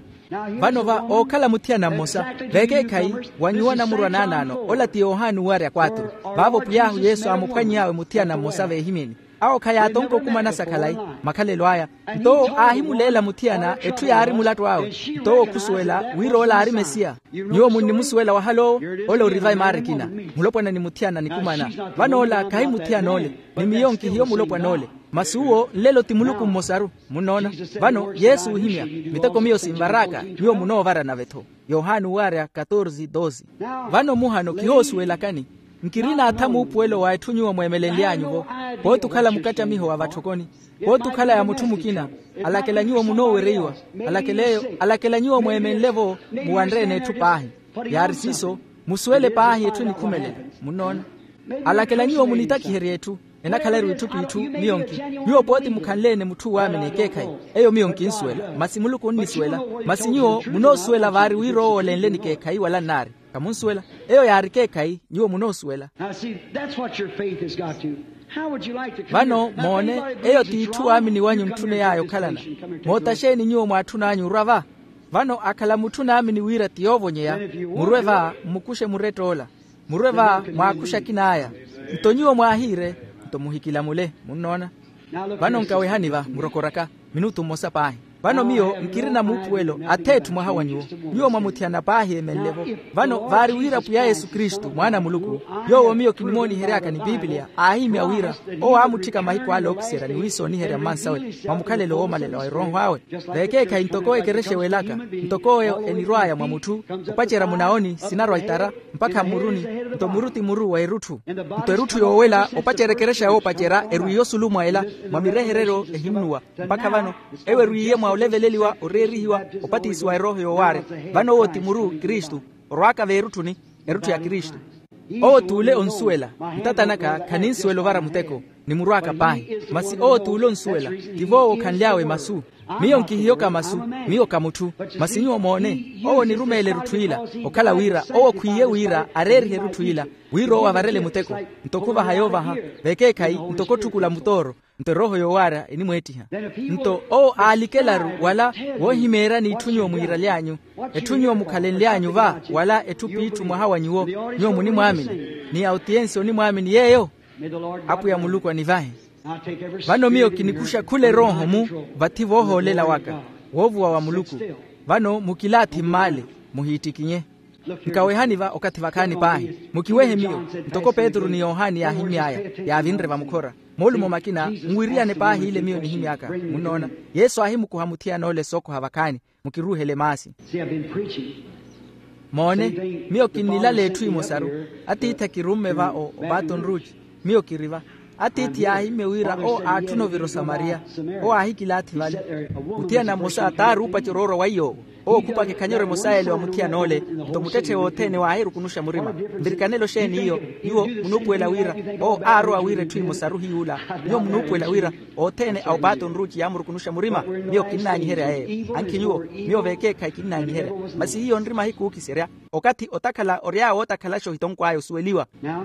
Vano va ookhala muthiyana mmosa, veekeekhayi, wa nyuwo anamurwa naanaano ola ti yohani uwarya kwatru. Vaavo pwiy'ahu yesu aamuphwany'awe muthiyana mmosa veehimyeni. Awo khayaatonka okumana sa khalayi makhalelo aya. Nto owo aahimuleela muthiyana etthu yaari mulattu awe. Nto owo khusuwela wira ola aari mesiya. Nyuwo munnimusuwela wahala owo. Ola ori va emaara ekina. Mulopwana ni muthiyana nikumana. Vano ola khahi muthiyana ole. Ni miyo nkihiyo mulopwana ole. Masi uwo nlelo ti muluku mmosaru. Munnoona? Vano yesu oohimya, miteko miyo sinvar'aka. Nyuwo munoovara nave-tho. Yohani uwarya katorze doze. Vano muhano kihoosuwelakani. Nkirina atha muupuwelo wa etthu nyuwo mweemelenly'anyu-vo. Pooti okhala mukattamiho wa vatthokoni. Pooti okhala ya mutthu mukina. Alakela nyuwo munoowereiwa. Alakela eyo alakela nyuwo mweemenle-vo. Muwanre-ene etthu paahi. Yaari siiso. Musuwele paahi etthu enikhumelela. Munnoona? Alakela nyuwo munitakiherye etthu. Enakhala-ru itthu p'itthu. Miyo nki nyuwo pooti mukhanle-ene mutthu waamini ekeekhayi. Eyo miyo nkinsuwela masi muluku onnisuwela. Masi nyuwo munoosuwela vaari wira owo olenle ni keekhayi wala nnaari. Khamunsuwela. Eyo yaari keekhayi nyuwo munoosuwela. Vano moone. Eyo t'itthu waamini wanyu ntthuney'aya okhalana. Moota xeeni nyuwo mwaatthun'anyu orwa va? Vano akhala mutthu naamini wira ti yoovonyeya, murwe va mmukuxe muretta ola. Murwe va mwaakuxe akin'aya. Nto nyuwo mwaahiire. Nto muhikilamule. Munnoona? Vano nkawehani va murokor'aka minutu mmosa paahi. Vano miyo nkirina muupuwelo ath'etthu mwaha wa nyuwo. Nyuwo mwamuthiyana paahi eemenle-vo. Vano vaari wira pwiya yesu kristu mwaana a muluku, yoowo miyo kinimoonihery'aka ni piipiliya aahimya wira owo aamutthika mahiku ale ookiserya ni wiisooniherya mmansawe mwa mukhalelo woomalela wa erooho awe. Veekeekhayi ntoko ekerexa ewelaka, ntoko eyo enirw'aya mwa mutthu opacerya munaoni sinarwa itara mpakha mmuruni. Nto muru ti muru wa erutthu. Nto erutthu yoowela opacerya ekerexa yoopacerya erwiiye osulu mwa ela mwa mirehereryo ehinnuwa. Mpakha vano ewo erwiiye mwa oleveleliwa oreerihiwa opatisiwa erooho yoowaarya. Vano owo ti muru kristu orwaaka veerutthuni. Erutthu ya kristu. Owo t'ule onsuwela. Ntata naka khaninsuwela ovara muteko. Nimurwaaka paahi. Masi owo t'ule onsuwela. Tivo owo khanly'awe masu. Miyo nkihiyoka masu. Miyo ka mutthu. Masi nyuwo moone owo onirumeela erutthu ila. Okhala wira owo khwiiye wira areerihe erutthu ila wira owo avarele muteko. Nto khuvaha yoovaha vekeekhayi ntoko otthukula mutooro. Nto erooho yoowaarya enimweettiha. Nto owo aalikelaru wala woohimeeryani itthu nyuwo mwiiraly'anyu. Etthu nyuwo mukhalenly'anyu va wala etthu p'itthu mwaha wa nyuwo. Nyuwo munimwaamini ni autiyensi onimwaamini yeeyo. Apwiya muluku anivahe. Vano miyo kinikuxa khula erooho-mu vathi voohoolela waka woovuwa wa muluku. Vano mukilaathi mmaale. Muhiittikinye. Nkawehani va okathi vakhaani paahi. Mukiwehe miyo. Ntoko petru ni yohani yaahimy'aya yaavinre vamukhora. Moolumo makina nwiriyane paahi ile miyo nihimy'aka. Munnoona? Yesu aahimukuha muthiyana ole sookoha vakhaani. Mukiruuhele maasi. Moone. Miyo kinnilala etthu emosaru. Atiithi akirumme va o baton rouge. Miyo kiri va. Atiithi yaahimmye wira owo aatthuna ovira osamariya. Owo aahikilaathi vale. Muthiyana mmosa t'aari oopacerya oorwa wa iy'owo. Owo okhupaka ekhanyero emosa yeele wa muthiyana ole. Nto muttetthe wothene waahirukunuxa murima. Nvirikanelo xeeni iyo? Nyuwo munuupuwela wira owo aarowa wira etthu emosaru hiy'ula. Nyuwo munuupuwela wira othene a opato nruuci yaamurukunuxa murima. Miyo kinnaanyiherya yeeyo. Ankhi nyuwo. Miyo vekeekhayi kinnaanyiherya. Masi hiyo nri mahiku ookiserya. Okathi otakhala ory'awe ootakhalaxa ohitonkw'aya osuweliwa. Now,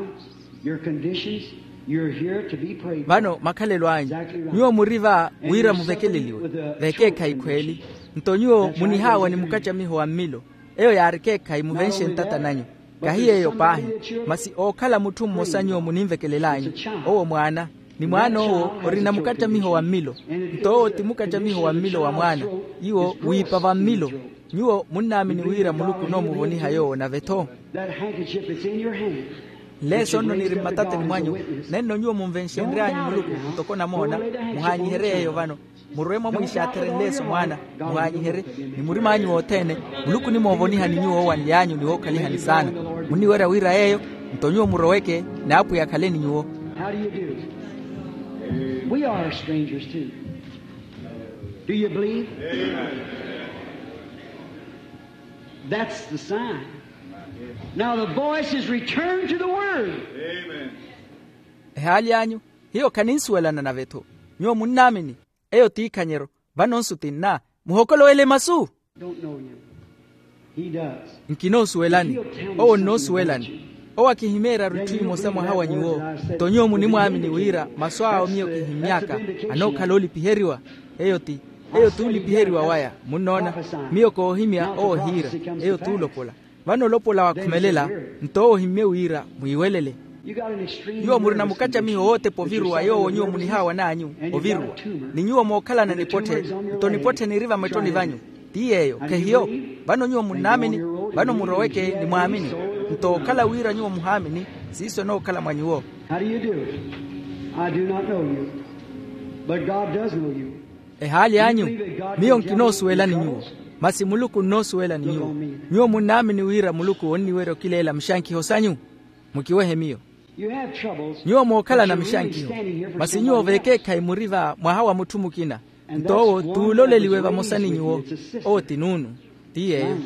your conditions, you're here to be prayed for. Vano makhalelo anyu. Nyuwo muri va wira muvekeleliwe. Vekeekhayi khweeli. Nto nyuwo munihaawa ni mukattamiho wa mmilo. Eyo yaari ekeekhayi muvenxe ntata nanyu. Kahi yeeyo paahi. Masi ookhala mutthu mmosa nyuwo muninvekelel'anyu. Owo mwaana. Ni mwaana owo orina mukattamiho wa mmilo. Nto owo ti mukattamiho wa mmilo wa mwaana. Iwo wiipa va mmilo. Nyuwo munnaamini wira muluku onoomuvoniha yoowo nave-tho. Nleeso nno niri mmatateni mwanyu. Nenno nyuwo munvenxenry'anyu muluku ntoko namoona. Muhaanyiherye yeeyo vano. Murwe mwa mwiixaathere nleeso mwaana. Muhaanyiherye. Ni murim'anyu wothene. Muluku onimoovonihani nyuwo owanly'anyu ni wookhalihani saana. Munniwerya wira yeeyo. Nto nyuwo muroweke. N'apwiya akhale ni nyuwo. How do you do? We are strangers too. Do you believe? That's the sign. Now the voice is returned to the word. Ehaali anyu. Hiyo khaninsuwelana nave-tho. Nyuwo munnaamini. Eyo t'ikhanyero. Vano nsu tinna. Muhokolowele masu. Don't know you. He does. Nkinoosuwelani. Owo nnoosuwelani. Owo akihimeeraru itthu emosa mwaha wa nyuwo. Nto nyuwo munimwaamini wira masu awo miyo kihimmy'aka anookhala olipiheriwa. Eyo ti eyo t'ulipiheriwa waya. Munnoona, miyo koohimya owo ohiira. Eyo t'ulopola. Vano olopola wakhumelela, nto owo ohimmye wira mwiiwelele. Nyuwo murina mukattamiho wootepa oviruwa yoowo nyuwo munihaawan'anyu oviruwa. Ni nyuwo mookhalana nipotthe, nto nipotthe niri vamettoni vanyu. Ti yeeyo khehiyo? Vano nyuwo munnaamini. Vano muroweke nimwaamini. Nto okhala wira nyuwo muhaamini, siiso enookhala mwa nyuwo. How do you do it? I do not know you, but God does know you. Ehaali anyu, miyo nkinoosuwelani nyuwo, masi muluku onnoosuwelani nyuwo. Nyuwo munnaamini wira muluku onniwerya okileela mixankiho sanyu? Mukiwehe miyo. Nyuwo mookhalana mixankiho, masi nyuwo vekeekhayi muri va mwaha wa mutthu mukina. Nto owo t'uloleliwe vamosa ni nyuwo. Owo ti nuunu. Ti yeeyo.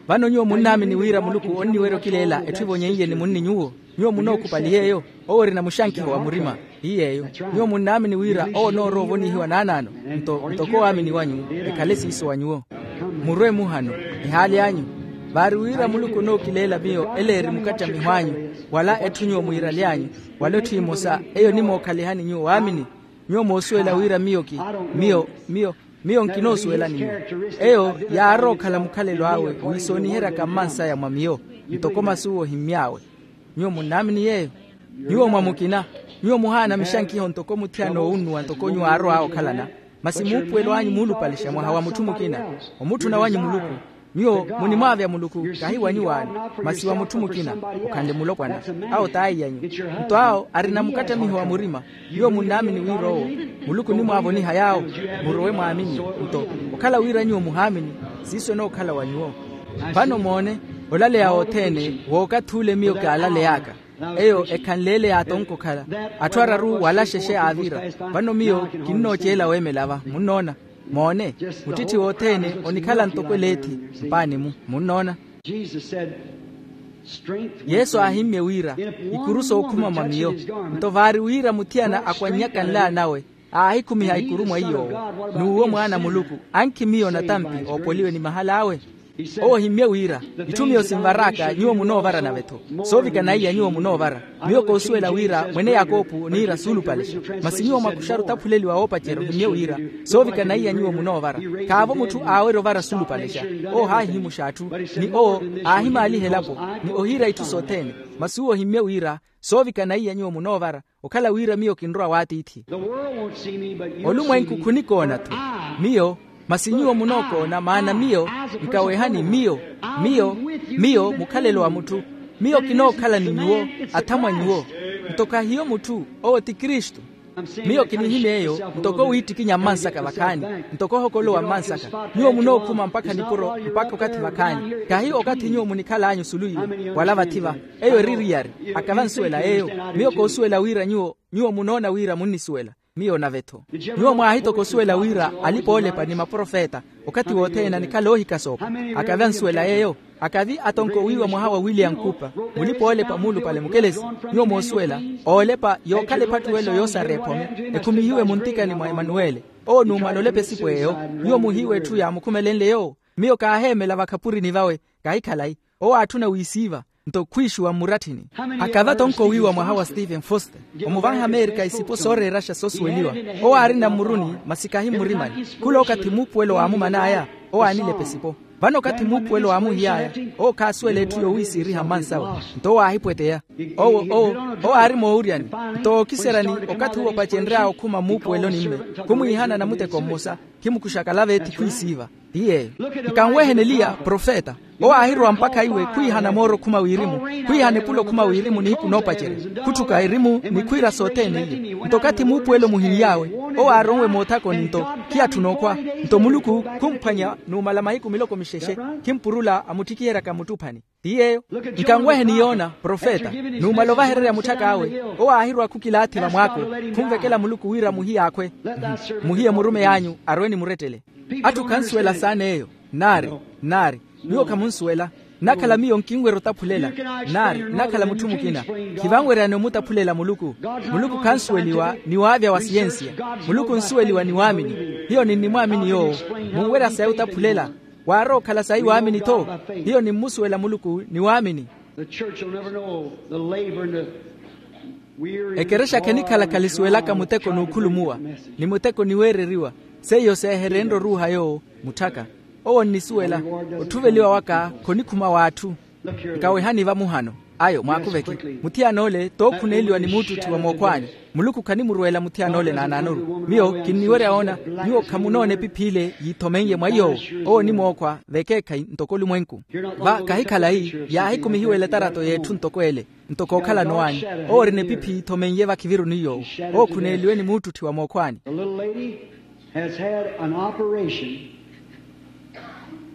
Vano nyuwo munnaamini wira muluku onniwerya okileela etthu evonyeiye ni munni nyuwo? Nyuwo munookhupali yeeyo. Owo orina muxankiho wa murima. Ti yeeyo. Nyuwo munnaamini wira owo onoorowa ovonihiwa naanaano. Nto ntoko waamini wanyu ekhale siiso wa nyuwo. Murwe muhano, ehaali anyu. Vaari wira muluku onookileela miyo ele eri mukattamiho anyu, wala etthu nyuwo mwiiraly'anyu, wala etthu emosa eyo onimookhalihani nyuwo waamini. Nyuwo moosuwela wira miyo ki miyo miyo miyo nkinoosuwelani nyuwo. Eyo yaarowa okhala mukhalelo awe wiisooniheryaka mmansaya mwa miyo, ntoko masu owo ohimmy'awe. Nyuwo munnaamini yeeyo? Nyuwo mwa mukina, nyuwo muhaana mixankiho ntoko muthiyana oowunnuwa ntoko nyuwo aarow'awe okhalana. Masi muupuwelo anyu muulupalixa mwaha wa mutthu mukina. Omutthuna wanyu muluku. Nyuwo munimwaavya muluku, kahi wa nyuwaani, masi wa mutthu mukina, okhanle mulopwana. Awo t'aiy'anyu. Nto awo arina mukattamiho wa murima. Nyuwo munnaamini wira owo muluku onimwaavoniha yaawo. Murowe mwaamini. Nto okhala wira nyuwo muhaamini, siiso enookhala wa nyuwo. Vano moone, olaleya wothene w'okathi ule miyo kaalaley'aka. Eyo ekhanle ele yaatonka okhala, atthu araru wala xexe aavira. Vano miyo kinnooceela weemela va, munnoona? Moone, muttitthi wothene onikhala ntoko eleethi mpaani-mu. Munnoona? Yesu aahimmye wira, ikuru sookhuma mwa miyo. Nto vaari wira muthiyana akwannyaka nlawa nawe, aahikhumiha ikuru mwa iy'owo, n'uwo mwaana a muluku, ankhi miyo natampi oopoliwe ni mahal'awe. Owo ohimmye wira, itthu miyo sinvar'aka nyuwo munoovara nave-tho. Soovikana iya nyuwo munoovara. Miyo koosuwela wira mwene yakopu oniira suulupalexa. Masi nyuwo mwakuxaru otaphuleliwa woopacerya ohimmye wira, soovikana iya nyuwo munoovara. Khaavo mutthu aawerya ovara suulupalexa. Owo haahihimuxa atthu, ni owo aahimaaliha elapo, ni ohiira itthu sothene. Masi uwo ohimmye wira, soovikana iya nyuwo munoovara, okhala wira miyo kinrowa w'atiithi. Olumwenku khunikoona-tho miyo, masi nyuwo munookoona, maana miyo nkawehani miyo. Miyo, miyo mukhalelo wa mutthu. Miyo kinookhala ni nyuwo, athamwa nyuwo. Nto khahiyo mutthu, owo ti kristu. Miyo kinihimya eyo ntoko wiittikinya mmansaka vakhaani, ntoko ohokolowa mmansaka. Nyuwo munookhuma mpakha nipuro mpakha okathi vakhaani, khahi okathi nyuwo munikhal'anyu osulu iwe, wala vathi va. Eyo eri eriyari. Akava ansuwela yeeyo. Miyo koosuwela wira nyuwo, nyuwo munoona wira munnisuwela. Miyo nave-tho. Nyuwo mwaahitoka osuwela wira alipa-oolepa ni maprofeta okathi wothene anikhala oohikasoopa. Akava ansuwela yeeyo. Akavi atonkowiwa mwaha wa william cooper, mulipa-oolepa muulupale mukelesi. Nyuwo moosuwela, oolepa yookhala ephattuwelo yoosareya ephome, ekhumihiwe muntikani mwa emanuwele. Owo numala olepa esipo eyo. Nyuwo muhiiwa etthu yaamukhumelenle yoowo. Miyo kaaheemela vakhapurini vawe. Kahi khalayi. Owo aatthuna wiisiiva, nto khwiixuwa mmuratthini. Akava tonkowiwa mwaha wa steven foster, omuvanha amerika isipo sooreeraxa soosuweliwa. Owo aarina mmuruni masi kahi mmurimani. Khula okathi muupuwelo waamuman'aya, owo aanilepa esipo. Vano okathi muupuwelo waamuhiy'aya, owo khaasuwela etthu yowiisiiriha mmansawe. Nto owo aahipweteya. Owo owo owo aari moowuryani. Nto ookiseryani, okathi uwo opacenry'awe okhuma mmuupuweloni-mme, khumwiihana namuteko mmosa, khimukuxaka lava ethi khwiisiiva. Ti yeeyo. Nkanweheni eliya profeta. Owo aahirowa mpakha iwe khwiihana mooro okhuma wirimu, khwiihana epula okhuma wirimu nihiku noopacerya, khutthuka erimu ni khwiira sothene iye. Nto okathi muupuwelo muhiiy'awe, owo aaronwe moothakoni nto khiyatthuna okhwa. Nto muluku khumphwanya numala mahiku miloko mixexe, khimpurula amuttikiheryaka muttuphani. Ti yeeyo. Nkanweheni yona profeta, numala ovahererya mutthak'awe. Owo aahirowa khukilaathi vamwaako, khunvekela muluku wira muhiye akhwe. Muhiye murumeyi anyu arwe ni murettele. Atthu khansuwela saana eyo. Nnaari, nnaari. Nyuwo khamunsuwela. Nnakhala miyo nkinwerya otaphulela. Nnaari nnakhala mutthu mukina. Khivanweryani omutaphulela muluku. Muluku khansuweliwa ni waavya wa siyensiya. Muluku onsuweliwa ni waamini. Hiyo ninnimwaamini yoowo. Munwerya sayi otaphulela. Waarowa okhala sayi waamini-tho. Hiyo nimmusuwela muluku ni waamini. The church will never know the labor and the weary. Ekerexa khenikhala khali suwelaka muteko n'ukhulumuwa ni muteko niweereriwa. Seiyo seeherenre oruuha yoowo mutthaka. Owo onnisuwela otthuveliwa waka khonikhuma w'atthu. Nkawehani vamuhano ayo mwaakuveke. Muthiyana ole tookhuneeliwa ni muuttutthiwa mookhwaani. Muluku khanimurweela muthiyana ole naanaanoru. Miyo kinniwerya woona nyuwo khamunoona epiphi ile yiithomen'ye mwa iy'owo. Owo onimookhwa vekeekhayi ntoko olumwenku. Va kahi khalayi yaahikumihiwa eletarato y'etthu ntoko ele. Ntoko okhalano anyu owo orina epiphi yiithomen'ye vakhiviruni iy'owo. Owo okhuneeliwe ni muuttutthiwa mookhwaani. The little lady has had an operation,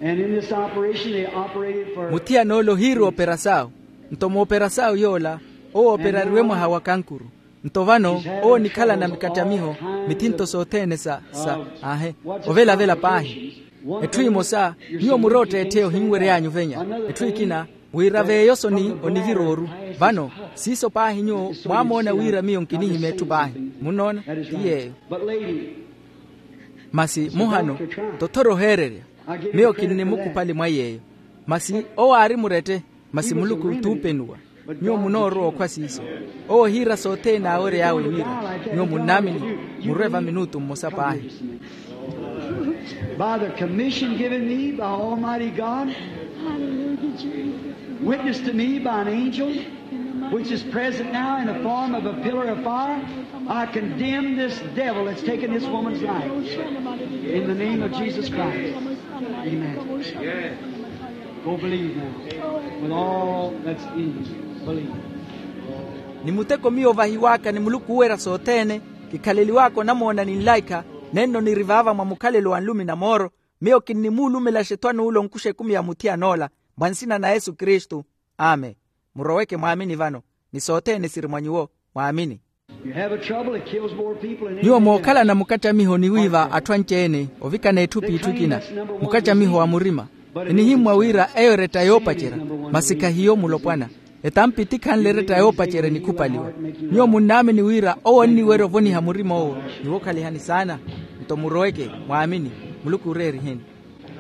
and in this operation they operated for. Muthiyana ole ohiiri operasaawu. Nto mooperasaawu yoola owo operariwe mwaha wa kankuru. Nto vano owo onikhalana mikattamiho mithinto sothene sa sa aahe. Ovelavela paahi. Etthu emosa nyuwo murotteettheya ohinwery'anyu ovenya. Etthu ekina wira veeyosoni onivira oru. Vano siiso paahi nyuwo mwaamoona wira miyo nkinihimya etthu paahi. Munnoona? Ti yeeyo. Masi muhano tothora oheererya. Miyo kinnimukhupali mwa yeeyo. Masi owo aari murette. Masi muluku t'upenuwa. Nyuwo munoorowa okhwa siiso. Owo ohiira sothene aawery'awe wira nyuwo munnaamini. Murwe va minutu mmosa paahi. By the commission given me by Almighty God, witnessed to me by an angel, which is present now in the form of a pillar of fire, I condemn this devil that's taken this woman's life. In the name of Jesus Christ. Amen. Go believe now. With all that's in you, believe. Ni muteko miyo ovahiw'aka ni muluku oowerya sothene. Kikhaleliw'aka onamoona ni nlaikha. Nenno niri vaava mwa mukhalelo wa nlumi na mooro. Miyo kinnimuulumelaxa ethwan'ule onkuxa ekumi ya muthiyan'ola. Mwa nsina na yesu kristu. Amen. Muroweke mwaamini vano. Ni sothene siri mwa nyuwo. Mwaamini. Nyuwo mookhalana mukattamiho ni wiiva atthu anci-ene ovikana etthu p'itthu ekina. Mukattamiho wa murima. Enihimmwa wira eyo eretta yoopacerya. Masi khahiyo mulopwana. Etampi tikhanle eretta yoopacerya enikhupaliwa. Nyuwo munnaamini wira owo onniwerya ovoniha murima owo. Niwookhalihani saana. Nto muroweke. Mwaamini. Muluku ooreeriheni.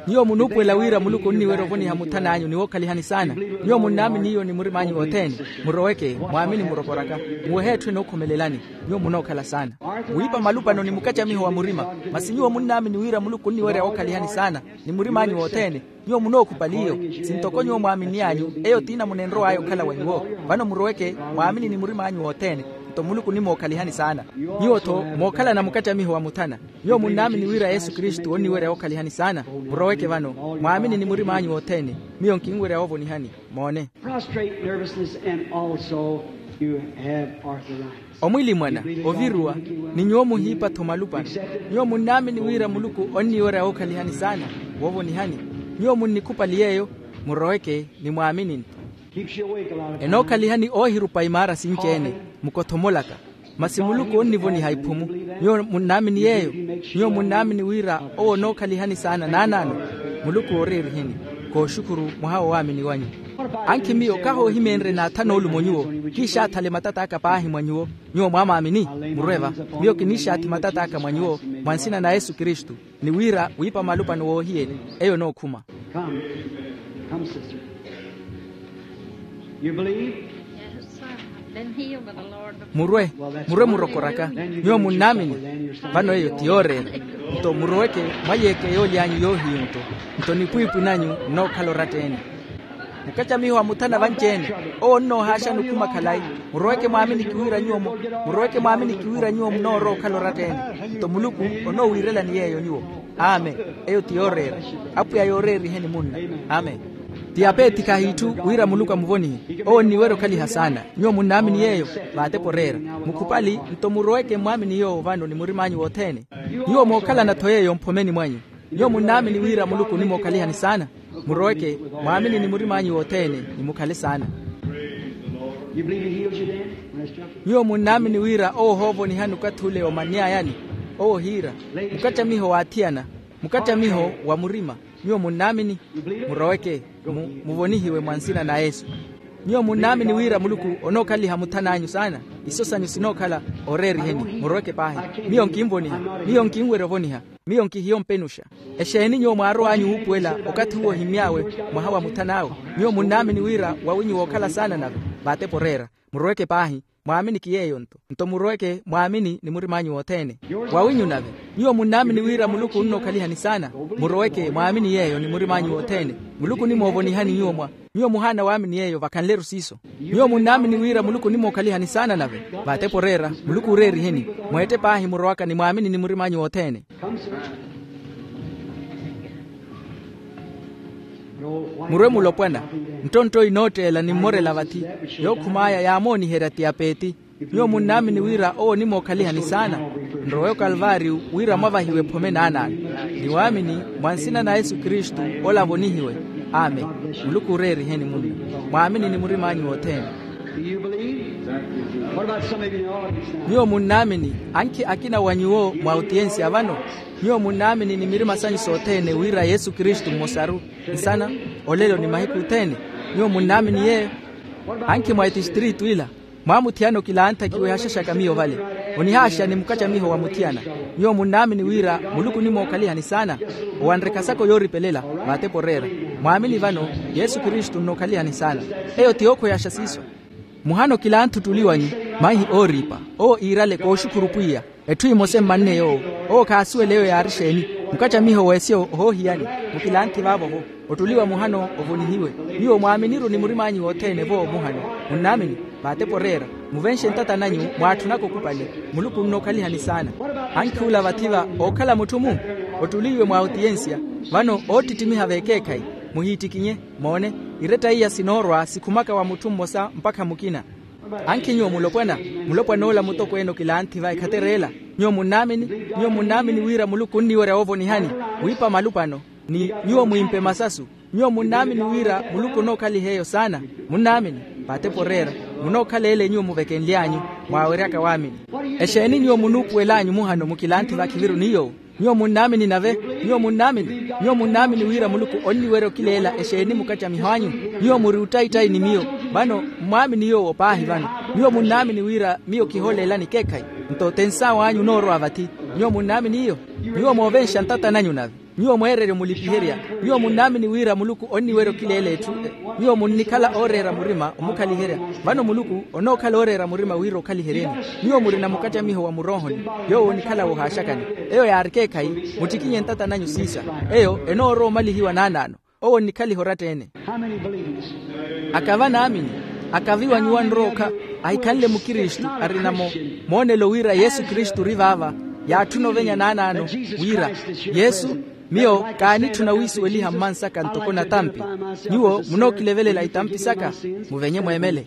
Nyuwo munuupuwela wira muluku onniwerya ovoniha muthan'anyu niwookhalihani saana. Nyuwo munnaamini iyo ni murim'anyu wothene. Muroweke. Mwaamini murokoraka. Muwehe etthu enookhomelelani. Nyuwo munookhala saana. Muwiipa malupano ni mukattamiho wa murima. Masi nyuwo munnaamini wira muluku onniwerya wookhalihani saana. Ni murim'anyu wothene. Nyuwo munookhupali iyo. Sintoko nyuwo mwaaminn'anyu eyo t'ina munenrow'aya okhala wa nyuwo. Vano muroweke. Mwaamini ni murim'anyu wothene. Nto muluku onimwookhalihani saana. Nyuwo-tho mookhalana mukattamiho wa muthana. Nyuwo munnaamini wira yesu kristu onniwerya wookhalihani saana. Muroweke vano. Mwaamini ni murim'anyu wothene. Miyo nkinwerya woovonihani. Moone. Prostrate nervousness and also you have arthritis. Omwilimwana. Oviruwa. Ni nyuwo muhiipa-tho malupano. Nyuwo munnaamini wira muluku onniwerya wookhalihani saana. Woovonihani. Nyuwo munnikhupali yeeyo. Muroweke. Ni mwaamini-tho. Enookhalihani oohirupa imaara sinci-ene. Mukothomolaka. Masi muluku onnivoniha iphumu. Nyuwo munnaamini yeeyo. Nyuwo munnaamini wira owo onookhaliha ni saana naanaano. Muluku ooreeriheni. Kooxukhuru mwaha wo waamini wanyu. Ankhi miyo kahoohimeenrye naathana olumo nyuwo. Kiixaathale matat'aka paahi mwa nyuwo. Nyuwo mwaamaamini. Murwe va. Miyo kiniixaathi matat'aka mwa nyuwo. Mwa nsina na yesu kristu. Ni wira wiipa malupano woohiyeni. Eyo onookhuma. Come. Come, sister. You believe? Murwe. Murwe murokoraka. Nyuwo munnaamini. Vano eyo ti yooreera. Nto muroweke. Mwayeeke yoolyanyu yoohiyu nto. Nto nipwiipwi nanyu nnookhala oratta-ene. Mukattamiho wa muthana vanci-ene. Owo onnoohaaxani okhuma khalayi. Muroweke mwaaminiki wira nyuwo mu- muroweke mwaaminiki wira nyuwo munoorowa okhala oratta-ene. Nto muluku onoowiirelani yeeyo nyuwo. Amen. Eyo ti yooreera. Apwiya yooreeriheni munna. Amen. Ti apeethi khahiitthu wira muluku amuvonihe. Owo onniwerya okhaliha saana. Nyuwo munnaamini yeeyo. Vaatepa oreera. Mukhupali. Nto muroweke mmwaamini yoowo vano ni murim'anyu wothene. Nyuwo mookhalana-tho yeeyo mphomeni mwanyu. Nyuwo munnaamini wira muluku onimookhalihani saana. Muroweke. Mwaamini ni murim'anyu wothene. Nimukhale saana. Nyuwo munnaamini wira owo ohoovonihani okathi ule omanny'ayani. Owo ohiira. Mukattamiho w'athiyana. Mukattamiho wa murima. Nyuwo munnaamini. Muroweke. Mu- muvonihiwe mwa nsina na yesu. Nyuwo munnaamini wira muluku onookhaliha muthan'anyu saana. Iso sanyu sinookhala. Oreeriheni. Muroweke paahi. Miyo nkinvoniha. Miyo nkinwerya ovoniha. Miyo nkihiyo mpenuxa. Exeeni nyuwo mwaarow'anyu wuupuwela okathi uwo ohimmy'awe mwaha wa muthan'awe? Nyuwo munnaamini wira wawinyu wookhala saana nave? Vaatepo oreera. Muroweke paahi. Mwaaminiki yeeyo-nto. Nto muroweke mwaamini ni murim'anyu wothene. Wawinyu nave? Nyuwo munnaamini wira muluku onnookhaliha ni saana? Muroweke mwaamini yeeyo ni murim'anyu wothene. Muluku onimoovonihani nyuwo mwa nyuwo muhaana waamini yeeyo vakhanle-ru siiso. Nyuwo munnaamini wira muluku onimookhaliha ni saana nave? Vaatepo oreera. Muluku ooreeriheni. Mweette paahi murowaka ni mwaamini ni murim'anyu wothene. Murwe mulopwana. Nttontto inootteela ni mmorela vathi. Yookhum'aya yaamooniherya tiyapeeti. Nyuwo munnaamini wira owo onimookhaliha ni saana? Nrowe okalvaariyu wira mwavahiwe ephome naanaano. Ni waamini mwa nsina na yesu kristu. Ola avonihiwe. Amen. Muluku ooreeriheni munna. Mwaamini ni murim'anyu wothene. Nyuwo munnaamini? Ankhi akina wa nyuwo mwa otiyensiya vano? Nyuwo munnaamini ni mirima sanyu sothene wira yesu kristu mmosaru? Nsana, olelo ni mahiku othene. Nyuwo munnaamini yeeyo? Ankhi mwa etistritu ila mwaamuthiyana okilanttha kiwehaxaxaka miyo vale. Onihaaxa ni mukacamiho wa muthiyana. Nyuwo munnaamini wira muluku onimookhaliha ni saana? Owanrekha saka oyooripelela. Vaatepo oreera. Mwaamini vano yesu kristu onnookhaliha ni saana. Eyo ti yookhweyaxa siiso. Muhana okilantha ottuli wanyu, maihi ooriipa. Owo iirale kooxukhuru pwiya. Etthu emosa emmanne yoowo. Owo khaasuwela eyo yaari exeeni. Mukacamiho w'esiyo ohoohiyani. Mukilanthi vaavo-vo. Ottuli wa muhano ovonihiwe. Nyuwo mwaamini-ru ni murim'anyu wothene-vo muhano. Munnaamini? Vaatepo oreera. Muvenxe ntata nanyu mwaatthunaka okupale. Muluku onnookhaliha ni saana. Ankhi ola vathi-va ookhala mutthu-mu? Ottuli iwe mwa otiyensiya. Vano oottittimiha v'ekeekhayi. Muhiittikinye. Moone, iretta iya sinoorwa sikhumaka wa mutthu mmosa mpakha mukina. Ankhi nyuwo mulopwana? Mulopwana ola mutokweene okilanthi va ekhatereela. Nyuwo munnaamini? Nyuwo munnaamini wira muluku onniwerya woovonihani? Wiipa malupano. Ni nyuwo mwiimpe masasu. Nyuwo munnaamini wira muluku onookhaliha eyo saana? Munnaamini? Vaatepo oreera. Munookhala ele nyuwo muvekenly'anyu. Mwaaweryaka waamini. Exeeni nyuwo munuupuwel'anyu muhano mukilanthi vakhiviru ni yoowo? Nyuwo munnaamini nave? Nyuwo munnaamini? Nyuwo munnaamini wira muluku onniwerya okileela exeeni mukacamiho anyu? Nyuwo muri ottaittayi ni miyo. Vano mmwaamini yoowo paahi vano. Nyuwo munnaamini wira miyo kihoolelani ekeekhayi? Nto tensaaw'anyu onoorowa vathi. Nyuwo munnaamini iyo? Nyuwo moovenxa ntata nanyu nave. Nyuwo mweererya omulipiherya. Nyuwo munnaamini wira muluku onniwerya okileela etthu? Nyuwo munnikhala ooreera murima omukhaliherya. Vano muluku onookhala ooreera murima wira okhaliheryeni. Nyuwo murina mukacamiho wa muroohoni. Yoowo onikhala wohaaxakani. Eyo yaari ekeekhayi. Muttikinye ntata nanyu siisa. Eyo enoorowa omalihiwa naanaano. Owo onnikhaliha oratta-ene. Aka vanaamini? Aka viwa nyuwo anrowa okha ahikhanle mukristu arina moonelo wira yesu kristu ori vaava? Yaatthuna ovenya naanaano wira yesu, miyo kaanitthuna wiisuweliha mmansaka ntoko natampi. Nyuwo munookilevelela itampi saka. Muvenye mweemele.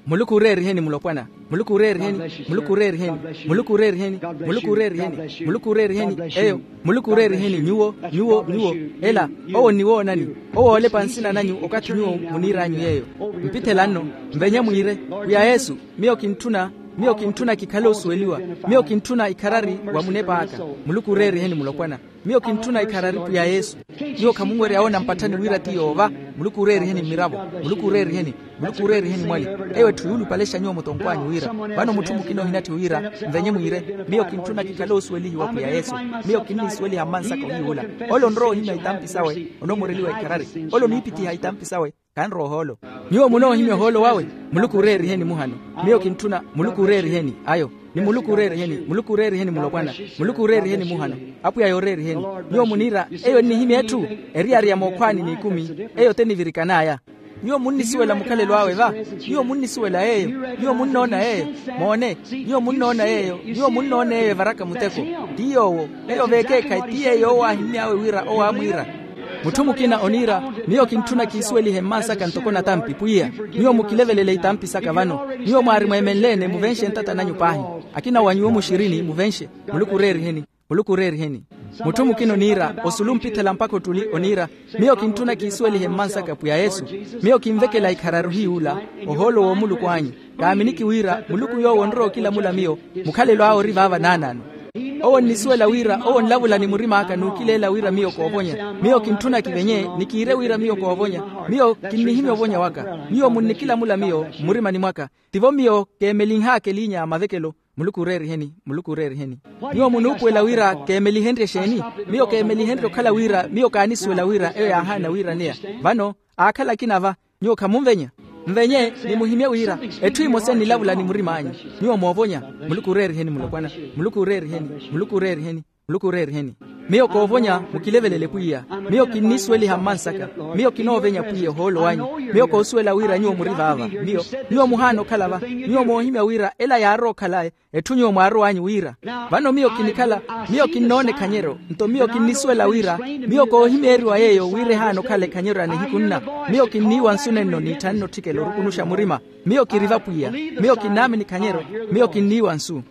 Muluku ooreeriheni mulopwana. Muluku ooreeriheni. Muluku ooreeriheni. Muluku ooreeriheni. Muluku ooreeriheni. Muluku ooreeriheni. Eyo. Muluku ooreeriheni nyuwo, nyuwo nyuwo. Ela owo onniwoonani. Owo oolepa nsina nanyu okathi nyuwo muniir'anyu yeeyo. Mpithe lanno. Mvenye mwiire, pwiya yesu, miyo kintthuna miyo kintthuna kikhale osuweliwa. Miyo kintthuna ikharari wa munep'aka. Muluku ooreeriheni mulopwana. Miyo kintthuna ikharari pwiya yesu. Nyuwo khamunwerya woona mpatthani wira ti yoova. Muluku ooreeriheni mmiravo. Muluku ooreeriheni. Muluku ooreeriheni mwali. Eyo etthu yuulupalexa nyuwo mutonkw'anyu wira vano mutthu mukina ohinatthi wira, mvenye mwiire, miyo kintthuna kikhale osuwelihiwa pwiya yesu. Miyo kinniisuweliha mmansaka ohiyuula. Ole onrowa ohimya itampi sawe onomoreliwa ikharari. Ole oniipithiha itampi sawe. Kanrowa ohoolo. Nyuwo munoohimya ohoolo wawe. Muluku ooreeriheni muhano. Miyo kintthuna. Muluku ooreeriheni ayo. Ni muluku ooreeriheni muluku ooreeriheni mulopwana. Muluku ooreeriheni muhano. Apwiya yooreeriheni. Nyuwo muniira eyo ennihimya etthu. Eriyari ya mookhwaani n'ikumi. Eyo te nivirikan'aya. Nyuwo munnisuwela mukhalelo awe va? Nyuwo munnisuwela yeeyo? Nyuwo munnoona yeeyo? Moone. Nyuwo munnoona yeeyo? Nyuwo munnoona yeeyo evaraka muteko. Ti yoowo. Eyo v'ekeekhayi ti yeeyo owo aahimmy'awe wira owo aamwiira. Mutthu mukina oniira, miyo kintthuna kiisuwelihe mmansaka ntoko natampi pwiya. Nyuwo mukilevelele itampi saka vano. Nyuwo mwaari mweemenle-ene muvenxe ntata nanyu paahi. Akina wa nyuwo muxirini muvenxe. Muluku ooreeriheni. Muluku ooreeriheni. Mutthu mukina oniira osulu mpithela mpakha ottuli oniira, miyo kintthuna kiisuwelihe mmansaka pwiya yesu. Miyo kinvekela ikharari ohiyuula. Ohoolo w'omuluku anyu. Kaaminiki wira muluku yoowo onrowa okilamula miyo. Mukhalelo awe ori vaava naanaano. Owo onnisuwela wira owo onlavula ni murim'aka n'ukileela wira miyo koovonya. Miyo kintthuna kivenye ni kiire wira miyo koovonya. Miyo kinnihimya ovonya waka. Nyuwo munnikilamula miyo mmurimani mwaka. Tivo miyo keemelinh'aka eliinya a mavekelo. Muluku ooreeriheni, muluku ooreeriheni. Nyuwo munuupuwela wira keemelihenrye exeeni? Miyo keemelihenrye okhala wira miyo kaanisuwela wira eyo yaahaana wiiraneya. Vano aakhala akina va. Nyuwo khamunvenya? Nvenye, nimuhimye wira etthu emosa enilavula ni murim'anyu. Nyuwo moovonya. Muluku ooreeriheni mulopwana. Muluku ooreeriheni. Muluku ooreeriheni. Muluku ooreeriheni. Miyo koovonya mukilevelele pwiya. Miyo kinnisuweliha mmansaka. Miyo kinoovenya pwiya ohoolo wanyu. Miyo koosuwela wira nyuwo muri vaava. Miyo, nyuwo muhaana okhala va. Nyuwo moohimya wira ela yaarowa okhala etthu nyuwo mwaarow'anyu wira. Vano miyo kinikhala, miyo kinnoona ekhanyeryo. Nto miyo kinnisuwela wira, miyo koohimeeriwa yeeyo wira ehaana okhala ekhanyeryo ya nihiku nna. Miyo kinniiwa nsu nenno n'itthanne otthikela orukunuxa murima. Miyo kiri vapwiya. Miyo kinnaamini ekhanyeryo. Miyo kinniiwa nsu.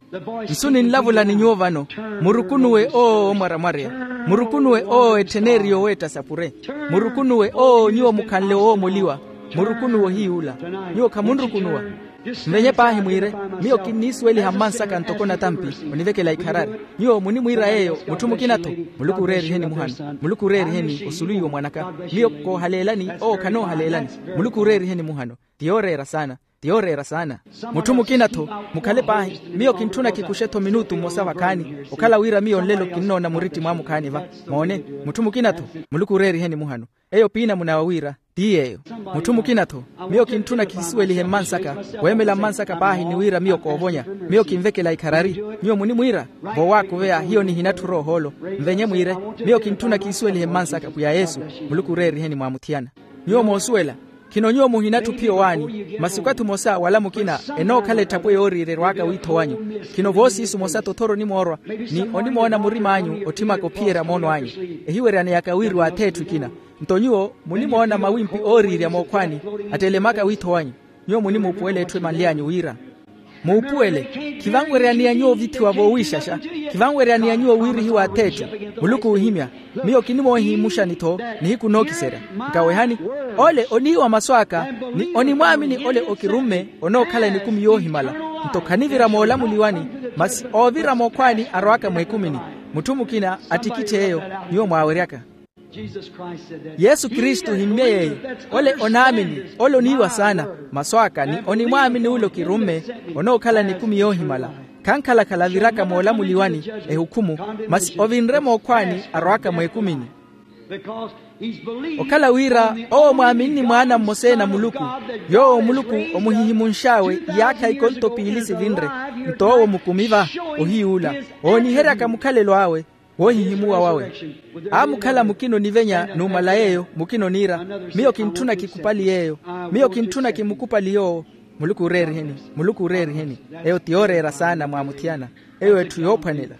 Nsu ninlavula ni nyuwo vano. Murukunuwe owo oomwaramwarya. Murukunuwe owo ettheneriye oweetta sapure. Murukunuwe owo nyuwo mukhanle owoomoliwa. Murukunuwe ohiy'ula. Nyuwo khamunrukunuwa? Nvenye paahi mwiire, miyo kinniisuweliha mmansaka ntoko natampi. Onivekela ikharari. Nyuwo munimwiira yeeyo mutthu mukina-tho. Muluku ooreeriheni muhano. Muluku ooreeriheni osulu iwo mwanaka. Miyo koohaleelani owo khanoohaleelani. Muluku ooreeriheni muhano. Ti yooreera saana. Ti yooreera saana. Mutthu mukina-tho. Mukhale paahi. Miyo kintthuna kikuxe-tho minutu mmosa vakhaani. Okhala wira miyo nlelo kinnoona muritti mwaamukhaani va. Moone. Mutthu mukina-tho. Muluku ooreeriheni muhano. Eyo piinamuna wa wira ti yeeyo. Mutthu mukina-tho. Miyo kintthuna kihisuwelihe mmansaka. Weemela mmansaka paahi ni wira miyo koovonya. Miyo kinvekela ikharari. Nyuwo munimwiira? Voowaakuveya hiyo nihinatthura ohoolo. Nvenye mwiire. Miyo kintthuna kihisuwelihe mmansaka pwiya yesu. Muluku ooreeriheni mwaamuthiyana. Nyuwo moosuwela? Khino nyuwo muhinatthu ophiya owaani. Masi okathi omosa wala mukina enookhala etthapwe yooriirya erwaaka wiitho wanyu. Khino voosiisu mosa tothoro onimoorwa ni onimoona murim'anyu otthimaka ophiyerya moono anyu. Ehiweryaneyaka wiriwa ath'etthu ekina. Nto nyuwo munimoona mawimpi ooriirya mookhwaani attelemaka wiitho wanyu. Nyuwo munimuupuwela etthu emanly'anyu wira muupuwele. Khivanweryaniya nyuwo ovithiwa voowiixaxa. Khivanweryaniya nyuwo wiirihiwa ath'etthu. Muluku oohimya. Miyo kinimoohimuxani-tho nihiku nookiserya. Nkawehani. Ole oniiwa masu aka ni onimwaamini ole okirumme onookhala nikumi yoohimala. Nto khanivira moolamuliwani masi oovira mookhwaani arowaka mweekumini. Mutthu mukina attikitthe eyo. Nyuwo mwaaweryaka. Yesu kristu ohimmye yeeyo. Ole onaamini ole oniiwa saana. Masu aka ni onimwaamini ole okirumme onookhala nikumi yoohimala. Khankhala-khala aviraka moolamuliwani ehukhumu masi ovinre mookhwaani arowaka mweekumini. Okhala wira owo mwaaminini mwaana mmosa-ene a muluku yoowo muluku omuhihimunx'awe iyaakha ikonto piili sivinre. Nto owo mukumi va ohiy'ula ooniheryaka mukhalelo awe woohihimuwa wawe. Aamukhala mukina onivenya numala yeeyo mukina oniira miyo kintthuna kikupali yeeyo. Miyo kintthuna kimukupali yoowo. Muluku ooreeriheni. Muluku ooreeriheni. Eyo ti yooreera saana mwaamuthiyana. Eyo etthu yoophwanela.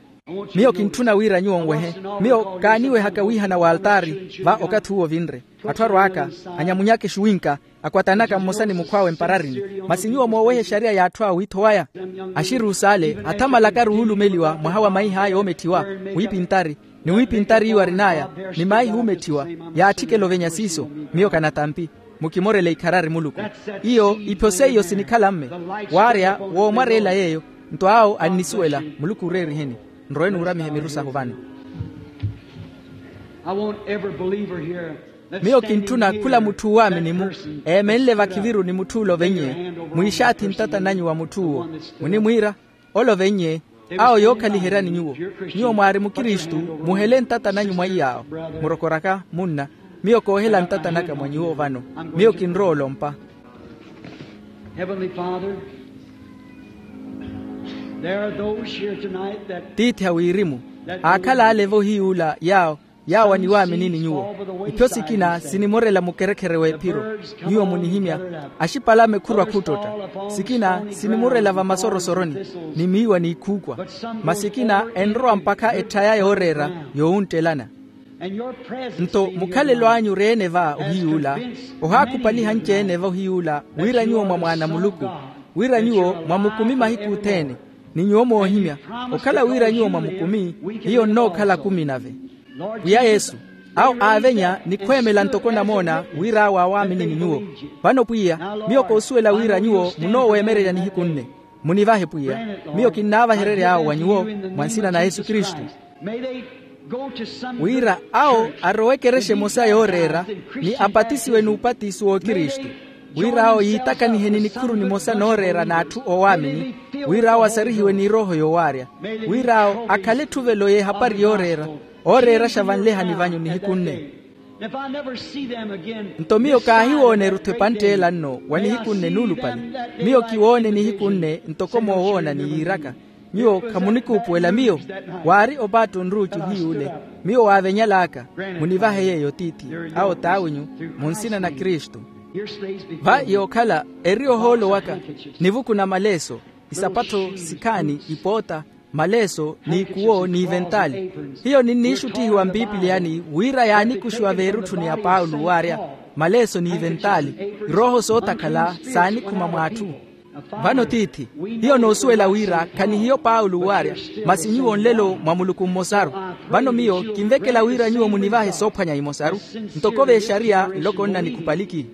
Miyo kintthuna wira nyuwo nwehe. Miyo kaaniwehaka wiihana w'altaari va okathi uwo ovinre. Atthu arwaaka anyamunyaka exuwinka akwatanaka mmosa ni mukhw'awe mpararini. Masi nyuwo mooweha exariya y'atthu awiitho waya axiruusa ale athamalaka ari wuulumeliwa mwaha wa maih'aya oometthiwa wiipintari ni wiipintari iwo arin'aya ni maihi uumetthiwa yaatthikela ovenya siiso. Miyo kanatampi mukimorele ikharari muluku. Iyo ipho seiyo sinikhala mme waarya woomwareela yeeyo. Nto awo annisuwela. Muluku ooreeriheni. Nrowe nuuramihe miru sahu vano. Miyo kintthuna khula mutthu oowaamini-mu eemenle vakhiviru ni mutth'ule ovennye mwiixaathi ntata nanyu wa mutth'uwo. Munimwiira ole ovennye. Awo yookhaliheryani nyuwo. Nyuwo mwaari mukristu muhele ntata nanyu mwa iy'awo. Murokoraka munna miyo koohela ntata naka mwa nyuwo vano. Miyo kinrowa olompa. Heavenly Father, there are those here tonight that tiithi a wirimu aakhala ale vohiy'ula yaawo yaawo aniwaaminini nyuwo. Ipyo sikina sinimorela mukherekhere w'ephiro. Nyuwo munihimya axipalame khurwa khuttotta. Sikina sinimorela vamasorosoroni ni miiwa n'ikhuukwa. Masi ekina enrowa mpakha etthaya yooreera yowunttelana. Nto mukhalelo anyu ori-ene va ohiy'ula ohaakhupaliha anci-ene va ohiy'ula wira nyuwo mwa mwaana a muluku wira nyuwo mwamukumi mahiku othene. Ni nyuwo moohimya okhala wira nyuwo mwamukumi hiyo nnookhala akumi nave. Pwiya yesu awo aavenya ni khweemela ntoko namoona wira awo aawaaminini nyuwo. Vano pwiya miyo koosuwela wira nyuwo munooweemererya nihiku nne. Munivahe pwiya miyo kinnaavahererya awo wa nyuwo mwa nsina na yesu kristu. Wira awo arowe ekerexa emosa yooreera ni apatisiwe n'upatiso w'okristu wira awo yiitakanihe ni nikhuru nimosa nooreera n'atthu oowaamini. Wira awo asarihiwe n'irooho yoowaarya, wira awo akhale etthuvelo y'ehapari yooreera, ooreeraxa vanlehani vanyu nihiku nne. If I never see them again, nto miyo kaahiwoone erutthu epantte ela nno wa nihiku nne nuulupale. Miyo kiwoone nihiku nne ntoko moowoona ni yiiraka. Nyuwo khamunikuupuwela miyo? Waari opaatta onruucu hiy'ule. Miyo waavenyal'aka. Munivahe yeeyo tiithi, awo t'awinyu, mu nsina na kristu. Va yookhala eri ohoolo waka, nivuku na maleeso, isapattho, sikhaani, ipoota, maleeso, n'ikuwo n'iventaali. Hiyo ninniixuttihiwa mpipiliyani wira yaanikuxiwa veerutthuni ya paulo waarya, maleeso n'iventaali, irooho sootakhala saanikhuma mw'atthu. Vano tiithi, hiyo noosuwela wira khanihiyo paulo waarya, masi nyuwo nlelo mwa muluku mmosaru. Vano miyo kinvekela wira nyuwo munivahe soophwanya imosaru, ntoko v'exariya nloko nna nikhupaliki.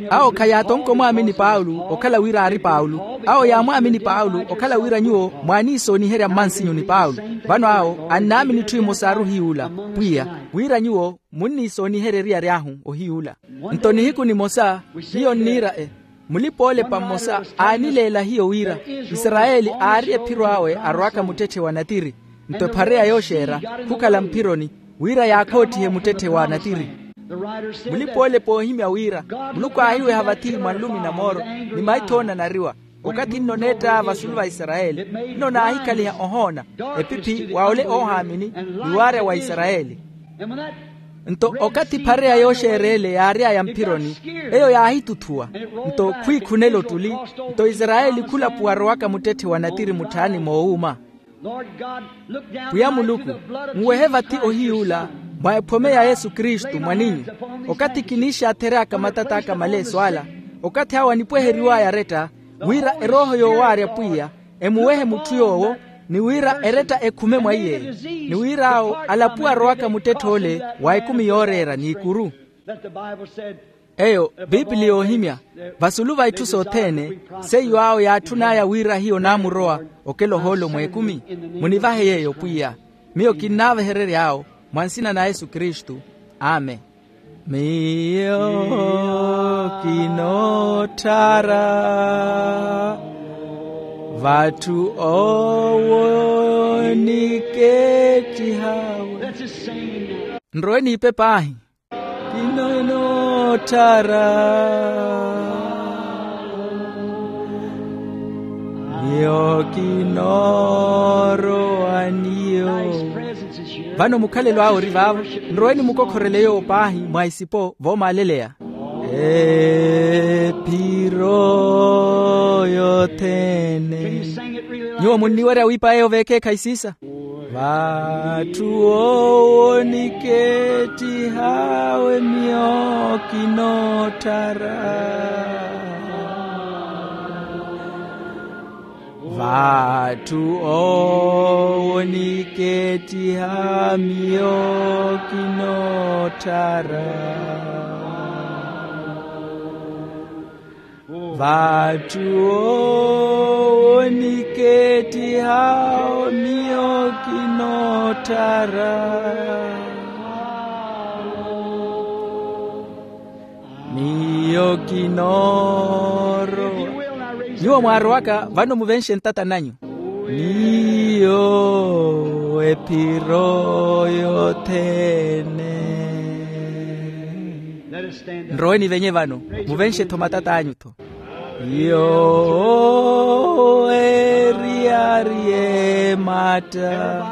Awo khayaatonka omwaamini paulo okhala wira aari paulo. Awo yaamwaamini paulo okhala wira nyuwo mwaaniisooniherya mmansinyu ni paulo. Vano awo annaamini itthu imosaru ohiy'ula, pwiya, wira nyuwo munniisooniherya eriyari ahu ohiy'ula. Nto nihiku nimosa hiyo nniira e, mulipa-oolepa mmosa aanileela hiyo wira, isarayeli aari ephiro awe arowaka muttetthe wa natiri. Nto ephareya yooxeera khukhala mphironi, wira yaakhoottihe muttetthe wa natiri. Mulipa-oolepa oohimya wira, muluku aahiweha vathi mwa nlumi na mooro, ni maitho oonanariwa. Okathi nno oneetta vasulu va isarayeli, nno naahikhaliha ohoona, epiphi wa ole oohaamini, ni waarya wa isarayeli. Nto okathi ephareya yooxeera ele yaary'aya mphironi, eyo yaahituthuwa. Nto khwiikhunela ottuli, nto isarayeli khulapuwa arowaka muttetthe wa natiri mutthaani moowuuma. Pwiya muluku, nwehe vathi ohiy'ula, mwa ephome ya yesu kristu mwaninyu, okathi kiniixaathery'aka matat'aka maleeso ala, okathi awo anipweheriw'aya aretta, wira erooho yoowaarya pwiya, emuwehe mutthu yoowo, ni wira eretta ekhume mwa iy'eyo, ni wira awo alapuwe arowaka muttetthe ole wa ekumi yooreera n'ikuru. Eyo biipili yoohimya, vasulu va itthu sothene, seiyo awo yaatthun'aya wira hiyo naamurowa, okela ohoolo mw'ekumi. Munivahe yeeyo pwiya. Miyo kinnaaveherery'awo, mwa nsina na yesu kristu. Amen. Miyo kinoottara vatthu owo nikeettihawe. Nrowe niipe paahi. Kinoottara. Miyo kinoorowa niyo. Vano mukhalelo awe ori vaavo. Nrowe nimukokhorele yoowo paahi mwa isipo voomaaleleya. Ephiro yothene. Nyuwo munniwerya wiipa eyo veekeekhayi siisa. Vatthu owo nikeettihawe miyo kinoottara. Vatthu owo nikeettiha miyo kinoottara. Vatthu owo nikeettiha miyo kinoottara. Miyo kinoorowa. Nyuwo mwaarowaka vano muvenxe ntata nanyu. Miyo ephiro yothene. Nrowe nivenye vano, muvenxe-tho matat'anyu-tho. Yoowo eriyari ematta.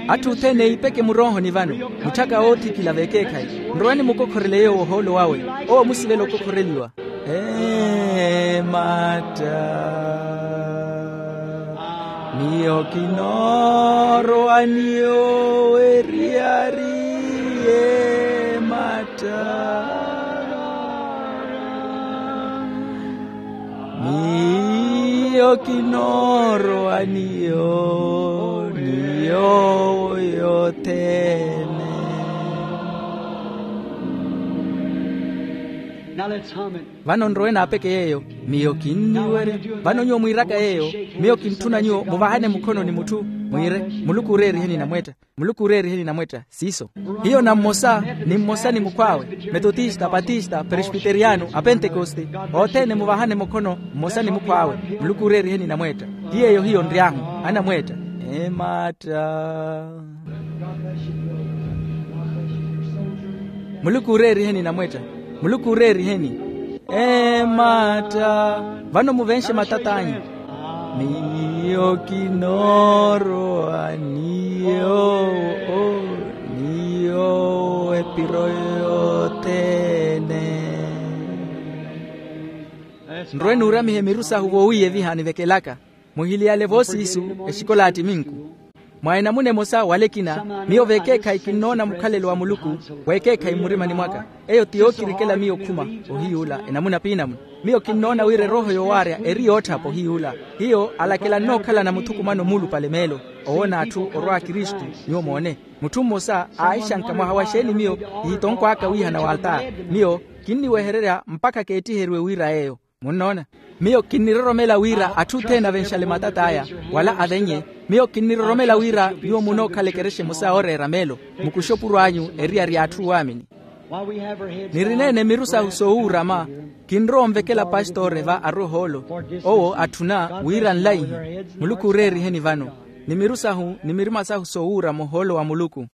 Atthu othene iipeke muroohoni vano, mutthaka oothikila veekeekhayi. Nrowe nimukokhorele yoowo ohoolo wawe, owo musivela okokhoreliwa. Ematta. Miyo kinoorowa niyo eriyari ematta. Miyo kinoorowa niyo niyo yothene. Vano nrowe naapeke yeeyo. Miyo kinniwerya. Vano nyuwo mwiiraka yeeyo, miyo kintthuna nyuwo muvahane mukhono ni mutthu. Mwiire, muluku ooreeriheni namweetta. Muluku ooreeriheni namweetta siiso. Hiyo na mmosa, ni mmosa ni mukhw'awe, metotista, patista, presbiteriyano, apentekoste, othene muvahane mukhono, mmosa ni mukhw'awe. Muluku ooreeriheni namweetta. Ti yeeyo hiyo nry'ahu. Anamweetta. Emaatta. Muluku ooreeriheni namweetta. Muluku ooreeriheni. Emaatta. Vano muvenxe matat'anyu. Miyo kinoorowa ni yoowo, ni yoowo epiro yothene. Nrwe nuuramihe miru sahu voowiiyeviha nivekelaka. Muhiliyale voosiisu, exikola a ttiminku. Mwa enamuna emosa wala ekina, miyo vekeekhayi kinnoona mukhalelo wa muluku. Wekeekhayi mmurimani mwaka. Eyo ti yookirikela miyo okhuma. Ohiy'ula enamuna piinamuna. Miyo kinnoona wira erooho yoowaarya eri yootthapa ohiy'ula. Hiyo alakela nnookhalana muthukumano muulupale meelo. Owoona atthu orwa akristu. Nyuwo moone, mutthu mmosa aaixanka mwaha wa xeeni miyo kihitonkw'aka wiihana w'altaari. Miyo kinniwehererya mpakha keettiheriwe wira yeeyo. Munnoona? Miyo kinniroromela wira atthu othene avenxale matat'aya, wala avenye. Miyo kinniroromela wira nyuwo munookhala ekerexa emosa yooreera meelo. Mukuxe opuro anyu eriyari y'atthu waamini. Nirineene miru sahu soowuurama. Kinrowa onvekela pastori va arwe ohoolo. Owo atthuna wira nlaihi. Muluku ooreeriheni vano. Ni miru sahu ni mirima sahu soowuurama ohoolo wa muluku.